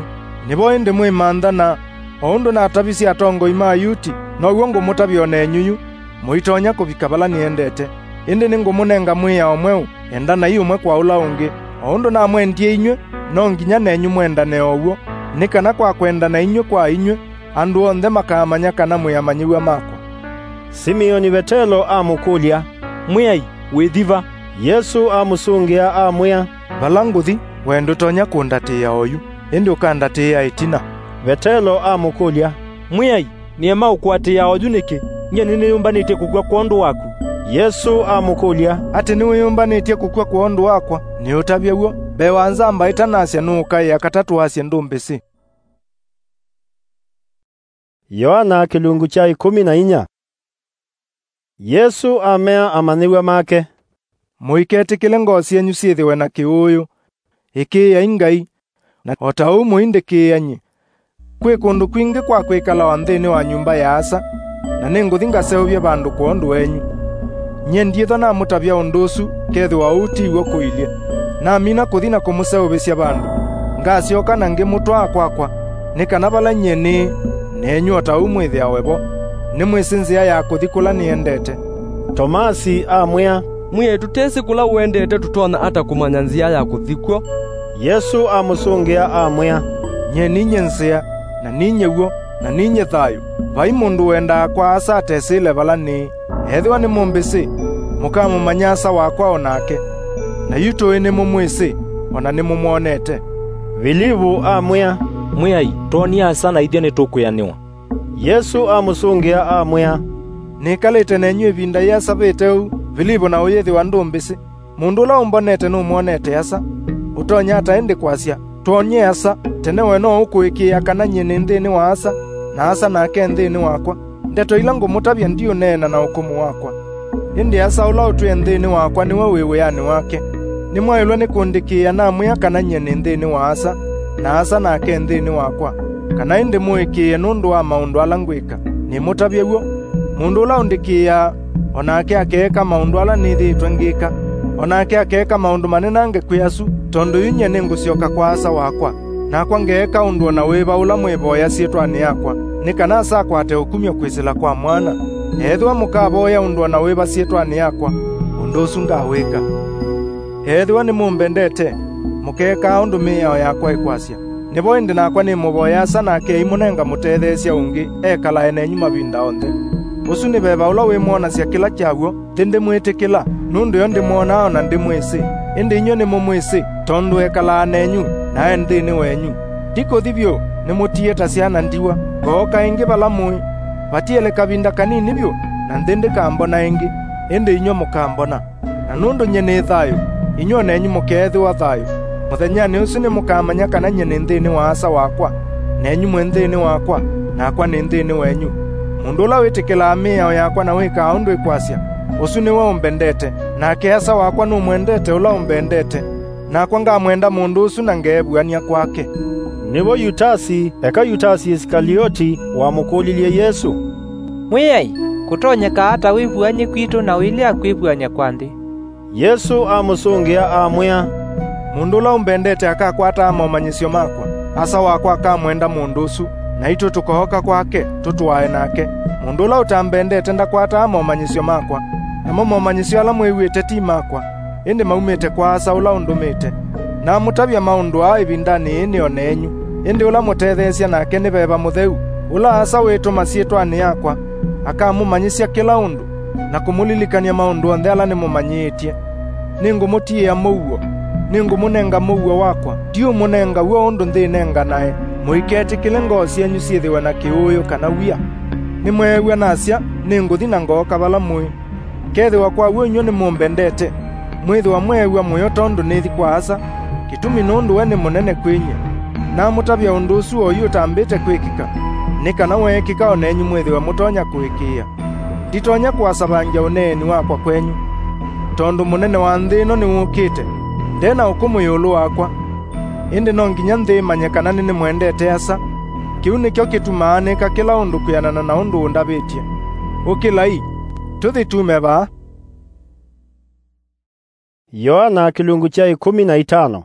Nĩvo ĩndĩ mwĩmantha, na o ũndũ natavisye atongoi ma Ayuti, now'o ngũmũtavya o nenyu yu. Mũitonya kũvika vala nĩendete, ĩndĩ nĩngũmũnenga mwĩao mweũ, endanai ũmwe kwa ũla ũngĩ. O ũndũ namwendie inyw'ĩ, no nginya nenyu mwendane o w'o, nĩ kana kwa kwendana inyw'ĩ kwa inyw'ĩ, andũ onthe makaamanya kana mwĩ amanyĩw'a makwa. Simioni Vetelo amũkũlya, "Mwĩai, wĩthi va?" Yesũ amũsũngĩa amwĩa, "Vala ngũthi, we ndũtonya kũndatĩĩa oyu, ĩndĩ ũkandatĩĩa ĩtina." Vetelo amũkũlya, "Mwĩai, nĩema ũkũatĩĩa oyu nĩkĩ? Nyie nĩnĩyũmbanĩtye kũkw'a kwondũ waku." Yesũ amũkũlya, "Atĩ nĩwĩyũmbanĩtye kũkw'a kwondũ wakwa? Nĩũtavye w'o. Mbee wa nzamba ĩtanasya nũũkaĩa katatũ asye ndũmbĩsĩ." Yoana kĩlungu kya ĩkũmi na inya. Yesũ amea amanyĩw'a make, "Mũiketĩkĩle ngoo syenyu syĩthĩwe na kĩũũyũ. Ĩkĩĩai Ngai, na o ta ũu mũindĩkĩĩa nyie. Kwĩ kũndũ kwingĩ kwa kwĩkalawa nthĩnĩ wa nyũmba ya Asa, na nĩngũthi ngaseũvye vandũ kwondũ wenyu. Nyie ndyĩthwa namũtavya ũndũ ũsu, kethĩwa ũu ti w'o kũilye. Namina kũthi na kũmũseũvĩsya vandũ, ngasyoka na ngĩmũtwaa kwakwa, nĩ kana vala nyie nĩĩ, nenyu o ta ũu mwĩthĩawe vo. Nĩmwĩsĩ nzĩa ya kũthi kũla nĩendete." Tomasi amwĩa, "Mwĩai, tũtesĩ kũla ũendete tũtonya ata kũmanya nzĩa ya kũthi kw'o?" Yesũ amũsũngĩa amwĩa, "Nyie ninyie nzĩa, na ninyie w'o, na ninyie thayũ. Vai mũndũ wendaa kwa Asa atesĩle vala nĩĩ. Ethĩwa nĩmũmbĩsĩ, mũkamũmanya Asa wakwa o nake. Na yu tũĩ nĩmũmwĩsĩ, o na nĩmũmwonete." Vilivu amwĩa, "Mwĩai, twonie Asa na ithyĩ nĩtũkwĩanĩwa." Yesũ amũsũngĩa amwĩa, "Nĩkalĩte nenyu ĩvinda yĩasa vĩte ũu, Vilivu, na ũyĩthĩwa ndũmbĩsĩ? Mũndũ ũla ũmbonete nũmwonete Asa. Ũtonya ata ĩndĩ kwasya, 'Twonie Asa'? Tene we no ũkũĩkĩĩa kana nyie nĩ nthĩnĩ wa Asa, na Asa nake nthĩnĩ wakwa? Ndeto ila ngũmũtavya ndiũneena na ũkũmũ wakwa. Ĩndĩ Asa ũla ũtwĩe nthĩnĩ wakwa nĩwe wĩ wĩanĩ wake. Nĩmwaĩlwe nĩ kũndĩkĩĩa namwĩa kana nyie nĩ nthĩnĩ wa Asa, na Asa nake nthĩnĩ wakwa, kana ĩndĩ mũĩkĩĩe nũndũ wa maũndũ ala ngwĩka. Nĩmũtavye w'o. Mũndũ ũla ũndĩkĩĩaa, o nake akeeka maũndũ ala nĩthĩĩtwe ngĩka. O nake akeeka maũndũ manenange kwĩ asu, tondũ yu nyie nĩngũsyoka kwa Asa wakwa, nakwa ngeeka ũndũ o na wĩva ũla mwĩvoya syĩtwanĩ yakwa, nĩ kana Asa akwate ũkumyo kwĩsĩla kwa Mwana. Ethĩwa mũkavoya ũndũ o na wĩva syĩtwanĩ yakwa, ũndũ ũsu ngawĩka. Ethĩwa nĩmũmbendete, mũkeekaa ũndũ mĩao yakwa ĩkwasya. Nĩvo ĩndĩ nakwa nĩmũvoya Asa, nake aimũnenga mũtetheesya ũngĩ ekalae nenyu mavinda onthe. Ũsu nĩ veva ũla wĩmwonasya kĩla kya w'o. Nthĩ ndĩmwĩtĩkĩla, nũndũ yo ndĩmwonaa o na ndĩmwĩsĩ. Ĩndĩ inyw'ĩ nĩmũmwĩsĩ, tondũ ekalaa nenyu, na e nthĩnĩ wenyu. Ndikũthi vyũ, nĩmũtiĩe ta syana ndiwa. Ngooka ĩngĩ vala mũĩ. Vatiele kavinda kanini vyũ, na nthĩ ndĩkambona ĩngĩ, ĩndĩ inyw'ĩ mũkambona. Na nũndũ nyie nĩ thayũ, inyw'ĩ o nenyu mũkeethĩwa thayũ. Mũthenyanĩ ũsu nĩmũkamanya kana nyie nĩ nthĩnĩ wa Asa wakwa, na nenyu mwĩ nthĩnĩ wakwa, nakwa nĩ nthĩnĩ wenyu. Mũndũ ũla wĩtĩkĩlaa mĩao yakwa na wĩkaa ũndũ ĩkwasya, ũsu nĩwe ũmbendete, nake Asa wakwa nũmwendete ũla ũmbendete, nakwa ngamwenda mũndũ ũsu na ngeevuany'a kwake. Nĩvo Yutasi, eka Yutasi Isikalioti, wamũkũlilye Yesũ, Mwĩai, kũtonyeka ata wĩvuany'e kwitũ na ũilea kwĩvuany'a kwa nthĩ? Yesũ amũsũngĩa, amwĩa, Mũndũ ũla ũmbendete akakwataa momanyĩsyo makwa. Asa wakwa akamwenda mũndũ ũsu, naitũ tũkooka kwake, tũtũae nake. Mũndũ ũla ũtambendete ndakwataa momanyĩsyo makwa, namo momanyĩsyo ala mwĩw'ĩte ti makwa, ĩndĩ maumĩte kwa Asa ũla ũndũmĩte. Namũtavya maũndũ aa ĩvindanĩ yĩĩ nĩ o nenyu, ĩndĩ ũla mũtetheesya nake nĩ Veva Mũtheu, ũla Asa wĩtũma syĩtwanĩ yakwa, akamũmanyĩsya kĩla ũndũ, na kũmũlilikany'a maũndũ onthe ala nĩmũmanyĩĩtye. Nĩngũmũtiĩa mũuo, nĩngũmũnenga mũuo wakwa, ndiũmũnenga w'o ũndũ nthĩ ĩnenganae. Mũiketĩkĩle ngoo syenyu syĩthĩwe na kĩũũyũ kana wia. Nĩmweew'a nasya, nĩngũthi na ngooka vala mũĩ. Kethĩwa kwa w'o inyw'ĩ nĩmũmbendete, mwĩthĩwa mweew'a mũyo tondũ nĩthi kwa Asa, kĩtumi nũndũ we nĩ mũnene kwĩ nyie. Namũtavya ũndũ ũsu oyu ũtambĩte kwĩkĩka, nĩ kana weekĩka o nenyu mwĩthĩwe mũtonya kũĩkĩĩa. Nditonya kũasavangya ũneeni wakwa kwenyu, tondũ mũnene wa nthĩ ĩno nĩwũkĩte, nde na ũkũmũ ĩũlũ wakwa. Ĩndĩ no nginya nthĩ ĩmanye kana nĩnĩmwendete Asa. Kĩu nĩkyo kĩtumaa nĩka kĩla ũndũ kwĩanana na ũndũ ũndavĩtye. Ũkĩlai, tũthi tume vaa. Yoana kĩlungu kya ĩkũmi na itano.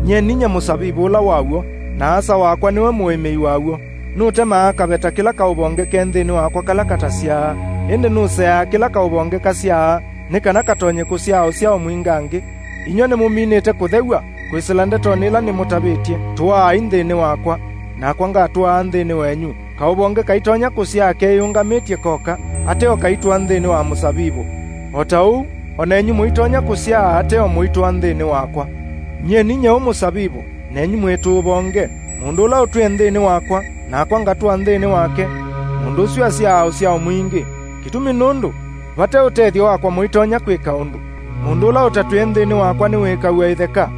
Nyie ninyie mũsavivũ ũla wa w'o, na Asa wakwa nĩwe mũĩmĩi wa w'o. Nũtemaa kaveta kĩla kaũvonge ke nthĩnĩ wakwa kala katasyaa, ĩndĩ nũseaa kĩla kaũvonge kasyaa, nĩ kana katonye kũsyaa ũsyao mwingangĩ. Inyw'ĩ nĩmũminĩte kũthew'a kwĩsĩla ndetonĩ ila nĩmũtavĩtye. Tũaai nthĩnĩ wakwa, nakwa ngatũaa nthĩnĩ wenyu. Kaũvonge kaitonya kũsyaa keyĩũngamĩtye koka, ateo kaitũa nthĩnĩ wa mũsavivũ. O ta ũu, o nenyu mũitonya kũsyaa ateo mũitũa nthĩnĩ wakwa. Nyie ninyie ũ mũsavivũ, nenyu mwĩ tũũvonge. Mũndũ ũla ũtwĩe nthĩnĩ wakwa, nakwa ngatũa nthĩnĩ wake, mũndũ ũsu asyaa ũsyao mwingĩ. Kĩtumi nũndũ, vate ũtethyo wakwa mũitonya kwĩka ũndũ. Mũndũ ũla ũtatwĩe nthĩnĩ wakwa nĩwĩkaw'a ĩtheka,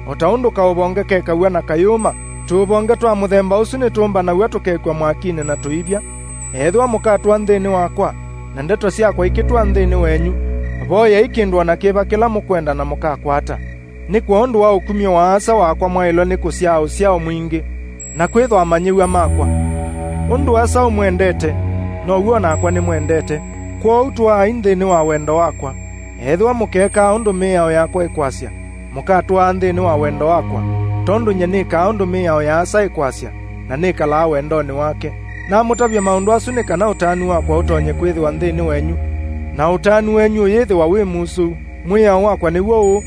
o ta ũndũ kaũvonge kekaw'a na kayũma. Tũũvonge twa mũthemba ũsu nĩtũmbanaw'a tũkekw'a mwakinĩ na tũivya. Ethĩwa mũkatũa nthĩnĩ wakwa, na ndeto syakwa ikĩtũa nthĩnĩ wenyu, voyai kĩndũ o na kĩva kĩla mũkwenda na mũkakwata. Nĩ kwondũ wa ũkumyo wa Asa wakwa mwaĩlwe nĩ kũsyaa ũsyao mwingĩ, na kwĩthwa amanyĩw'a makwa. Ũndũ Asa ũmwendete, now'o o nakwa nĩmwendete. Kwoou tũaai nthĩnĩ wa wendo wakwa. Ethĩwa mũkeekaa ũndũ mĩao yakwa ĩkwasya, mũkatũaa nthĩnĩ wa wendo wakwa, tondũ nyie nĩkaa ũndũ mĩao ya Asa ĩkwasya, na nĩkalaa wendonĩ wake. Namũtavya maũndũ asu nĩ kana ũtanu wakwa ũtonye kwĩthĩwa nthĩnĩ wenyu, na ũtanu wenyu ũyĩthĩwa wĩ musũu. Mwĩao wakwa nĩw'o ũũ,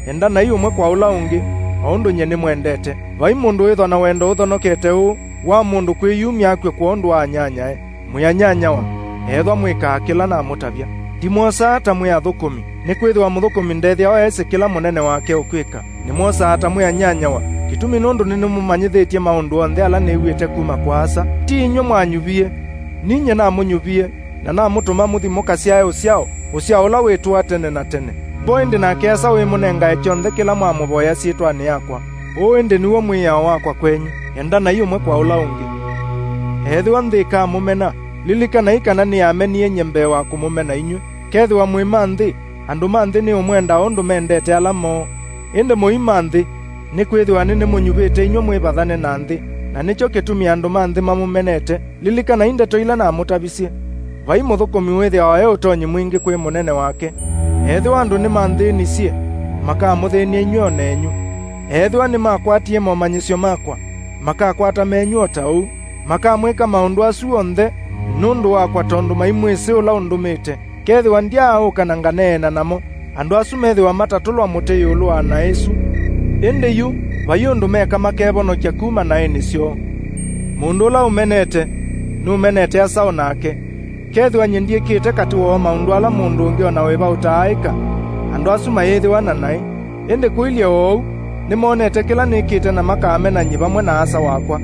endanai ũmwe kwa ũla ũngĩ, o ũndũ nyie nĩmwendete. Vai mũndũ wĩthwa na wendo ũthonokete ũũ wa mũndũ kwĩyumya akw'e kwondũ wa anyanyae. Mwĩ anyanyawa, ethwa mwĩkaa kĩla namũtavya. Ndimwosaa ta mwĩ athũkũmi, nĩkwĩthĩwa mũthũkũmi ndethĩawa esĩ kĩla mũnene wake ũkwĩka. Nĩmwosaa ta mwĩ anyanyawa, kĩtumi nũndũ nĩnĩmũmanyĩthĩtye maũndũ onthe ala nĩw'ĩte kuma kwa Asa. Ti inyw'ĩ mwanyuvie, ninyie namũnyuvie, na namũtũma mũthi mũkasyae ũsyao, ũsyao ũla wĩtũa tene na tene. Vo ĩndĩ nake Asa wĩmũnengae kyonthe kĩla mwamũvoya syĩtwanĩ yakwa. Ũũ ĩndĩ nĩw'o mwĩao wakwa kwenyu, endanai ũmwe kwa ũla ũngĩ. Ethĩwa nthĩ ĩkamũmena, lilikanai kana nĩyamenie nyie mbee wa kũmũmena inyw'ĩ. Kethĩwa mwĩ ma nthĩ, andũ ma nthĩ nĩũmwenda ũndũ mendete ala moo. Ĩndĩ mũi ma nthĩ, nĩkwĩthĩwa nĩnĩmũnyuvĩte inyw'ĩ mwĩvathane na nthĩ, na nĩkyo kĩtumi andũ ma nthĩ mamũmenete. Lilikanai ndeto ila namũtavisye. Vai mũthũkũmi wĩthĩawa e ũtonyi mwingĩ kwĩ mũnene wake. Ethĩwa andũ nĩmanthĩnisye, makamũthĩny'a inyw'ĩ o nenyu. Ethĩwa nĩmakwatie momanyĩsyo makwa, makakwata menyu o ta ũu. Makamwĩka maũndũ asu onthe nũndũ wakwa, tondũ maimwĩsĩ ũla ũndũmĩte. Kethĩwa ndyaaũka na nganeena namo, andũ asu methĩwa matatũlwa mũtĩ ĩũlũ wa naĩ ĩsu. Ĩndĩ yu, vai ũndũ meka makevonokya kuma naĩnĩ syoo. Mũndũ ũla ũmenete, nũmenete Asa o nake. Kethĩwa nyie ndyĩkĩte katĩ woo maũndũ ala mũndũ ũngĩ o na wĩva ũtaaĩka, andũ asu mayĩthĩwa na naĩ. Ĩndĩ kũilye o ũu, nĩmonete kĩla nĩkĩte na makamena nyie vamwe na Asa wakwa.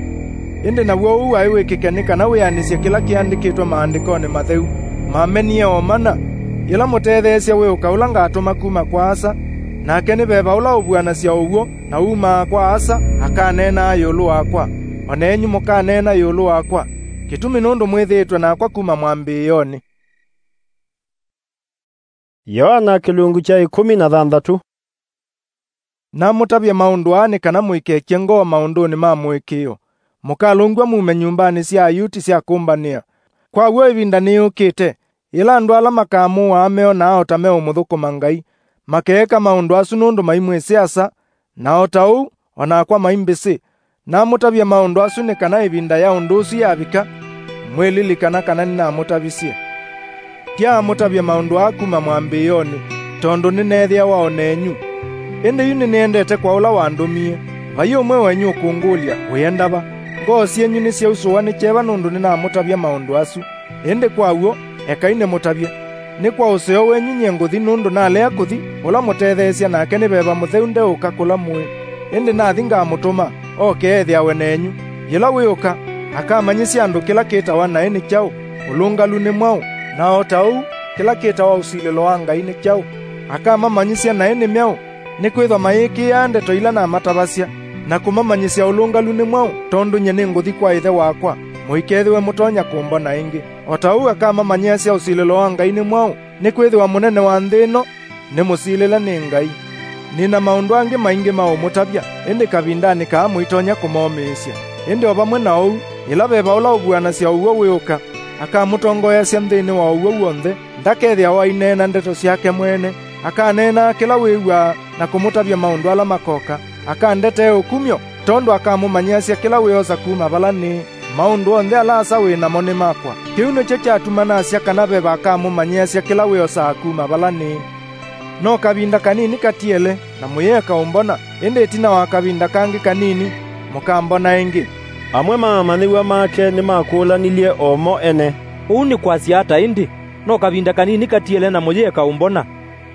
Ĩndĩ naw'o ũu waĩ wĩkĩke nĩ kana wĩanĩsye kĩla kĩandĩkĩtwe Maandĩkonĩ Matheu, mamenie o mana, yĩla mũtetheesya wĩũka ũla ngatũma kuma kwa Asa, nake nĩ veva ũla ũvuanasya ũw'o na umaa kwa Asa, akaneenaa ĩũlũ wakwa. o nenyu mũkaneena ĩũlũ wakwa, kĩtumi nũndũ mwĩthĩĩtwe nakwa kuma mwambĩĩonĩ. Yoana kĩlungu kya ĩkũmi na thanthatũ. Namũtavya maũndũ aa nĩ kana mũikekye ngoo maũndũnĩ ma mũĩkĩĩo, mũkalũngw'a mume nyũmbanĩ sya Ayuti sya kũmbanĩa. Kwa w'o ĩvinda nĩyũkĩte, yĩla andũ ala makamũaa meonaa o ta meũmũthũkũma Ngai, makeeka maũndũ asu nũndũ maimwĩsĩ Asa, na o ta ũu o nakwa maimbĩsĩ. Namũtavya maũndũ asu nĩ kana ĩvinda ya ũndũ ũsu yavika, mwĩlilikana kana nĩnamũtavisye. Ndyaamũtavya maũndũ aa kuma mwambĩĩonĩ, tondũ nĩneethĩawa o nenyu. Ĩndĩ yu nĩnĩendete kwa ũla wandũmie. Vai ũmwe wenyu ũkũngũlya, "Wĩenda va?" Ngoo syenyu nĩsyausũwa nĩ kyeva nũndũ nĩnamũtavya maũndũ asu. Ĩndĩ kwa w'o, ekai nĩmũtavye. Nĩ kwa ũseo wenyu nyie ngũthi, nũndũ nalea kũthi, ũla mũtetheesya nake nĩ Veva Mũtheu ndeũka kũla mũĩ. Ĩndĩ nathi ngamũtũma, oke ethĩawe nenyu. Yĩla wĩũka, akamanyĩsya andũ kĩla kĩtawa naĩ nĩ kyaũ, ũlũngalu nĩ mwaũ, na o ta ũu, kĩla kĩtawa ũsilĩlo wa Ngai nĩ kyaũ. Akamamanyĩsya naĩ nĩ myaũ, nĩkwĩthwa mayĩkĩĩaa ndeto ila namatavasya, na kũmamanyĩsya ũlũngalu nĩ mwaũ, tondũ nyie nĩngũthi kwa Ĩthe wakwa, mũikethĩwe mũtonya kũmbona ĩngĩ. O ta ũu akamamanyĩasya ũsilĩlo wa Ngai nĩ mwaũ, nĩkwĩthĩwa mũnene wa nthĩ ĩno nĩ mũsilĩle nĩ Ngai. Nĩ na maũndũ angĩ maingĩ ma ũmũtavya, ĩndĩ kavindanĩ kaa mũitonya kũmomĩĩsya. Ĩndĩ o vamwe na ũu, yĩla Veva ũla ũvuanasya ũw'o wĩũka, akamũtongoeasya nthĩnĩ wa ũw'o w'onthe, ndakethĩawa aineena ndeto syake mwene, akaneenaa kĩla wĩw'aa na kũmũtavya maũndũ ala makoka. Akandetee ũkumyo, tondũ akamũmanyĩasya kĩla wĩosa kuma vala nĩĩ. Maũndũ onthe ala Asa wĩ namo nĩ makwa. Kĩu nĩkyo kyatuma nasya kana Veva akamũmanyĩasya kĩla wĩosaa kuma vala nĩĩ. No kavinda kanini katiele, na mũyĩeka ũmbona, ĩndĩ ĩtina wa kavinda kangĩ kanini, mũkambona ĩngĩ. Amwe ma amanyĩw'a make nĩmakũlanilye o mo ene, "Ũu nĩ kwasya ata ĩndĩ? No kavinda kanini katiele na mũyĩeka ũmbona,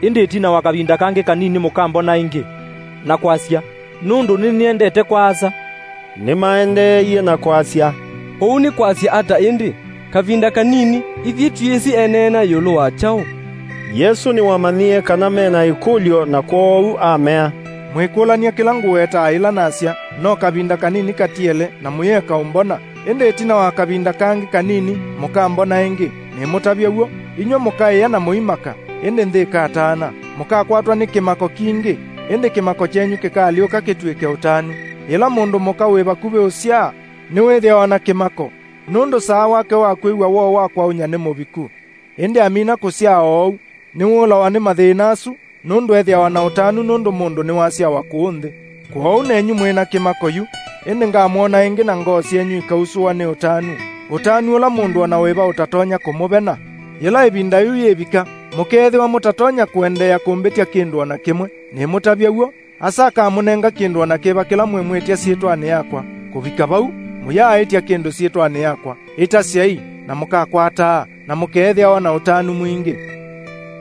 ĩndĩ ĩtina wa kavinda kangĩ kanini mũkambona ĩngĩ?" Na kwasya, "Nũndũ nĩnĩendete kwa Asa." Nĩmaendeeie na kwasya, "Ũu nĩ kwasya ata ĩndĩ? Kavinda kanini, ithyĩ twĩsĩ eneena ĩũlũ wa kyaũ?" Yesũ nĩwamanyie kana me na ĩkũlyo, na kwoou amea, "Mwĩkũlany'a kĩla ngũwetaa yĩla nasya, 'No kavinda kanini katiele na mũyĩeka ũmbona, ĩndĩ ĩtina wa kavinda kangĩ kanini mũkambona ĩngĩ.' Nĩmũtavya w'o. Inyw'ĩ mũkaĩa na mũimaka, ĩndĩ nthĩ ĩkataana. Mũkakwatwa nĩ kĩmako kingĩ, ĩndĩ kĩmako kyenyu kĩkaalyũka kĩtw'ĩke ũtanu. Yĩla mũndũ mũka wĩ vakuvĩ ũsyaa nĩwĩthĩawa na kĩmako, nũndũ saa wake wa kwĩw'a woo wa kwaũnya nĩ mũviku. Ĩndĩ amina kũsyaa oou, nĩwũlawa nĩ mathĩna asu, nũndũ ethĩawa na ũtanu nũndũ mũndũ nĩwasyawa kũũ nthĩ. Kwoou nenyu mwĩ na kĩmako yu, ĩndĩ ngamwona ĩngĩ na ngoo syenyu ikausũwa nĩ ũtanu, ũtanu ũla mũndũ o na wĩva ũtatonya kũmũvena. Yĩla ĩvinda yĩu yĩvika, mũkeethĩwa mũtatonya kũendeea kũmbĩtya kĩndũ o na kĩmwe. Nĩmũtavya w'o. Asa akamũnenga kĩndũ o na kĩva kĩla mwĩmwĩtya syĩtwanĩ yakwa. Kũvika vau, mũyaaĩtya kĩndũ syĩtwanĩ yakwa, ĩtasyai, na mũkakwataa, na mũkeethĩawa na ũtanu mwingĩ.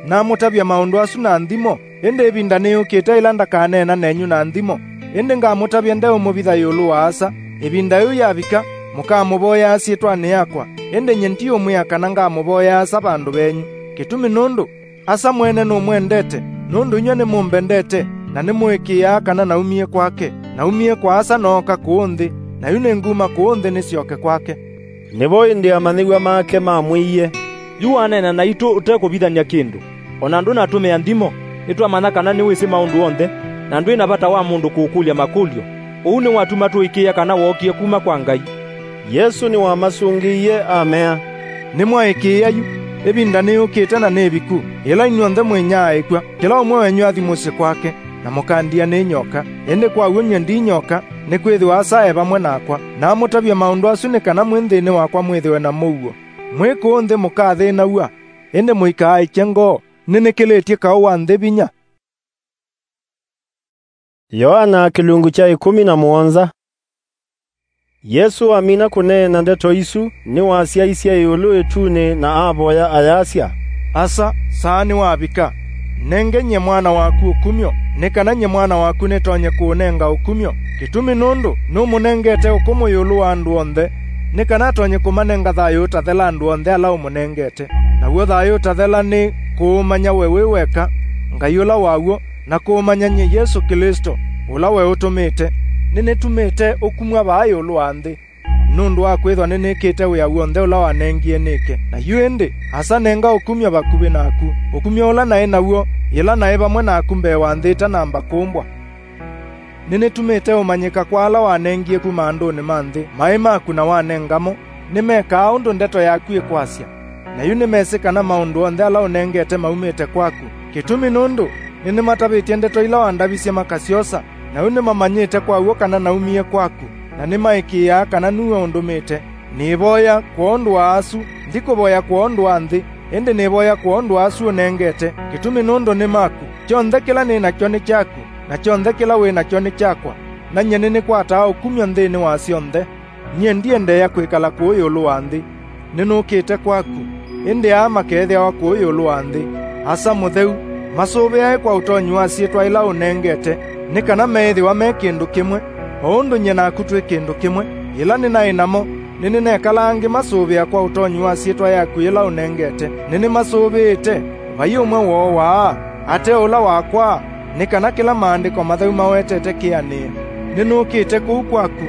Namũtavya maũndũ asu na nthimo, ĩndĩ ĩvinda nĩyũkĩte ĩla ndakaneena nenyu na nthimo, ĩndĩ ngamũtavya ndeũmũvitha ĩũlũ wa Asa. Ĩvinda yĩu yavika, mũkamũvoyaa syĩtwanĩ yakwa, ĩndĩ nyie ndiũmwĩa kana ngamũvoya Asa vandũ venyu. Kĩtumi nũndũ Asa mwene nũmwendete, nũndũ inyw'ĩ nĩmũmbendete, na nĩmũĩkĩĩaa kana naumie kwake. Naumie kwa Asa nooka kũũ nthĩ, na yu nĩnguma kũũ nthĩ nĩsyoke kwake. Nĩvo ĩndĩ amanyĩw'a make mamwĩie, "Yu waneena naitũ ũtekũvithany'a kĩndũ, o na ndũnatũmĩa nthimo. Nĩtwamanya kana nĩwĩsĩ maũndũ onthe, na ndwĩ na vata wa mũndũ kũũkũlya makũlyo. Ũu nĩwatuma tũĩkĩĩa kana wookie kuma kwa Ngai." Yesũ nĩwamasũngĩie amea, "Nĩmwaĩkĩĩa yu. Ĩvinda nĩyũkĩte na nĩ ĩviku, yĩla inyw'onthe mwĩnyaaĩkw'a, kĩla ũmwe wenyu athi mũsyĩ kwake, na mũkandia nĩ nyoka. Ĩndĩ kwa w'o nyie ndi nyoka, nĩkwĩthĩwa Asa e vamwe nakwa. Namũtavya maũndũ asu nĩ kana mwĩ nthĩnĩ wakwa mwĩthĩwe na mũuo. Mwĩ kũũ nthĩ mũkathĩnaw'a, ĩndĩ mũikaaĩkye ngoo. Nĩnĩkĩlĩtye kaũ wa nthĩ vinya." Yoana kĩlungu kya ĩkũmi na mũonza. Yesũ amina kũneena ndeto isu, nĩwasyaisye ĩũlũ ĩtunĩ na avoya ayasya, "Asa, saa nĩwavika. Nenge nyie mwana waku ũkumyo, nĩ kana nyie mwana waku nĩtonye kũũnenga ũkumyo. Kĩtumi nũndũ nũmũnengete ũkũmũ ĩũlũ wa andũ onthe, nĩ kana atonye kũmanenga thayũ ũtathela andũ onthe ala ũmũnengete. Naw'o thayũ ũtathela nĩ kũũmanya we wĩ weka, Ngai ũla wa w'o, na kũũmanya nyie Yesũ Klĩsto, ũla we ũtũmĩte." nĩnĩtumĩte ũkumw'a vaa ĩũlũ wa nthĩ, nũndũ wa kwĩthwa nĩnĩkĩte wĩa w'onthe ũla wanengie nĩke. Na yu ĩndĩ, Asa, nenga ũkumyo vakuvĩ naku, ũkumyo ũla naĩ naw'o yĩla naĩ vamwe naku mbee wa nthĩ ĩtanamba kũmbwa. Nĩnĩtumĩte ũmanyĩka kwa ala wanengie kuma andũnĩ ma nthĩ maĩ maku na wanenga mo. Nĩmekaa ũndũ ndeto yaku ĩkwasya, na yu nĩmesĩ kana maũndũ onthe ala ũnengete maumĩte kwaku. Kĩtumi nũndũ nĩnĩmatavĩtye ndeto ila wandavisye makasyosa, na yu nĩmamanyĩte kwa w'o kana naumie kwaku, na nĩmaĩkĩĩaa kana nue ũndũmĩte. Nĩĩvoya kwondũ wa asu, ndikũvoya kwondũ wa nthĩ, ĩndĩ nĩĩvoya kwondũ wa asu ũnengete, kĩtumi nũndũ nĩ maku. Kyonthe kĩla nĩ nakyo nĩ kyaku, na kyonthe kĩla wĩ nakyo nĩ kyakwa, na nyie nĩnĩkwataa ũkumyo nthĩnĩ wa syonthe. Nyie ndiendeea kwĩkala kũũ ĩũlũ wa nthĩ, nĩnũkĩte kwaku, ĩndĩ aa makeethĩawa kũũ ĩũlũ wa nthĩ. Asa Mũtheu, masũvĩae kwa ũtonyi wa syĩtwa ĩla ũnengete, nĩ kana meĩthĩwa me kĩndũ kĩmwe, o ũndũ nyie naku twĩ kĩndũ kĩmwe. Yĩla nĩnaĩ namo, nĩnĩnekalaa ngĩmasũvĩa kwa ũtonyi wa syĩtwa yaku yĩla ũnengete. Nĩnĩmasũvĩĩte, vai ũmwe woo waa, ate ũla wakwa, nĩ kana kĩla Maandĩko Matheu mawetete kĩanĩe. Nĩnũkĩte kũu kwaku,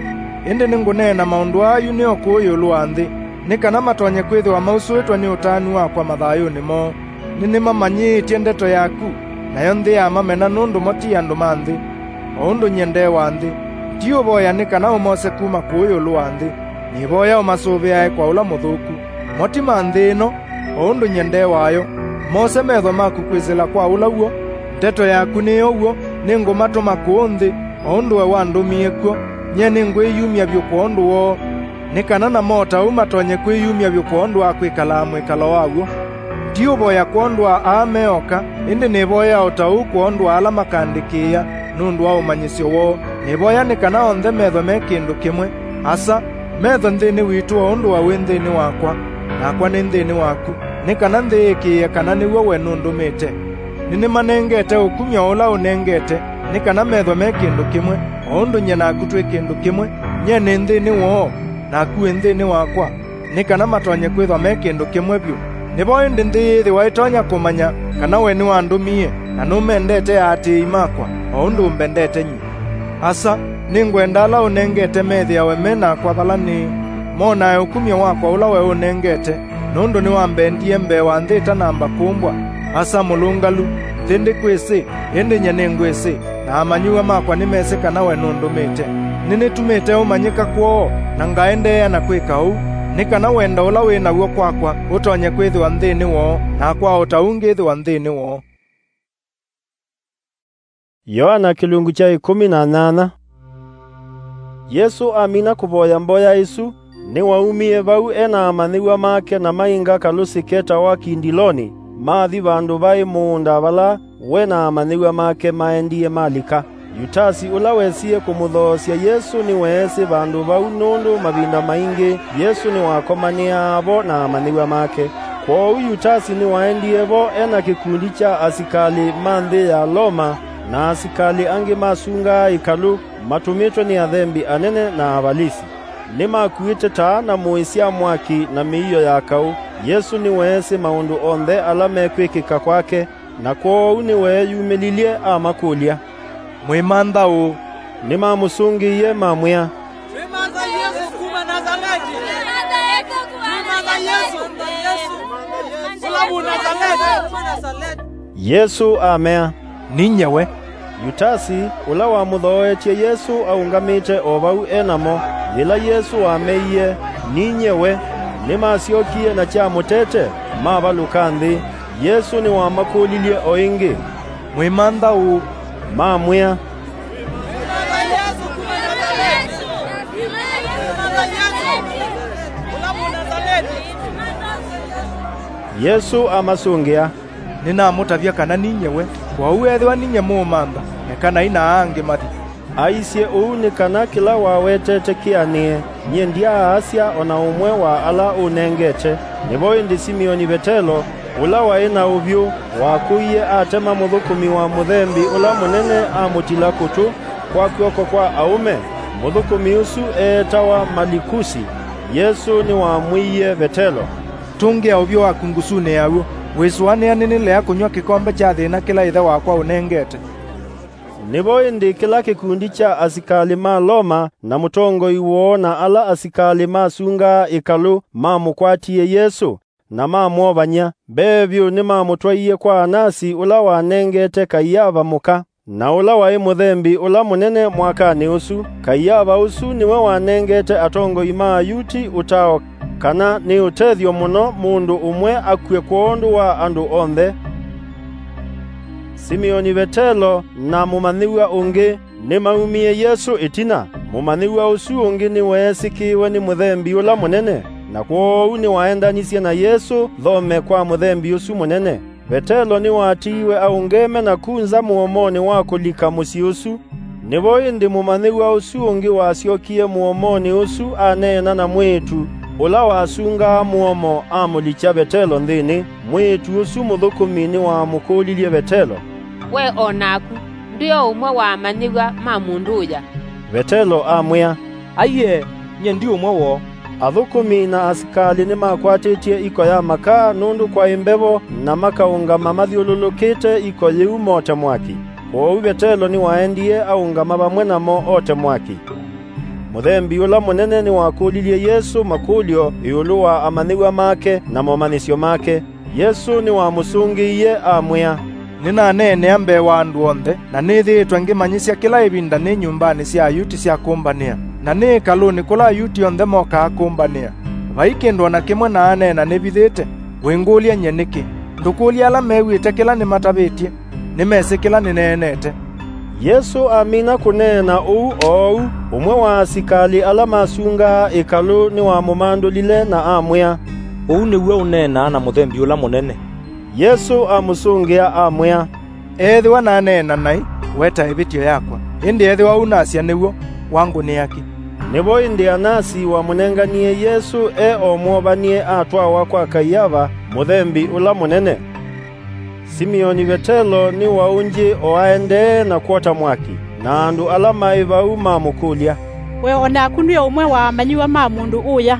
ĩndĩ nĩngũneena maũndũ aa yu nĩ o kũũ ĩũlũ wa nthĩ, nĩ kana matonye kwĩthĩwa mausũĩtwe nĩ ũtanu wakwa mathayũnĩ moo. Nĩnĩmamanyĩĩtye ndeto yaku, nayo nthĩ yamamena nũndũ mo ti andũ ma nthĩ, o ũndũ nyie nde wa nthĩ. Ndiũvoya nĩ kana ũmose kuma kũũ ĩũlũ wa nthĩ, nĩvoya ũmasũvĩae kwa ũla mũthũku. Mo ti ma nthĩ ĩno, o ũndũ nyie nde wayo. Mose metho maku kwĩsĩla kwa ũla w'o. Ndeto yaku nĩyo w'o, nĩngũmatũma kũũ nthĩ, o ũndũ we wandũmie kw'o. Nyie nĩngwĩyumya vyũ kwondũ woo, nĩ kana namo o ta ũu matonye kwĩyumya vyũ kwondũ wa kwĩkalaa mwĩkalo wa w'o. Ndiũvoya kwondũ wa aa me oka, ĩndĩ nĩvoyaa o ta ũu kwondũ wa ala makandĩkĩĩa nũndũ wa ũmanyĩsyo woo. Nĩvoya nĩ kana onthe methwe me kĩndũ kĩmwe. Asa, methwe nthĩnĩ witũ o ũndũ we wĩ nthĩnĩ wakwa, nakwa nĩ nthĩnĩ waku, nĩ kana nthĩ yĩkĩĩe kana nĩw'o we nũndũmĩte. Nĩnĩmanengete ũkumyo ũla ũnengete, nĩ kana methwe me kĩndũ kĩmwe, o ũndũ nyie naku twĩ kĩndũ kĩmwe, nyie nĩ nthĩnĩ woo, naku wĩ nthĩnĩ wakwa, nĩ kana matonye kwĩthwa me kĩndũ kĩmwe vyũ. Nĩvo ĩndĩ nthĩ yĩĩthĩwa ĩtonya kũmanya kana we nĩwandũmie, na nũmendete aatĩĩi makwa, o ũndũ ũmbendete nyie. Asa, nĩngwenda ala ũnengete methĩawe me nakwa vala nĩĩ, monae ũkumyo wakwa ũla we ũnengete, nũndũ nĩwambendie mbee wa nthĩ ĩtanamba kũmbwa. Asa mũlũngalu, nthĩ ndĩkwĩsĩ, ĩndĩ nyie nĩngwĩsĩ, na amanyĩw'a makwa nĩmesĩ kana we nũndũmĩte. Nĩnĩtumĩte ũmanyĩka kwoo, na ngaendeea na kwĩka ũu, nĩ kana wendo ũla wĩ naw'o kwakwa ũtonye kwĩthĩwa nthĩnĩ woo, nakwa o ta ũu ngĩthĩwa nthĩnĩ woo. Yoana kĩlungu kya ĩkũmi na nyanya. Yesũ amina kũvoya mboya ĩsu, nĩwaumie vau e na amanyĩw'a make na mainga kalũsĩ ketawa Kindiloni, mathi vandũ vaĩ mũũnda vala we na amanyĩw'a make maendie malika. Yutasi, ũla wesie kũmũthoosya Yesũ, nĩweesĩ vandũ vau, nũndũ mavinda maingĩ Yesũ nĩwakomanĩaa vo na amanyĩw'a make. Kwoou Yutasi nĩwaendie vo e na kĩkundi kya asikalĩ ma nthĩ ya Loma na asikalĩ angĩ masungaa ĩkalũ, matũmĩtwe nĩ athembi anene na Avalisi. Nĩmakuĩte taa na mũĩ sya mwaki na mĩio ya kaũ. Yesũ nĩweesĩ maũndũ onthe ala mekwĩkĩka kwake, na kwoou nĩweeyumĩlilye amakũlya, "Mwĩmantha ũũ?" Nĩmamũsũngĩie mamwĩa, "Twĩmantha Yesũ kuma Nasaleti. Twĩmantha Yesũ, Yesũ, ũla Mũnasaleti." Yesũ amea, "Ninyie we." Yutasi, ũla wamũthooetye Yesũ aũngamĩte o vau e namo. Yĩla Yesũ wameie, "Ninyie we," nĩmasyokie na kya mũtete, mavalũka nthĩ. Yesũ nĩwamakũlilye o ĩngĩ, "Mwĩmantha ũũ?" Mamwĩa, Yesũ amasũngĩa, "Nĩnamũtavya kana ninyie we, kwoou ethĩwa ninyie mũũmantha, ekanai na aa angĩ mathi." Aisye ũu nĩ kana kĩla wawetete kĩanĩe, "Nyie ndyaasya o na ũmwe wa ala ũnengete." Nĩvo ĩndĩ Simioni Vetelo, ũla waĩ na ũvyũ, wakũie atema mũthũkũmi wa mũthembi ũla mũnene amũtila kũtũ kwa kw'oko kwa aũme. Mũthũkũmi ũsu eetawa Malikusi. Yesũ nĩwamwĩie Vetelo, "Tũngĩa ũvyũ waku ngusunĩ ya w'o, wĩsũanĩa nĩnĩlea kũnyw'a kĩkombe kya thĩna kĩla ĩthe wakwa ũnengete." Nĩvo ĩndĩ kĩla kĩkundi kya asikalĩ ma Loma na mũtongoi woo na ala asikalĩ masungaa ĩkalũ mamũkwatie Yesũ, na mamwovany'a. Mbee vyũ nĩmamũtwaie kwa Anasi, ũla wanengete Kaiava mũka, na ũla waĩ mũthembi ũla mũnene mwakanĩ ũsu. Kaiava ũsu nĩwe wanengete atongoi ma Ayuti ũtao kana nĩ ũtethyo mũno mũndũ ũmwe akw'e kwondũ wa andũ onthe. Simioni Vetelo na mũmanyĩw'a ũngĩ nĩmaumie Yesũ ĩtina. Mũmanyĩw'a ũsu ũngĩ nĩweesĩkĩĩwe nĩ mũthembi ũla mũnene, na kwoou nĩwaendanisye na Yesũ thome kwa mũthembi ũsu mũnene. Vetelo nĩwatiiwe aũngeme na ku nza mũomonĩ wa kũlika mũsyĩ ũsu. Nĩvo ĩndĩ mũmanyĩw'a ũsu ũngĩ wasyokie mũomonĩ ũsu aneena na mwĩĩtu ũla wasungaa mũomo amũlikya Vetelo nthĩnĩ. Mwĩĩtu ũsu mũthũkũmi nĩwamũkũlilye Vetelo, "We o naku ndwĩ o ũmwe wa amanyĩw'a ma mũndũ ũya?" Vetelo amwĩa, "Aiee, nyie ndi ũmwe woo." Athũkũmi na asikalĩ nĩmakwatĩtye iko ya makaa nũndũ kwaĩ mbevo, na makaũngama mathyũlũlũkĩte iko yĩu mote mwaki. Kwoou Vetelo nĩwaendie aũngama vamwe namo ote mwaki. Mũthembi ũla mũnene nĩwakũlilye Yesũ makũlyo ĩũlũ wa amanyĩw'a make na momanyĩsyo make. Yesũ nĩwamũsũngĩie amwĩa, "Nĩnaneenea mbee wa andũ onthe, na nĩthĩĩtwe ngĩmanyĩsya kĩla ĩvinda nĩ nyũmbanĩ sya Ayuti sya kũmbanĩa, na nĩ ĩkalũnĩ kũla Ayuti onthe mokaa kũmbanĩa. Vai kĩndũ o na kĩmwe naaneena nĩvithĩte. Wĩngũlya nyie nĩkĩ? Ndũkũlya ala mew'ĩte kĩla nĩmatavĩtye. Nĩmesĩ kĩla nĩneenete." Yesũ amina kũneena ũu oou, ũmwe wa asikalĩ ala masungaa ĩkalũ nĩwamũmandũlile na amwĩa, "Ũu nĩw'o ũneenaa na mũthembi ũla mũnene." Yesũ amũsũngĩa amwĩa, "Ethĩwa naneena naĩ, weta ĩvĩtyo yakwa. Ĩndĩ ethĩwa ũu nasya nĩw'o, wangũnĩa kĩ?" Nĩvo ĩndĩ Anasi wamũnenganie Yesũ e o mwovanie atwawa kwa Kaiava, mũthembi ũla mũnene. Simioni Vetelo nĩwaũngyĩ o aendee na kwota mwaki, na andũ ala maĩ vau mamũkũlya, "We o naku nĩ ũmwe wa amanyĩw'a ma mũndũ ũya?"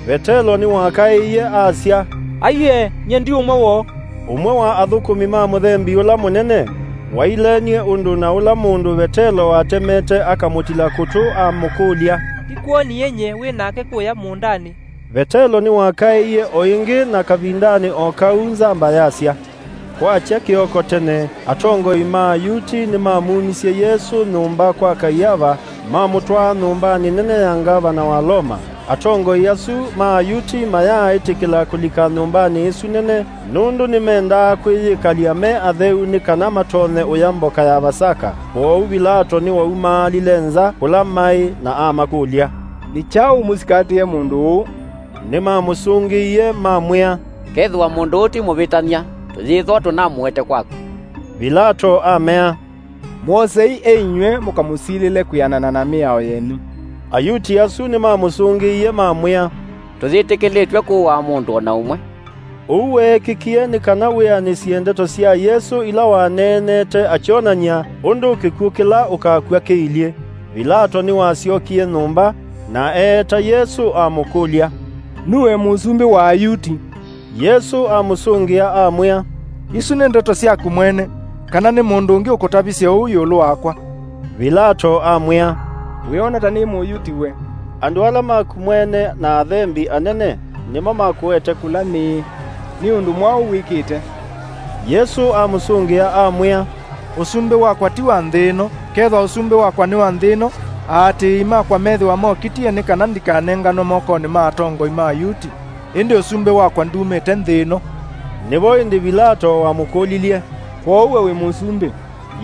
Vetelo nĩwakaĩie asya, "Aiee, nyie ndi ũmwe woo." Ũmwe wa athũkũmi ma mũthembi ũla mũnene wailenie ũndũ na ũla mũndũ Vetelo watemete akamũtila kũtũ amũkũlya, "Ndikwoonie nyie wĩ nake kũya mũũndanĩ?" Vetelo nĩwakaĩie o ĩngĩ, na kavindanĩ o kau nzamba yasya. Kwakya kĩoko tene, atongoi ma Ayuti nĩmamumisye Yesũ nyũmba kwa Kaiava, mamũtwaa nyũmbanĩ nene ya ngavana wa Loma. Atongoi asu ma Ayuti mayaaĩtĩkĩla kũlika nyũmbanĩ ĩsu nene, nũndũ nĩmendaa kwĩyĩkalya me atheu nĩ kana matonye ũya mboka ya Vasaka. Kwoou Vilato nĩwaumaalile nza kũla maĩ na amakũlya, "Nĩ kyaũ mũsikatĩe mũndũ ũũ?" Nĩmamũsũngĩie, mamwĩa, "Kethĩwa mũndũ ũũ ti mũvĩtany'a, tũyĩthwa tũnamũete kwaku." Vilato amea, "Mwosei e inyw'ĩ mũkamũsilĩle kwĩanana na mĩao yenyu." Ayuti asu nĩmamũsũngĩie, mamwĩa, "Tũyĩtĩkĩlĩtw'e kũaa mũndũ o na ũmwe." Ũu weekĩkie nĩ kana wĩanĩsye ndeto sya Yesũ ila waneenete akyonany'a ũndũ kĩkw'ũ kĩla ũkakw'a kĩilyĩ. Vilato nĩwasyokie nyũmba, na eeta Yesũ amũkũlya, "Nue mũsumbĩ wa Ayuti?" Yesũ amũsũngĩa amwĩa, "Isu nĩ ndeto syaku mwene, kana nĩ mũndũ ũngĩ ũkũtavisye ũu ĩũlũ wakwa?" Vilato amwĩa, "Wĩona ta nĩ Mũyuti we. Andũ ala maku mwene na athembi anene nĩmo makũete kũla nĩĩ. Nĩ ũndũ mwaũ wĩkĩte?" Yesũ amũsũngĩa amwĩa, "Ũsumbĩ wakwa ti wa nthĩ ĩno. Kethwa ũsumbĩ wakwa nĩ wa nthĩ ĩno, aatĩĩi makwa methĩwa mokitie nĩ kana ndikanenganwe mokonĩ ma atongoi ma Ayuti. Ĩndĩ ũsumbĩ wakwa ndumĩte nthĩ ĩno." Nĩvo ĩndĩ Vilato wamũkũlilye, "Kwoou we wĩ mũsumbĩ?"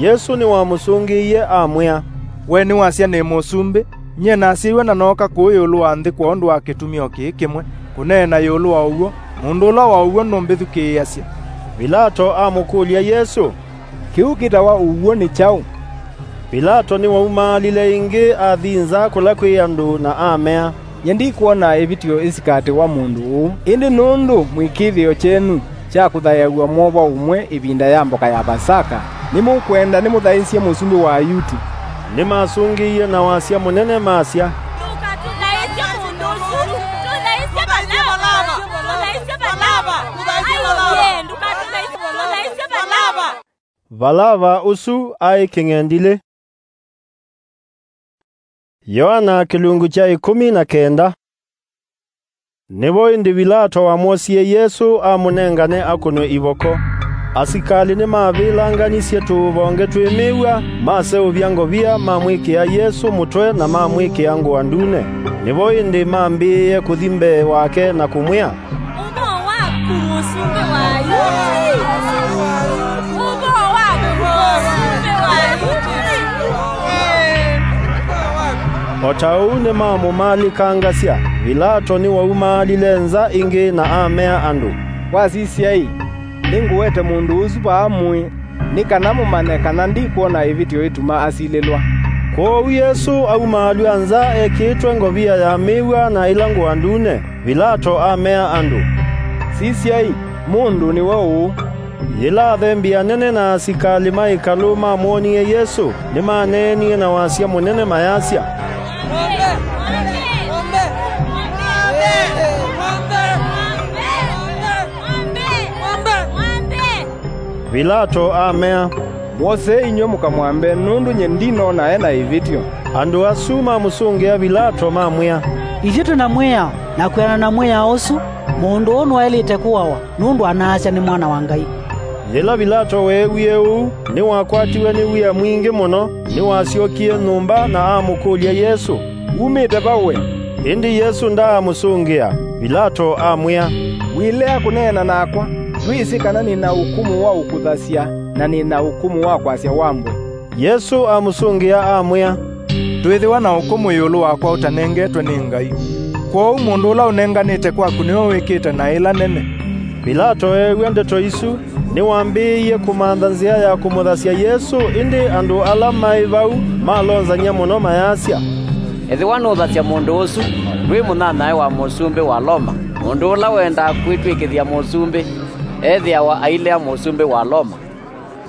Yesũ nĩwamũsũngĩie amwĩa, "We nĩwasya nĩ mũsumbĩ. Nyie nasyaĩwe na nooka kũũ ĩũlũ wa nthĩ kwondũ wa kĩtumio kĩĩ kĩmwe, kũneena ĩũlũ wa ũw'o. Mũndũ ũla wa ũw'o nũmbĩthukĩĩasya." Vilato amũkũlya Yesũ, "Kĩu kĩtawa ũw'o nĩ kyaũ?" Vilato nĩwaumaalile ĩngĩ athi nza kũla kwĩ andũ na amea, "Nyie ndikwona ĩvĩtyo ĩsikatĩwa mũndũ ũũ. Ĩndĩ nũndũ mwĩkĩĩthĩo kyenyu kya kũthaĩaw'a mwova ũmwe ĩvinda ya mboka ya Vasaka, nĩmũkwenda nĩmũthaĩsye mũsumbĩ wa Ayuti?" Nĩmasũngĩie na wasya mũnene masya, "Ndũkatũthaĩsye mũndũ ũsu, tũthaĩsye Valava! Tũthaĩsye Valava! Aiee, ndũkatũthaĩsye, tũthaĩsye Valava!" Valava ũsu aĩ kĩng'endilĩ. Yoana kĩlungu kya ĩkũmi na kenda. Nĩvo ĩndĩ Vilato wamwosie Yesũ amũnengane akũnwe ivoko. Asikalĩ nĩmavĩlanganisye tũvonge twĩ mĩw'a, maseũvya ngovia, mamwĩkĩa Yesũ mũtwe na mamwĩkĩa ngũa ndune. Nĩvo ĩndĩ mambĩĩe kũthi mbee wake na kũmwĩa, "Ũvoo waku, mũsumbĩ wa Ayuti! Ũvoo waku, mũsumbĩ wa Ayuti!" O ta ũu nĩmamũmalĩkangasya, Vilato nĩwaumaalile nza ĩngĩ na amea andũ, "Wasisya-ĩ, nĩngũete mũndũ ũsu vaa mũĩ, nĩ kana mũmanye kana ndikwona ĩvĩtyo ĩtuma asilĩlwa." Kwoou Yesũ aumaalw'a nza ekĩĩtwe ngovia ya mĩw'a na ĩla ngũa ndune. Vilato amea andũ, "Sisyai, mũndũ nĩwe ũũ." Yĩla athembi anene na asikalĩ ma ĩkalũ mamwonie Yesũ, nĩmaneenie na wasya mũnene mayasya, "Vilato amea, 'Mwosei inyw'ĩ mũkamwambe, nũndũ nyie ndinona e na ĩvĩtyo.'" Andũ asu mamũsũngĩa Vilato, mamwĩa, "Ithyĩ twĩ na mwĩao, na kwĩanana na mwĩao ũsu, mũndũ ũũ nĩwaĩlĩte kũawa, nũndũ anaasya nĩ Mwana wa Ngai." Yĩla Vilato weewie ũu, nĩwakwatiwe nĩ wia mwingĩ mũno, nĩwasyokie nyũmba na amũkũlya Yesũ, "Wumĩte va we?" Ĩndĩ Yesũ ndaamũsũngĩa. Vilato amwĩa, "Wĩlea kũneena nakwa? Ndwĩsĩ kana nĩ na ũkũmũ wa ũkũthasya na nĩ na ũkũmũ wa kwasya wambwe?" Yesũ amũsũngĩa amwĩa, "Ndwĩthĩwa na ũkũmũ ĩũlũ wakwa ũtanengetwe nĩ Ngai. Kwoou mũndũ ũla ũnenganĩte kwaku nĩwe wĩkĩte naĩ ĩla nene." Vilato eew'a ndeto isu, nĩwambĩĩie kũmantha nzĩa ya kũmũthasya Yesũ, ĩndĩ andũ ala maĩ vau malonzany'a mũno mayasya, "Ethĩwa nũũthasya mũndũ ũsu, ndwĩ mũnyanyae wa mũsumbĩ wa Loma. Mũndũ ũla wendaa kwĩtw'ĩkĩthya mũsumbĩ, ethĩawa ailea mũsumbĩ wa Loma."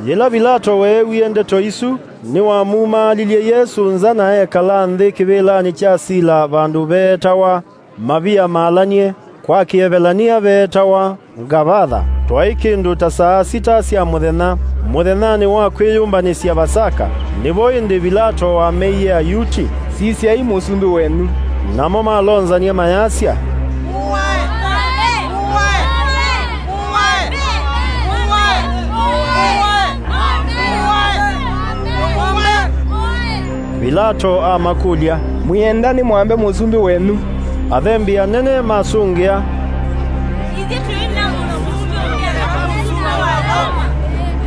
Yĩla Vilato weewie ndeto isu, nĩwamumaalilye Yesũ nza na ekala nthĩ kĩvĩlanĩ kya sila vandũ veetawa Mavia Malanie, kwa Kĩevelania veetawa Ngavatha. Twaĩ kĩndũ ta saa sita sya mũthenya, mũthenyanĩ wa kwĩyũmbanĩsya Vasaka. Nĩvo ĩndĩ Vilato wameie Ayuti, "Sisyai mũsumbĩ wenyu." Namo malonzany'a mayasya, Vilato amakũlya, "Mwĩenda nĩmwambe mũsumbĩ wenyu?" Athembi anene masũngĩa, "Ithyĩ tũi na mũsumbĩ ũngĩ eka mũsumbĩ wa Loma?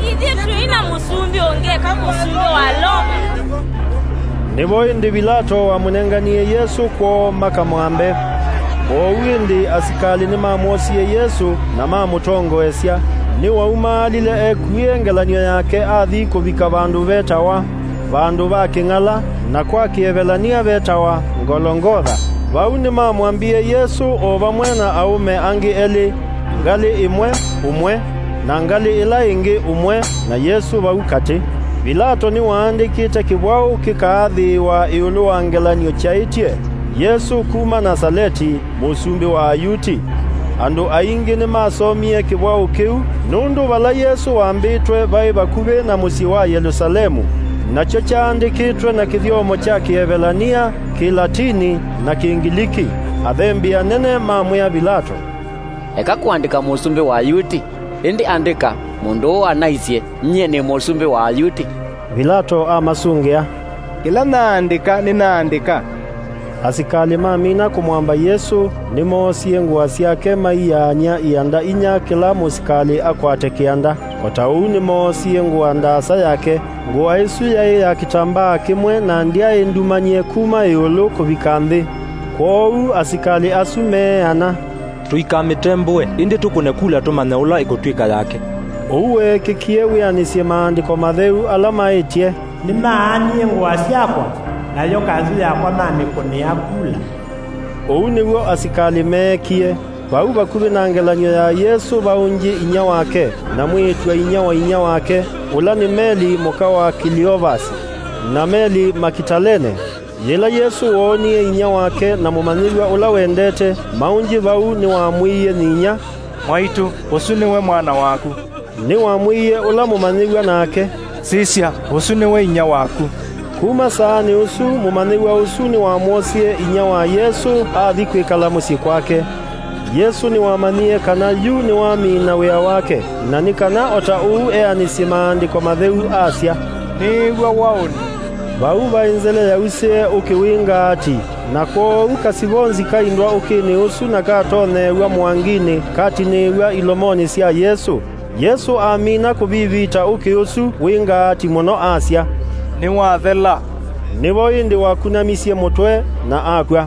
Ithyĩ tũi na mũsumbĩ ũngĩ eka mũsumbĩ wa Loma?" Nĩvo ĩndĩ Vilato wamũnenganie Yesũ kwoo makamwambe. Kwoou ĩndĩ asikalĩ nĩmamwosie Yesũ na mamũtongoesya. Nĩwaumaalile ekuĩe ngelany'o yake athi kũvika vandũ vetawa Vandũ va Kĩng'ala, na kwa Kĩevelania vetawa Ngolongotha. Vau nĩmamwambie Yesũ o vamwe na aũme angĩ elĩ, ngalĩ ĩmwe, ũmwe, na ngalĩ ĩla ĩngĩ, ũmwe, na Yesũ vau katĩ. Vilato nĩwaandĩkĩte kĩvwaũ kĩkaathĩĩwa ĩũlũ wa ngelany'o kyaĩtye, "Yesũ kuma Nasaleti, mũsumbĩ wa Ayuti." Andũ aingĩ nĩmasomie kĩvwaũ kĩu, nũndũ vala Yesũ wambĩtwe vaĩ vakuvĩ na mũsyĩ wa Yelũsalemu, nakyo kyaandĩkĩtwe na kĩthyomo kya Kĩevelania, Kĩlatini, na Kĩngiliki. Athembi anene mamwĩa Vilato, "Eka kũandĩka mũsumbĩ wa Ayuti, ĩndĩ andĩka, 'Mũndũ ũũ anaisye, 'Nyie nĩ mũsumbĩ wa Ayuti.'" Vilato amasũngĩa, "Kĩla naandĩka, nĩnaandĩka." Asikalĩ mamina kũmwamba Yesũ, nĩmoosie ngũa syake maiyaany'a ianda inya kĩla mũsikalĩ akwate kĩanda. O ta ũu nĩmoosie ngũa ndaasa yake. Ngũa ĩsu yaĩ ya kĩtambaa kĩmwe na ndyaĩ ndumany'e kuma ĩũlũ kũvika nthĩ. Kwoou asikalĩ asu meeana, "Tũikamĩtembũe, ĩndĩ tũkũne kula tũmanye ũla ĩkũtw'ĩka yake." Ũu weekĩkie wĩanĩsye Maandĩko Matheu ala maĩtye, "Nĩmaanie ngũa syakwa, nayo kanzũ yakwa mamĩkũnĩa kula." Ũu nĩw'o asikalĩ meekie. Vau vakuvĩ na ngelany'o ya Yesũ vaũngye inyia wake, na mwĩĩtu-a-inyia wa inyia wake, ũla nĩ Meli mũka wa Kiliovasi, na Meli Makitalene. Yĩla Yesũ woonie inyia wake na mũmanyĩw'a ũla wendete maũngye vau, nĩwamwĩie nyinyia, "Mwaitũ, ũsu nĩwe mwana waku." Nĩwamwĩie ũla mũmanyĩw'a nake, "Sisya, ũsu nĩwe inyia waku." Kuma saanĩ ũsu, mũmanyĩw'a ũsu nĩwamwosie inyia wa Yesũ athi kwĩkala mũsyĩ kwake. Yesũ nĩwamanyie kana yu nĩwamina wĩa wake, na nĩ kana o ta ũu eanĩsye Maandĩko Matheu asya, "Nĩĩw'a waũnĩ." Vau vaĩ nzele yausĩe ũkĩ wĩ ngaati, na kwoou kasivonzi kaindwa ũkĩnĩ ũsu na katonyeew'a mũanginĩ katinĩĩw'a ilomonĩ sya Yesũ. Yesũ amina kũvivita ũkĩ ũsu wĩ ngaati mũno asya, "Nĩwathela." Nĩvo ĩndĩ wakunamisye mũtwe na akw'a.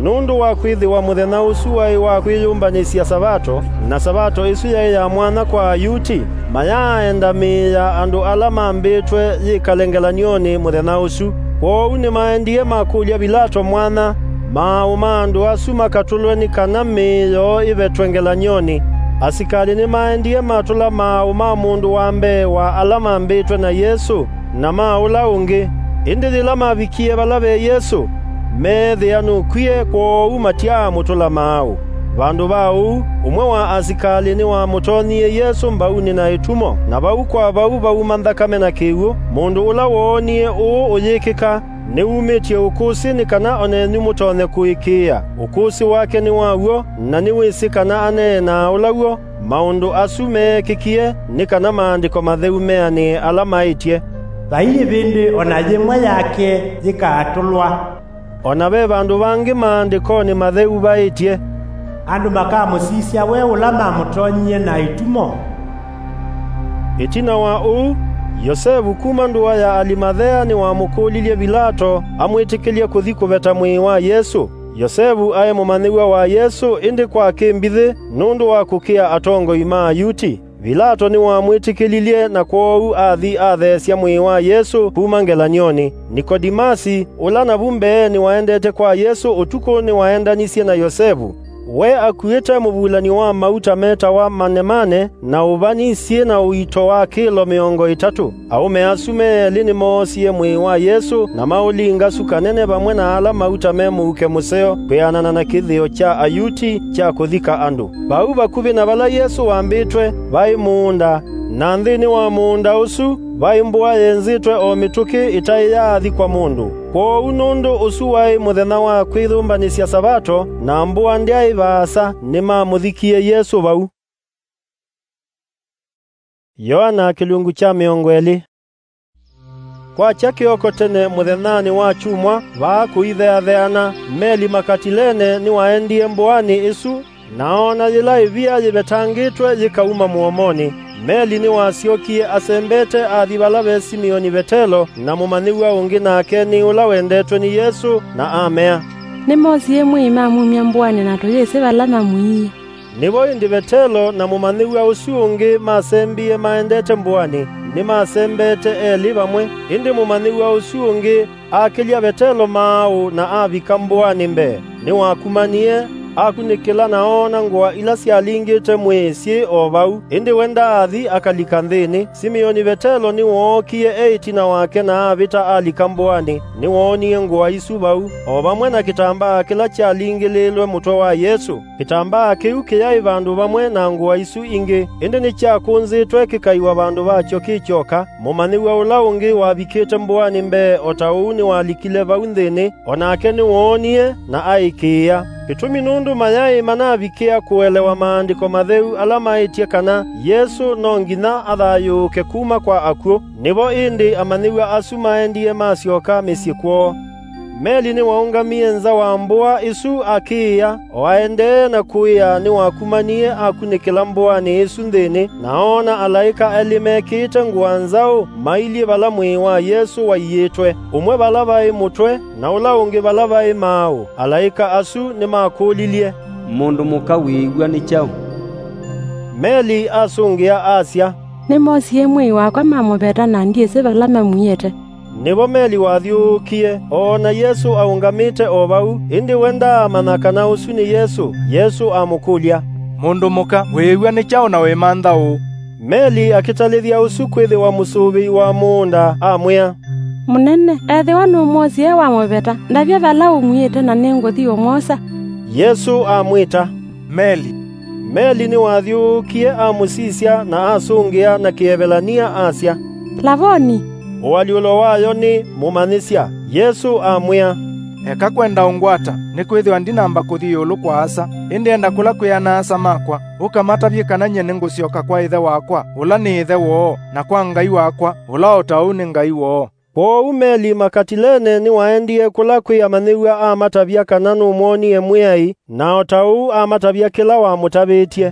Nũndũ wa kwĩthĩwa mũthenya ũsu waĩ wa kwĩyũmbanĩsya Savato, na Savato ĩsu yaĩ ya mwanya kwa Ayuti, mayaaenda mĩĩ ya andũ ala mambĩtwe yĩkale ngelany'onĩ mũthenya ũsu. Kwoou nĩmaendie makũlya Vilato mwanya maaũ ma andũ asu makatũlwe nĩ kana mĩĩ yoo ĩvetwe ngelany'onĩ. Asikalĩ nĩmaendie matũla maaũ ma mũndũ wa mbee wa ala mambĩtwe na Yesũ, na ma ũla ũngĩ. Ĩndĩ yĩla mavikie vala ve Yesũ, meethĩa nũkwie, kwoou matyaamũtũla maaũ. Vandũ va ũu, ũmwe wa asikalĩ nĩwamũtonyie Yesũ mbaunĩ na ĩtumo, na vau kwa vau vauma nthakame na kĩw'ũ. Mũndũ ũla woonie ũũ ũyĩkĩka nĩwumĩtye ũkũsĩ, nĩ kana o nenyu mũtonye kũĩkĩĩa. Ũkũsĩ wake nĩ wa w'o, na nĩwĩsĩ kana aneenaa ũla w'o. Maũndũ asu meekĩkie nĩ kana Maandĩko Matheu meanĩe ala maĩtye, "Vai ĩvĩndĩ o na yĩmwe yake yĩkaatũlwa." O na ve vandũ vangĩ Maandĩkonĩ Matheu vaĩtye, "Andũ makamũsisya we ũla mamũtonyie na ĩtumo." Ĩtina wa ũu, Yosevu kuma ndũa ya Alimathea nĩwamũkũlilye Vilato amwĩtĩkĩlye kũthi kũveta mwĩĩ wa Yesũ. Yosevu aĩ mũmanyĩw'a wa Yesũ, ĩndĩ kwa kĩmbithĩ nũndũ wa kũkĩa atongoi ma Ayuti. Vilato nĩwamwĩtĩkĩlilye, na kwoou athi atheesya mwĩĩ wa Yesũ kuma ngelany'onĩ. Nikodimasi, ũla navu mbeenĩ waendete kwa Yesũ ũtukũ, nĩwaendanisye na Yosevu. We akuĩte mũvulan'yo wa mauta metawa manemane, na ũvani syĩ na ũito wa kĩlo mĩongo ĩtatũ. Aũme asu me elĩ nĩmoosie mwĩĩ wa Yesũ, na maũlinga su kanene vamwe na ala mauta me mũuke mũseo, kwĩanana na kĩthĩo kya Ayuti kya kũthika andũ. Vau vakuvĩ na vala Yesũ wambĩtwe, vaĩ mũũnda, na nthĩnĩ wa mũũnda ũsu vaĩ mbũa yenzĩtwe o mĩtũkĩ ĩtaĩ yaathikwa mũndũ. Kwoou nũndũ ũsu waĩ mũthenya wa kwĩyũmbanĩsya Savato, na mbũa ndyaĩ vaasa, nĩmamũthikie Yesũ vau. Yoana kĩlungu kya mĩongo ĩlĩ. Kwakya kĩoko tene mũthenyanĩ wa kyumwa, vaa kũitheatheana, meli Makatilene nĩwaendie mbũanĩ ĩsu, na oona yĩla ĩvia yĩvetangĩtwe yĩkauma mũomonĩ. Meli nĩwasyokie asembete athi vala ve Simioni Vetelo na mũmanyĩw'a ũngĩ, nake nĩ ũla wendetwe nĩ Yesũ, na amea, "Nĩmosie mwĩĩ mamumya mbũanĩ na tũyĩsĩ vala mamũiie." Nĩvo ĩndĩ Vetelo na mũmanyĩw'a ũsu ũngĩ masembie maendete mbũanĩ, nĩmasembete elĩ vamwe. Ĩndĩ mũmanyĩw'a ũsu ũngĩ akĩlya Vetelo maaũ na avika mbũanĩ mbee. Nĩwakumanie, akunĩkĩla na oona ngũa ila syalingĩte mwĩĩ syĩ o vau, ĩndĩ we ndaathi akalika nthĩnĩ. Simioni Vetelo nĩwookie e ĩtina wake na avĩta alika mbũanĩ. Nĩwoonie ngũa isu vau, o vamwe na kĩtambaa kĩla kyalingĩlĩĩlwe mũtwe wa Yesũ. Kĩtambaa kĩu kĩyaĩ vandũ vamwe na ngũa isu ingĩ, ĩndĩ nĩkyakũnzĩtwe kĩkaiwa vandũ vakyo kĩ kyoka. Mũmanyĩw'a ũla ũngĩ wavikĩte mbũanĩ mbee o ta ũu nĩwalikile vau nthĩnĩ, o nake nĩwoonie na aĩkĩĩa. Kĩtumi nũndũ mayaĩ manavikĩa kũelewa Maandĩko Matheu ala maĩtye kana Yesũ no nginya athayũũke kuma kwa akw'ũ. Nĩvo ĩndĩ amanyĩw'a asu maendie masyoka mĩsyĩ kwoo. Meli nĩwaũngamie nza wa mbũa ĩsu akĩĩa, o aendee na kũĩa nĩwakumanie akunĩkĩla mbũanĩ ĩsu nthĩnĩ, na oona alaĩka elĩ mekĩĩte ngũa nzaũ mailyĩ vala mwĩĩ wa Yesũ waiĩtwe, ũmwe vala vaĩ mũtwe, na ũla ũngĩ vala vaĩ maaũ. Alaĩka asu nĩmakũlilye, "Mũndũ mũka wĩĩw'a nĩ kyaũ?" Meli asũngĩa asya, "Nĩmosie mwĩĩ wakwa mamũveta na ndyĩsĩ vala mamwiĩte." Nĩvo Meli wathyũũkie, oona Yesũ aũngamĩte o vau, ĩndĩ we ndaamanya kana ũsu nĩ Yesũ. Yesũ amũkũlya, "Mũndũ mũka, wĩĩw'a nĩ kyaũ na wĩmantha ũũ?" Meli akĩtalĩthya ũsu kwĩthĩwa mũsũvĩi wa mũũnda, amwĩa, "Mũnene, ethĩwa nũmwosie wamũveta, ndavya vala ũmwiĩte na nĩngũthi ũmwosa." Yesũ amwĩta, "Meli." Meli nĩwathyũũkie amũsisya na asũngĩa na Kĩevelania asya, "Lavoni!" ũalyũlo wayo nĩ mũmanyĩsya. Yesũ amwĩa, "Eka kwenda ũngwata, nĩkwĩthĩwa ndinamba kũthi ĩũlũ kwa Asa, ĩndĩ enda kũla kwĩ ana-a-asa makwa, ũkamatavye kana nyie nĩngũsyoka kwa Ĩthe wakwa, ũla nĩ Ĩthe woo, na kwa Ngai wakwa, ũla o ta ũu nĩ Ngai woo." Kwoou meli makatilene nĩwaendie kũla kwĩ amanyĩw'a amatavya kana nũmwonie Mwĩai, na o ta ũu amatavya kĩla wamũtavĩtye.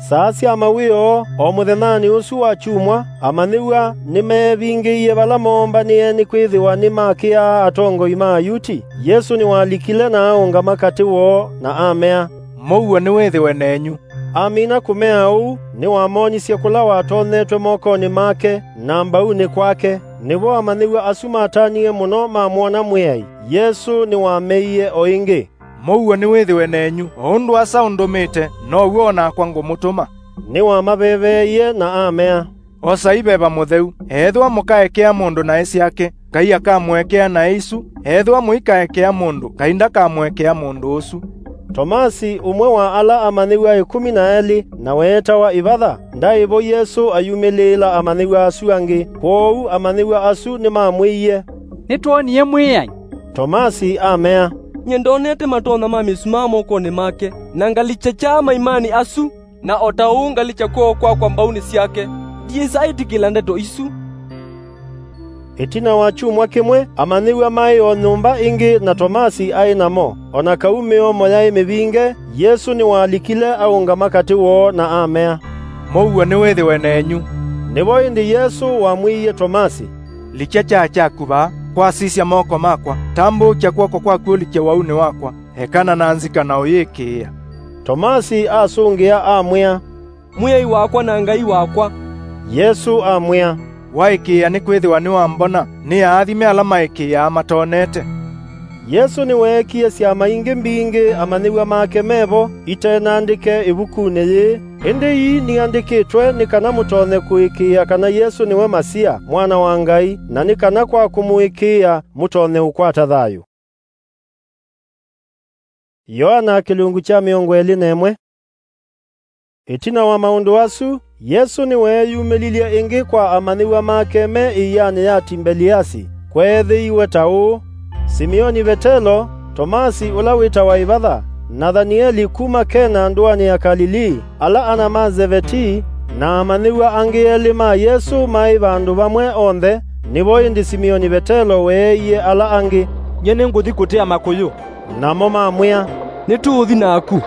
Saa sya mawĩoo, o mũthenyanĩ ũsu wa kyumwa, amanyĩw'a nĩmeevingĩie vala moombanĩe nĩkwĩthĩwa nĩmakĩaa atongoi ma Ayuti. Yesũ nĩwalikile na aũngama katĩ woo, na amea, "Mũuo nĩwĩthĩwe nenyu." Amina kũmea ũu, nĩwamonisye kũla watonyetwe mokonĩ make na mbaunĩ kwake. Nĩvo amanyĩw'a asu matanie mũno mamwona Mwĩai. Yesũ nĩwameie o ĩngĩ, "Mũuo nĩwĩthĩwe nenyu, o ũndũ Asa ũndũmĩte, now'o o nakwa ngũmũtũma." Nĩwamaveveeie na amea, "Osai Veva Mũtheu, ethĩwa mũkaekea mũndũ naĩ syake, Ngai akamũekea naĩ isu, ethĩwa mũikaekea mũndũ, Ngai ndakamũekea mũndũ ũsu." Tomasi, ũmwe wa ala amanyĩw'a ĩkũmi na elĩ, na weetawa Ĩvatha, ndaĩ vo Yesũ ayumĩlĩĩla amanyĩw'a asu angĩ. Kwoou amanyĩw'a asu nĩmamwĩie, "Nĩtwonie Mwĩai." Tomasi amea, "Nyie ndonete matonya ma mĩsumaa mokonĩ make, na ngalikya kyaa maimanĩ asu, na o ta ũu ngalikya kw'oko kwakwa mbaunĩ syake, ndiĩsa ĩtĩkĩla ndeto isu." Ĩtina wa kyumwa kĩmwe, amanyĩw'a maĩ o nyũmba ĩngĩ na Tomasi aĩ namo. O na kau mĩomo yaĩ mĩvinge, Yesũ nĩwalikile aũngama katĩ woo na amea, "Mũuo nĩwĩthĩwe nenyu." Nĩvo ĩndĩ Yesũ wamwĩie Tomasi, "Likya kyaa kyaku vaa, kwasisya moko makwa, tambũũkya kw'oko kwaku ũlikye waunĩ wakwa, ekana na nzika na ũyĩkĩĩa." Tomasi asũngĩa amwĩa, "Mwĩai wakwa na Ngai wakwa!" Yesũ amwĩa, "Waĩkĩĩa nĩkwĩthĩwa nĩwambona, nĩ aathime ala maĩkĩĩaa matonete." Yesũ nĩweekie syama ingĩ mbingĩ amanyĩw'a make me vo, ite nandĩke ĩvukunĩ yĩĩ, ĩndĩ ii niandĩkĩtwe nĩ kana mũtonye kũĩkĩĩa kana Yesũ nĩwe Masia, Mwana wa Ngai, na nĩ kana kwa kũmũĩkĩĩa mũtonye ũkwata thayũ. Yoana kĩlungu kya mĩongo ĩlĩ na ĩmwe. Ĩtina wa maũndũ asu, Yesũ nĩweeyumĩlilye ĩngĩ kwa amanyĩw'a make me ĩianĩ ya Timbeliasi. Kweethĩiwe ta ũũ: Simioni Vetelo, Tomasi ũla wĩtawa Ĩvatha, Nathanieli kuma Kena ndũanĩ ya Kalilii, ala ana ma Zevetii, na amanyĩw'a angĩ elĩ ma Yesũ maĩ vandũ vamwe onthe. Nĩvo ĩndĩ Simioni Vetelo weeie ala angĩ, "Nyie nĩngũthi kũtea makũyũ." Namo mamwĩa, "Nĩtũũthi naku."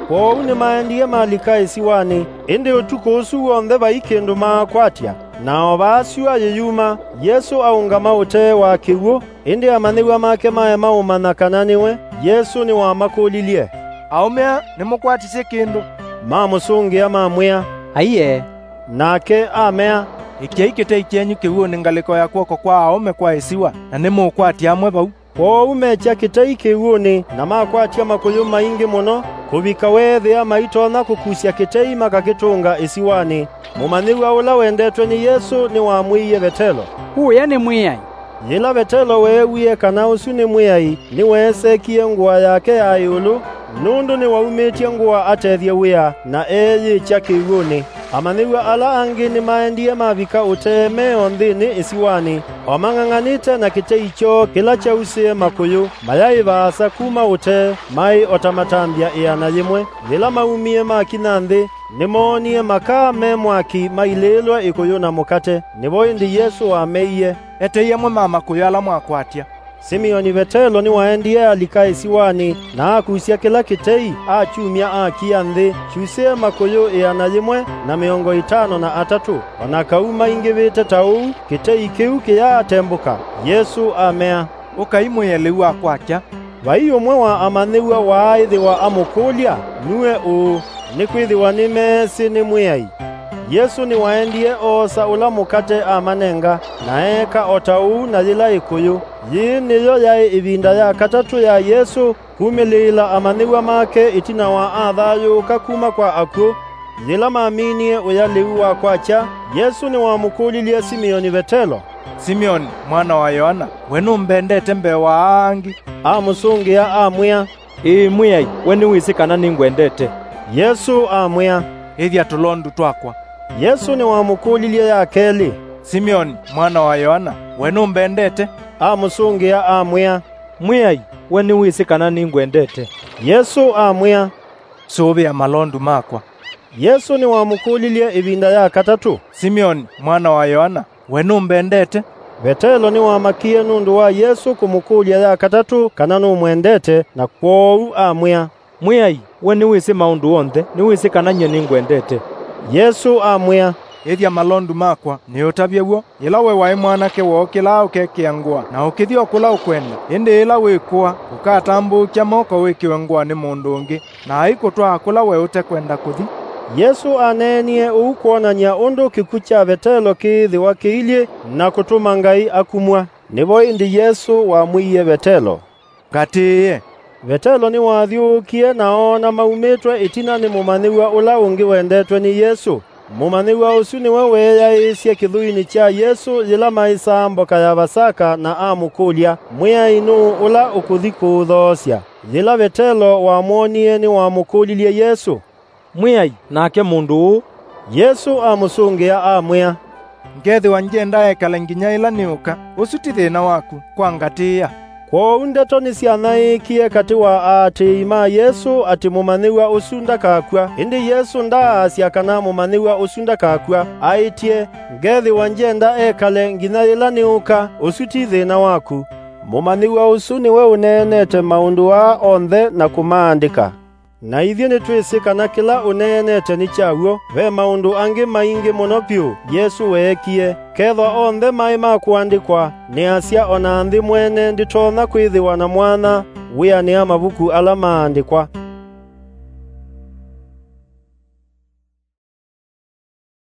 Kwoou nĩmaendie malika ĩsiwanĩ, ĩndĩ ũtukũ ũsu w'onthe vai kĩndũ maakwatya. Na o vaa syũa yĩyuma, Yesũ aũngama ũtee wa kĩw'ũ, ĩndĩ amanyĩw'a make maema ũmanya kana nĩwe. Yesũ nĩwamakũlilye, "Aũme aa, nĩmũkwatisye kĩndũ?" Mamũsũngĩa mamwĩa, "Aiee." Nake amea, "Ĩkyai kĩtei kyenyu kĩw'ũnĩ ngalĩko ya kw'oko kwa aũme kwa ĩsiwa, na nĩmũũkwatya amwe vau." Kwoou mekya kĩtei kĩw'ũnĩ, na makwatya makũyũ maingĩ mũno, kũvika weethĩa maitonya kũkusya kĩtei makakĩtũnga ĩsiwanĩ. Mũmanyĩw'a ũla wendetwe nĩ Yesũ nĩwamwĩie Vetelo, "Ũya nĩ Mwĩai." Yĩla Vetelo weewie kana ũsu nĩ Mwĩai, nĩweesekie ngũa yake ya ĩũlũ, nũndũ nĩwaumĩtye ngũa atethye wĩa, na eeyĩkya kĩw'ũnĩ. Amanyĩw'a ala angĩ nĩmaendie mavika ũtee me o nthĩnĩ ĩsiwanĩ, o mang'ang'anĩte na kĩtei kyoo kĩla kyausĩe makũyũ, mayaĩ vaasa kuma ũtee, maĩ o ta matambya ĩana yĩmwe. Yĩla maumie makinya nthĩ, nĩmoonie makaa me mwaki mailĩĩlwe ĩkũyũ na mũkate. Nĩvo ĩndĩ Yesũ wameie, "Etei amwe ma makũyũ ala mwakwatya." Simioni Vetelo nĩwaendie alika ĩsiwanĩ, na akusya kĩla kĩtei, akyumya akia nthĩ, kyusĩe makũyũ ĩana yĩmwe na mĩongo ĩtano na atatũ. O na kau maingĩvĩte ta ũu, kĩtei kĩu kĩyaatembũka. Yesũ amea, "Ũkai mwĩe lĩu wa kwakya." Vai ũmwe wa amanyĩw'a waaĩthĩwa amũkũlya, "Nue ũũ?" Nĩkwĩthĩwa nĩmeesĩ nĩ Mwĩai. Yesũ nĩwaendie oosa ũla mũkate amanenga, na eeka o ta ũu na yĩla ĩkũyũ. Yĩĩ nĩyo yaĩ ĩvinda ya katatũ ya Yesũ kumĩlĩĩla amanyĩw'a make ĩtina wa athayũũka kuma kwa akw'ũ. Yĩla maminie ũya lĩu wa kwakya, Yesũ nĩwamũkũlilye Simioni Vetelo, "Simioni, mwana wa Yoana, we nũmbendete mbee wa aa angĩ?" Amũsũngĩa amwĩa, "Ĩĩ Mwĩai, we nĩwĩsĩ kana nĩngwendete." Yesũ amwĩa, "Ĩthya tũlondu twakwa." Yesũ nĩwamũkũlilye ya kelĩ, "Simeoni, mwana wa Yoana, we nũmbendete?" Amũsũngĩa, amwĩa, "Mwĩai, we nĩwĩsĩ kana nĩngwendete." Yesũ amwĩa, "Sũvĩa malondu makwa." Yesũ nĩwamũkũlilye ĩvinda ya katatũ, "Simeoni, mwana wa Yoana, we nũmbendete?" Vetelo nĩwamakie nũndũ wa Yesũ kũmũkũlya ya katatũ kana nũmwendete, na kwoou amwĩa, "Mwĩai, we nĩwĩsĩ maũndũ onthe, nĩwĩsĩ kana nyie nĩngwendete." Yesũ amwĩa, "Ĩthya malondu makwa, nĩũtavye w'o. Yĩla we waĩ mwanake wookĩlaa ũkekĩa ngũa, na ũkĩthi o kũla ũkwenda, ĩndĩ yĩla wĩkũa, ũkatambũũkya moko wĩkĩwe ngũa nĩ mũndũ ũngĩ, na aikũtwaa kũla we ũtekwenda kũthi." Yesũ aneenie ũu kwonany'a ũndũ kĩkw'ũ kya Vetelo kĩĩthĩwa kĩilyĩ na kũtũma Ngai akumw'a. Nĩvo ĩndĩ Yesũ wamwĩie Vetelo, "Ngatĩĩe." Vetelo nĩwathyũũkie na oona maumĩtwe ĩtina nĩ mũmanyĩw'a ũla ũngĩ wendetwe nĩ Yesũ. Mũmanyĩw'a ũsu nĩwe weeyaĩĩsye kĩthũinĩ kya Yesũ yĩla maĩsaa mboka ya Vasaka na amũkũlya, "Mwĩai, nũũ ũla ũkũthi kũũthoosya?" Yĩla Vetelo wamwonie, nĩwamũkũlilye Yesũ, "Mwĩai, nake mũndũ ũũ?" Yesũ amũsũngĩa, amwĩa, "Ngethĩwa ngyenda ekale nginya yĩla nĩũka, ũsu ti thĩna waku, kwa ngatĩĩa." Kwoou ndeto nĩsyanaĩĩkie katĩ wa aatĩĩi ma Yesũ atĩ mũmanyĩw'a ũsu ndakakw'a. Ĩndĩ Yesũ ndaasya kana mũmanyĩw'a ũsu ndakakw'a. Aĩtye, "Ngethĩwa ngyenda ekale nginya yĩla nĩũka, ũsu ti thĩna waku." Mũmanyĩw'a ũsu nĩwe ũneenete maũndũ aa onthe na kũmaandĩka. Na ithyĩ nĩtwĩsĩ kana kĩla ũneenete nĩ kya w'o. Ve maũndũ angĩ maingĩ mũno vyũ Yesũ weekie. Kethwa onthe maĩ ma kũandĩkwa, nĩasya o na nthĩ mwene ndĩtonya kwĩthĩwa na mwanya wĩanĩa mavuku ala maandĩkwa.